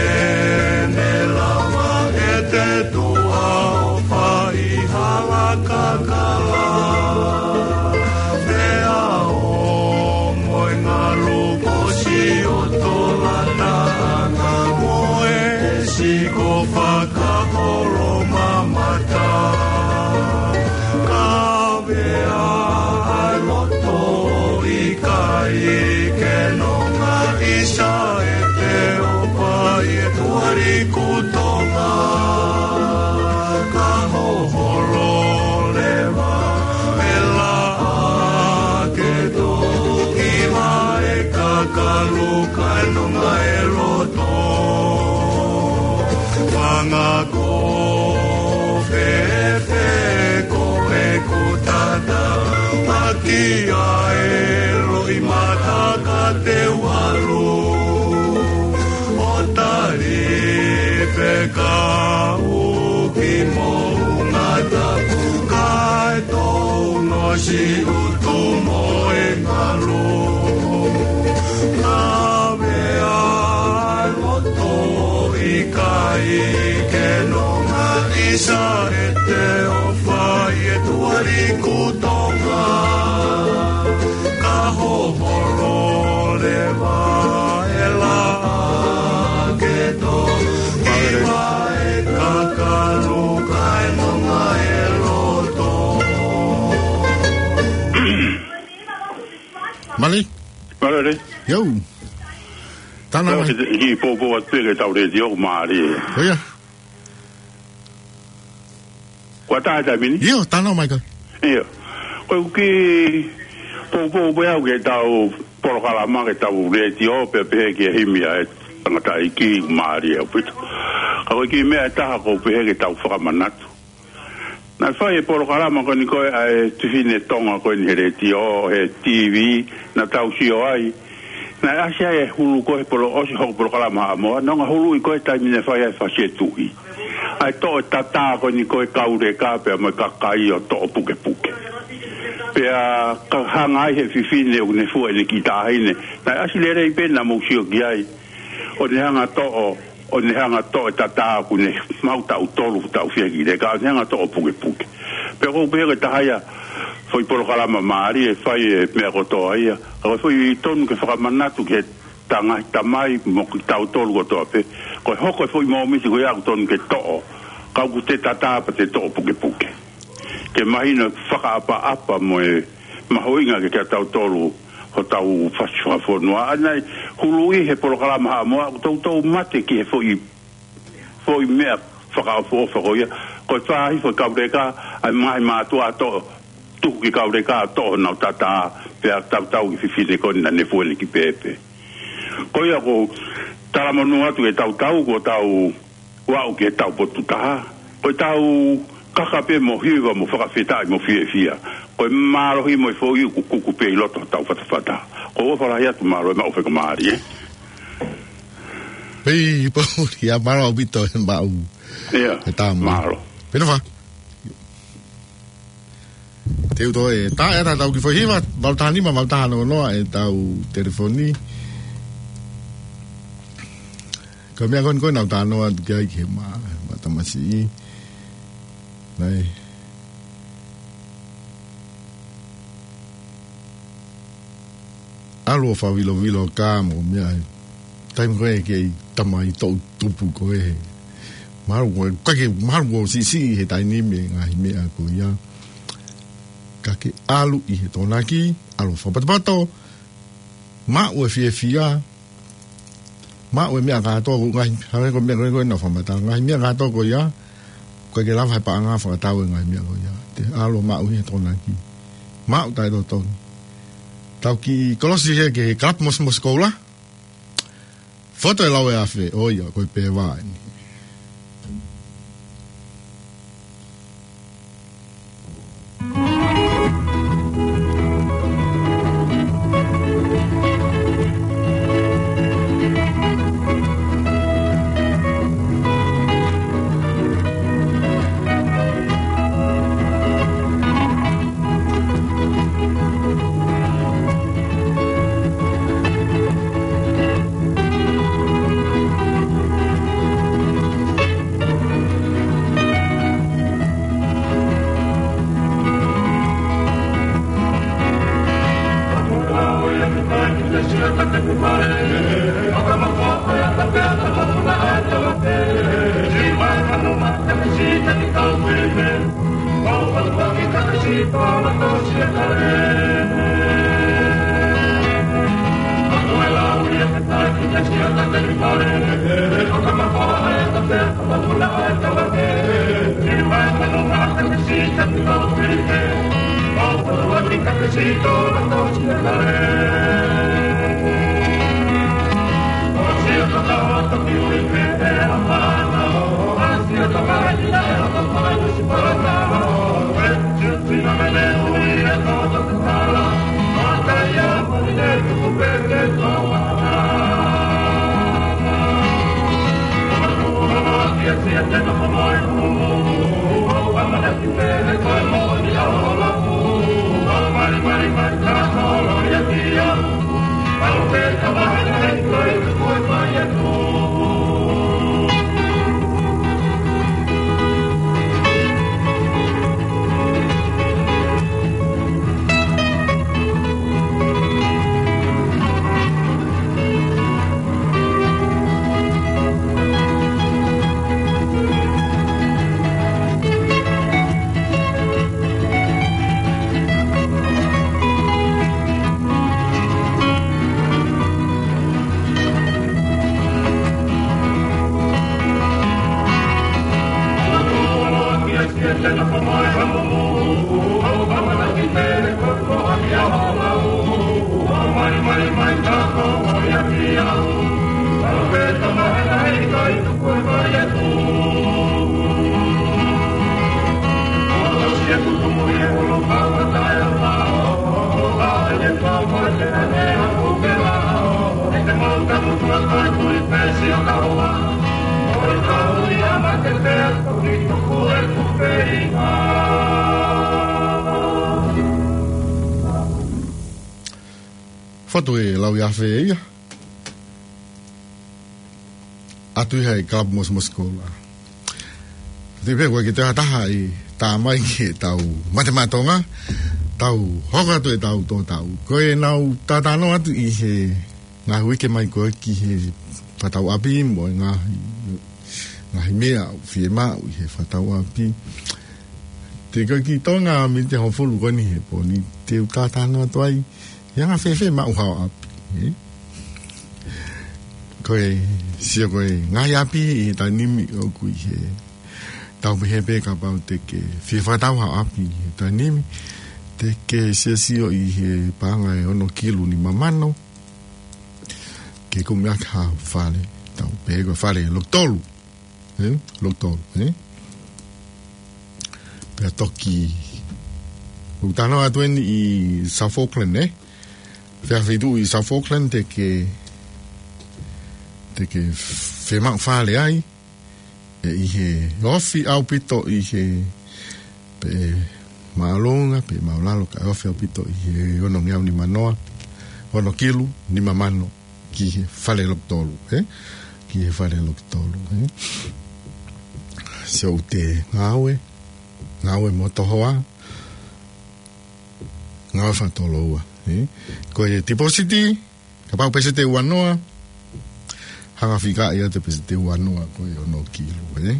ne lava ʻete tuʻa ʻofa ʻi hala kakala. Pea ʻo mo e ngalu ko siʻoto lata anga mo e siko fakaholo mamata. Ka vea ʻa e loto ʻikai ke nonga, ʻisa ʻete ʻofa ʻi he tuʻa liku Tonga. Ka hoholo leva e laʻā ke tō, hiva e kakalu kae nonga e loto. Fanga ko fēfē ko ʻeku tata, maki ai loʻimata ka te u ʻalu. ʻO tali fekau ki moʻunga tapu, kae tō noa siʻutu mo e ngalu. Ka vea loto ʻikai ke nonga, ʻisa ʻete ʻofa ʻi he tuʻa liku Tonga. Ka hoholo leva e laʻā ke tō, hiva e kakalu kae nonga e loto. Mali. Mali. Yo. Tana mai. Ki poupou atu pē ke tau lētio, mali. ʻOia. Kuo tā e taimi ni? ʻIo, tana mai ka. ʻIo. Ko e kiʻi poupou pē au ki heʻetau polokalama, ki heʻetau lētio, pea pehē ki he himi ʻa e tangataʻeiki, mali ʻaupito. Ka ko e kiʻi meʻa ʻe taha ʻoku ou pehē ke tau fakamanatu. Naʻe fai e polokalama ko eni ko ē ʻa e fefine Tonga ko eni he lētio, he TV, naʻa tau sio ai. Naʻe ʻasi ai e hulu ko ē he polo-, ʻosi hoku polokalama Haʻamoa, naʻa ku huluʻi ko ē taimi naʻe fai ai e fasi e tuʻi. ʻA e toʻo e tatā ko eni ko ē kauleka pea mo e kakai ʻo toʻo pukepuke. Pea ka hanga ai he fefine ʻoku ne fua ʻene kiʻi taʻahine. Naʻe ʻasi lelei pē naʻa mou sio ki ai. ʻO ne hanga toʻo, ʻo ne hanga toʻo e tatā ʻoku ne maʻu taʻu tolu, taʻu fiha ki leka, ʻo ne hanga toʻo pukepuke. Pea ʻoku ou pehē ko e taha ia e foʻi polokalama mali ʻe fai e meʻa kotoa ia. Ka ko e foʻi tonu ke fakamanatu ki he tangata mai mo kitautolu kotoa pē. Ko e hoko e foʻi mōmiti ko ia ʻoku tonu ke toʻo, ka ʻoku te tatā pea te toʻo pukepuke. Ke mahino e fakaʻapaʻapa mo e Mahuʻinga ke kia tautolu hotau fasi fakafonua. ʻA ia naʻe huluʻi he polokalama Haʻamoa, ʻoku toutou mate ki he foʻi, foʻi meʻa fakaʻofoʻofa ko ia. Ko e fāhifo e kauleka, ʻa e ngaahi mātuʻa toʻo, tuku ki kauleka toʻo honau tata, pea tautau ki he fefine ko ena naʻe fuele ki pēpē. Ko ia ʻoku talamonū atu ke tautau, ko ʻetau ʻalu ki he taupotu taha. Ko ʻetau kaka pē mo hiva mo fakafetaʻi mo fiefia. Ko e mālohi mo e foʻi ʻukuʻuku pē ʻi loto hotau fatafata. Ko e ʻofa lahi atu, mālō e maʻu faingamālie. Pei, Pauli, ʻa mālō ʻaupito e maʻu. ʻIa, e tamu. Mālō. Pena fa. Te u toe, tā e ata tau ki foʻi hiva, valu taha nima, valu taha noa noa, ʻetau telefoni. Ko e meʻa ko eni ko ē naʻa ku talanoa atu ki ai ki he ma, ma tamasiʻi. Naʻe ʻalu ʻo fakavilovilo ka mo meʻa he taimi ko ē kei tamai toʻutupu ko ē. Mahalo ko e, ka ke, mahalo ko e siʻisiʻi he taimi ni e ngaahi meʻa ko ia. Ka ke ʻalu ʻi he Tokonaki, ʻalu ʻo fakapotopoto, maʻu e fiefia, maʻu e meʻa kātoa, ko e ngaahi, hangē ko e meʻa ko ē naʻa ku fakamatala, ngaahi meʻa kātoa ko ia, ʻoku ʻikai ke lava he paʻanga ʻo fakatau e ngaahi meʻa ko ia. Te ʻalu ʻo maʻu ʻi he Tokonaki. Maʻu taʻetotonu. Tau kiʻi kolosi hē ki he Kalapu Mosimosi Koula. Foto ʻe lau ʻe Afe, ʻo ia, ko e pē vā eni. Foto ʻe lau ʻe Afe ia. ʻAtu ia he Kalapu Mosimosi Koula. Te pehē ʻoku ʻikai ke toe ha taha ʻe tā mai ki heʻetau matematonga, tau hoko atu ʻetau tō tau. Ko ʻenau talanoa atu ʻi he ngaahi uike mai ko ē ki he fakatauʻapi mo e ngaahi, ngaahi meʻa ʻoku fiemaʻu ʻi he fakatauʻapi. Te ko e ki Tonga miniti hongofulu ko eni he pō ni te u talanoa atu ai. He anga fēfē maʻu haʻo ʻapi, ē? Ko e, sio ko e ngaahi ʻapi ʻi he taimi ni ʻoku ʻi he tau pehē pē kapau te ke fie fakatau haʻo ʻapi ʻi he taimi ni. Te ke siosio ʻi he paʻanga ʻe ono kilu nima mano. Ke kumi ʻaki ha fale, tau pehē ko e fale loki tolu. Ē? Loki tolu, ē? Pea toki, ʻoku talanoa atu eni ʻi South Auckland, ē? Fēfē feituʻu ʻi South Auckland te ke, te ke fiemaʻu fale ai, ē, ʻi he ofi ʻaupito ʻi he, pe māʻolunga, pe māʻulalo, kae ofi ʻaupito ʻi he ono ngeau nima noa, ono kilu nima mano, ki he fale loki tolu, ē? Ki he fale loki tolu, ē? So te ngāue, ngāue mo tohoa, ngāue fakatoloua, ē? Ko e tipōsiti, kapau peseti ua noa, hanga fika ia te peseti ua noa ko e ono kilu, ē?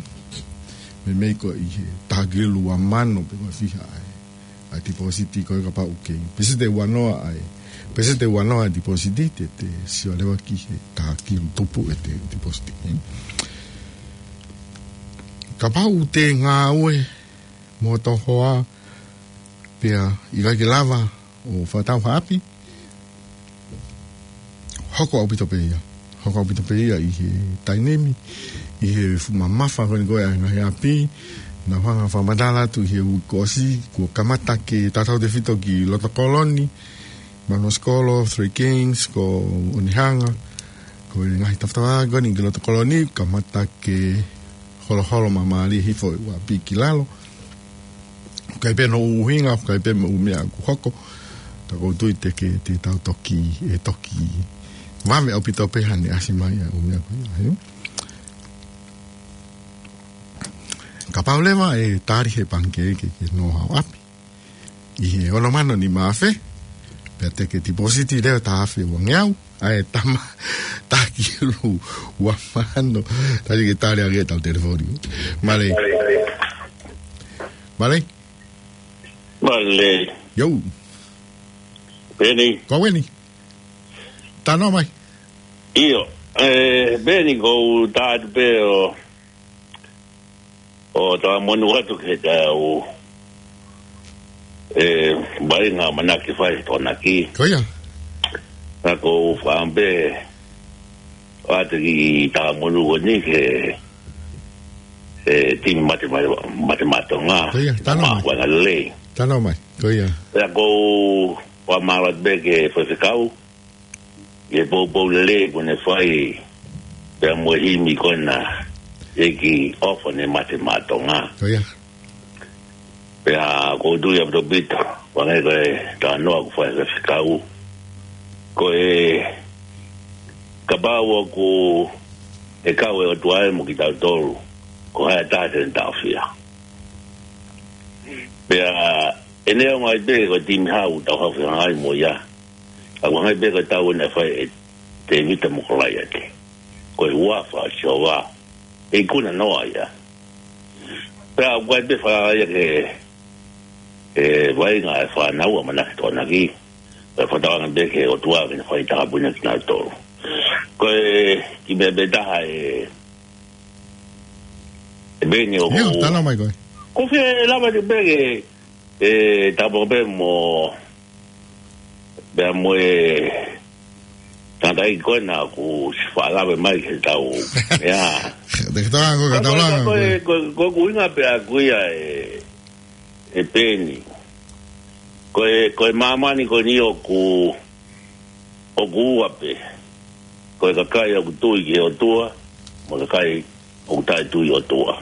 Meimei ko e ʻi he taha kilu ua mano pe ua fiha ai. ʻA e tipōsiti ko e kapau ke. Peseti ua noa ai. Peseti ua noa ai tipōsiti te, te sio leva ki he taha kilu tupu ʻete tipōsiti, ē? Kapau te ngāue mo tohoa pea ʻikai ke lava ʻo fakatau ha ʻapi, hoko ʻaupito pē ia. Hoko ʻaupito pē ia ʻi he taimi ni, ʻi he fuʻu mamafa ko eni ko e ʻa e ngaahi ʻapi, naʻa ku hanga fakamatala atu ʻi he uike kuo ʻosi, kuo kamata ke tatau tefito ki loto kolo ni, Mano Sikolo, Three Kings, ko Onehunga, ko e ngaahi tafatafa ko eni ki loto kolo ni, kamata ke holoholo māmālie hifo e ʻū ʻapi ki lalo. ʻIkai pē hono ʻuhinga, ʻikai pē mo e ʻū meʻa ʻoku hoko. Ka ʻoku ou tui te ke, te tau toki, ʻe toki vave ʻaupito pē haʻane ʻasi mai ʻa e ʻū meʻa ko ia, ē? Kapau leva ʻe tali he pangikē ke, ke nofo haʻo ʻapi ʻi he ono mano nima afe, pea te ke tipōsiti leva taha afe ua ngeau, ʻa e tama, taha kilu ua mano, tali ke tali ange ʻetau telefoni. Mālō. Mālō. Mālō. Yo. Peni. Ko eni. Talanoa mai. ʻIo. ʻE, Peni, ko u tā atu pē ʻo, ʻo talamonū atu ki he taha ʻū, ʻe, vaʻinga ʻamanaki fai Tokonaki. Ko ia. Naʻa ku fakaʻamu pē ʻo ʻoatu e kiʻi talamonū ko eni ki he, ʻe, timi mate, mate, mate maʻa Tonga. Ko ia, talanoa mai. Maʻu e vaʻinga lelei. Talanoa mai. Ko ia. Pea ʻoku ou fakamālō atu pē ki he faifekau, ʻi he poupou lelei kuo ne fai, pea mo e himi ko ena, ʻEiki ʻofa ne mate maʻa Tonga. Ko ia. Pea ʻoku ou tui ʻaupito, hangē ko e talanoa kuo fai ʻe he faifekau. Ko e kapau ʻoku ʻe kau e ʻOtua mo kitautolu, ko hai ha taha te ne taʻofia. Pea ʻe neongo ai pē ko e timi hau tau hau fehangahangai mo ia. Ka ʻoku hangē pē ko e tau ena naʻe fai ʻe Tēvita mo Kolaiate. Ko e huafa ʻo Sihova ʻe ikuna noa ia. Pea ʻoku ʻikai pē falala ia ki he, he vaʻinga ʻa e fānau ʻamanaki Tokonaki. Pea fakatauange pē ki he ʻOtua ke ne fai takapuʻi kinautolu. Ko e kiʻi meʻa pē taha ē, ē Peni ʻoku. Io, talanoa mai koe. Ko fē lava te pē ke, ē, tau pē mo, pea mo e tangataʻeiki ko ena kuo ʻosi faʻa lave mai ki he tau. Ia. Te ke tau ango ka tau langa. Ko e, ko e, ko e, ko e ʻuhinga pē ʻaku ia ē, ē Peni. Ko e, ko e māmani ko eni ʻoku, ʻoku ua pē. Ko e kakai ʻoku tui ki he ʻOtua, mo e kakai ʻoku taʻetui ʻOtua.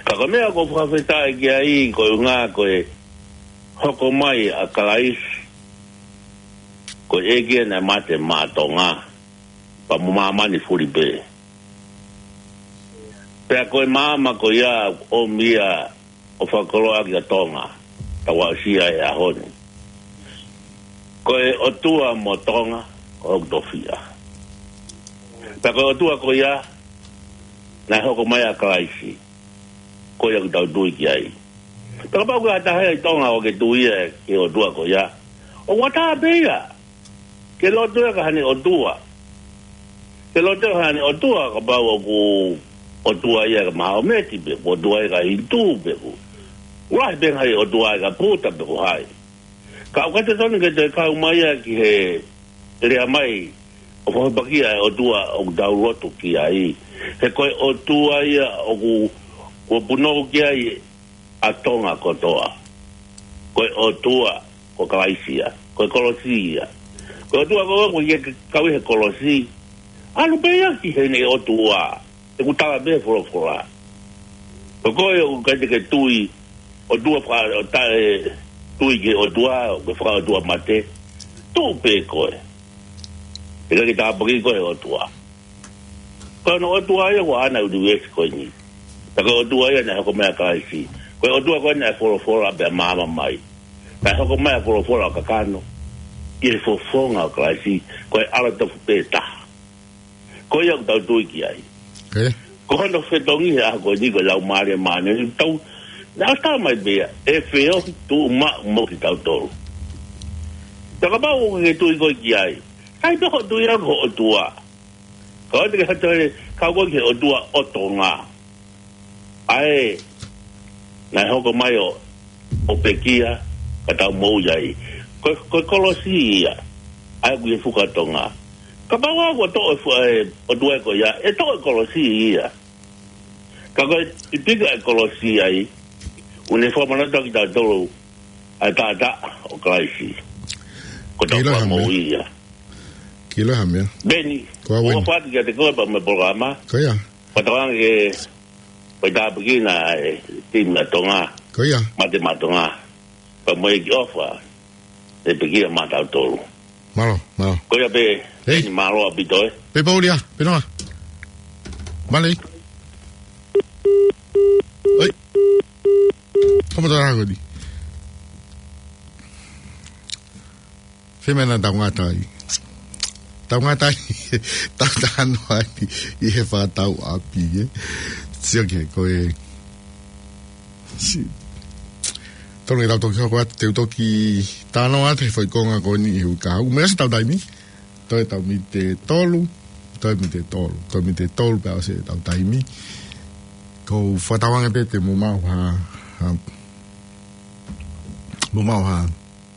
Ka ko e meʻa ʻoku ou fakafetaʻi ki ai, ko e ʻuhinga ko e hoko mai ʻa Kalaisi, ko e ʻEiki ia naʻe mate maʻa Tonga, pea mo māmani fulipē. Pea ko e maama ko ia ʻoku ʻomi ia ʻo fakakoloa ʻaki ʻa Tonga, tau aʻusia he ʻaho ni. Ko e ʻOtua mo Tonga, ko hoku tofiʻa. Pea ko e ʻOtua ko ia, naʻe hoko mai ʻa Kalaisi, ko ia ʻoku tau tui ki ai. Pea kapau ko ha taha ʻi Tonga ʻoku ke tui ia ki he ʻOtua ko ia, ʻoku ʻatā pē ia ke lotu ia ki haʻane ʻotua. Ke lotu ia ki haʻane ʻotua, kapau ʻoku ʻotua ia ki he Mahometi pe ʻotua ia ki he Hinitū pe ʻoku lahi pē ngaahi ʻotua ia ki he Puta pe ko hai. Ka ʻoku ʻikai totonu ke toe kau mai ia ki he lea mai ʻo fakapakia e ʻOtua ʻoku tau lotu ki ai. He ko e ʻOtua ia ʻoku, ʻoku punou ki ai ʻa Tonga kotoa. Ko e ʻOtua ko Kalaisi ia. Ko e kolosi ia. Ko e ʻOtua ko ē ʻoku ʻikai ke kau ʻi he kolosi, ʻalu pē ia ki heʻene ʻotua. ʻOku tala pē he folofola. Ko koe ʻoku ʻikai te ke tui ʻOtua faka-, ʻo taʻe tui ki he ʻOtua, ʻoku ke fakaʻotua mate, tuʻu pē koe. ʻIkai ke tāpuakiʻi koe ʻe he ʻOtua. Ko hono ʻOtua ia ʻoku ʻaʻana ʻa e ʻunivēsi ko eni. Pea ko e ʻOtua ia naʻe hoko mai ʻa Kalaisi. Ko e ʻOtua ko ē naʻe folofola pea maama mai. Naʻe hoko mai ʻa e folofola ʻo kakano ʻi he fofonga ʻo Kalaisi, ko e ʻAlo tofu pē taha. Ko ia ʻoku tau tui ki ai. Ko hono fetongi he ʻaho ko eni ko e Laumālie Māʻoniʻoni ʻoku tau, naʻa tau mai pē ia ʻe feohi tuʻumaʻu mo kitautolu. Pea kapau ʻoku ke tui koe ki ai, sai pē hoʻo tui ia ko e ʻOtua. Ka ʻoua te ke hata he kau koe ki he ʻOtua ʻo Tonga. ʻA ē naʻe hoko mai ʻo, ʻo pekia ka tau moʻui ai. Ko, ko e kolosi ia ʻa ē ʻoku ʻi he fuka Tonga. Kapau ʻoku toʻo e fu-, e ʻOtua ko ia, ʻe toʻo e kolosi ia. Ka ko e pika e kolosi ai, ʻoku ne fakamanatu kiate kitautolu ʻa e taʻataʻa ʻo Kalaisi. Ko tau Kiloha me. Moʻui ia. Kiloha me. Beni, ko au ua eni. Fati kiate koe pea mo e polokalama. Ko ia. Fakatauange ke fai tāpuekina e timi ʻa Tonga. Ko ia. Mate Maʻa Tonga. Pea mo e ʻEiki ʻofa, ʻe pekia maʻatautolu. Mālō, mālō. Ko ia pē, hei. Beni, mālō ʻaupito, ē. Pē Paulia, pē noa. Mālō. Oi. Kamo tara ko eni. Fēmea naʻa tau ngata ai. Tau ngata ai. Tau talanoa ai ʻi he fakatau ʻapi, ē. Sio ki he ko e. Si. Tonu ke tau toki hoko atu, te u toki talanoa atu he foʻi konga ko eni he uike kahaʻu. Meʻa si tau taimi. Toe tau miniti ʻe tolu. Toe miniti ʻe tolu. Toe miniti ʻe tolu pea ʻosi ʻetau taimi. Ko u fakatauange pē te mou maʻu ha, ha, mou maʻu ha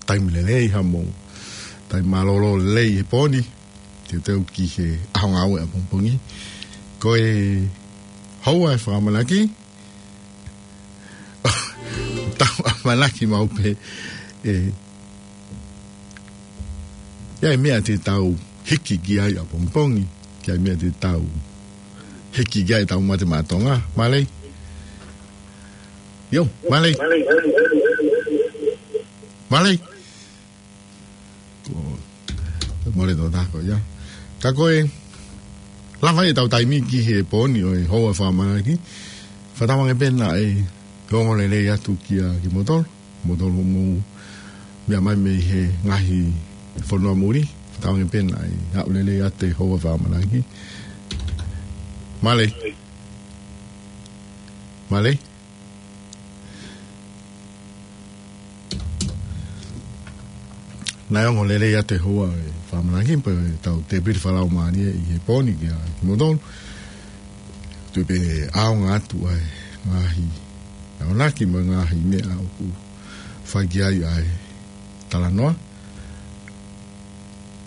taimi lelei, ha mou taimi mālōlō lelei he pō ni, teuteu ki he ʻaho ngāue ʻapongipongi. Ko e houa e fakaʻamanaki, tau ʻamanaki maʻu pē, ē, ʻi ai e meʻa te tau hiki ki ai ʻapongipongi, ki ai e meʻa te tau hiki ki ai ʻetau mate maʻa Tonga. Mālō. ʻIo, mālō. Mālō. Ko, mole tō tāko, ia. Ka ko e, lava ʻetau taimi ki he pō ni ʻo e houa fakaʻamanaki. Fakatauange pē naʻe ongo lelei atu kia kimoutolu. Moutolu mou meʻa mai mei he ngaahi fonua muli. Fakatauange pē naʻe aʻu lelei atu e houa fakaʻamanaki. Mālō. Mālō. Naʻe ongo lelei atu e houa e fakaʻamanaki pea tau tēpile fakalaumālie ʻi he pō ni kia kimoutolu. Tuʻu pē ʻaonga atu ʻa e ngaahi ʻamanaki mo e ngaahi meʻa ʻoku fai ki ai ʻa e talanoa.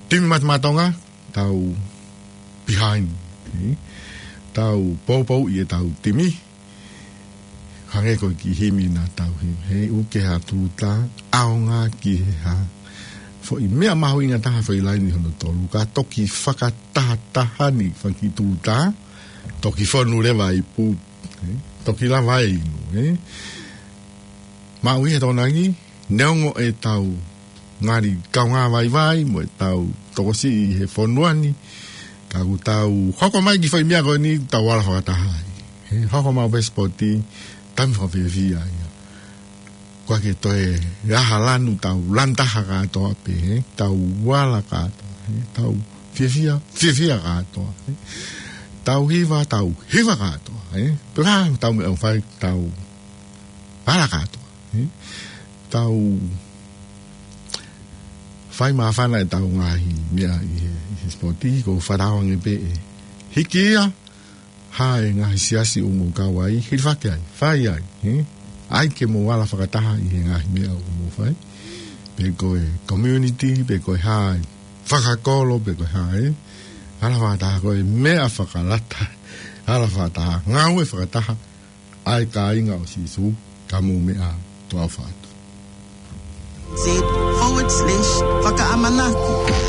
Timi Mate Maʻa Tonga, tau behind, ē? Tau poupou ʻi heʻetau timi. Hangē ko e kiʻi himi naʻa tau himi, he ʻoku ke ha tūtā, ʻaonga ki he hā. Foʻi meʻa mahuʻinga taha foʻi laini hono tolu, ka toki fakatahataha ni faki tūtā, toki fonu leva ʻi pū, ē? Toki lava e inu, ē? Maʻu ʻi he Tokonaki, neongo ʻetau ngali kaungā vaivai mo ʻetau tokosiʻi he fonua ni, ka ʻoku tau hoko mai ki he foʻi meʻa ko eni tau ala fakataha ai. He hoko mai pē sipoti, taimi fakafiefia ia. ʻOku ʻikai ke toe ʻi ai ha lanu, tau lanu taha kātoa pē, he tau ala kātoa, he tau fiefia, fiefia kātoa, he tau hiva, tau hiva kātoa, he pē ko e hā ʻetau meʻa ʻoku fai, tau ala kātoa. He? Tau fai māfana ʻetau ngaahi meʻa ʻi he, ʻi he sipoti, ko e fakaʻaongaʻi pē ʻe hiki ia ha e ngaahi siasi ʻoku mou kau ai, hilifaki ai, fai ai, he? ʻAi ke mou ala fakataha ʻi he ngaahi meʻa ʻoku mou fai. Pe ko e community, pe ko e hā e fakakolo, pe ko e hā e. Ala fakataha ko e meʻa fakalata. Ala fakataha, ngāue fakataha. ʻA e kāinga ʻo Sīsū, ka mou meʻa, tau ʻofa atu. Z forward slash fakaʻamanaki.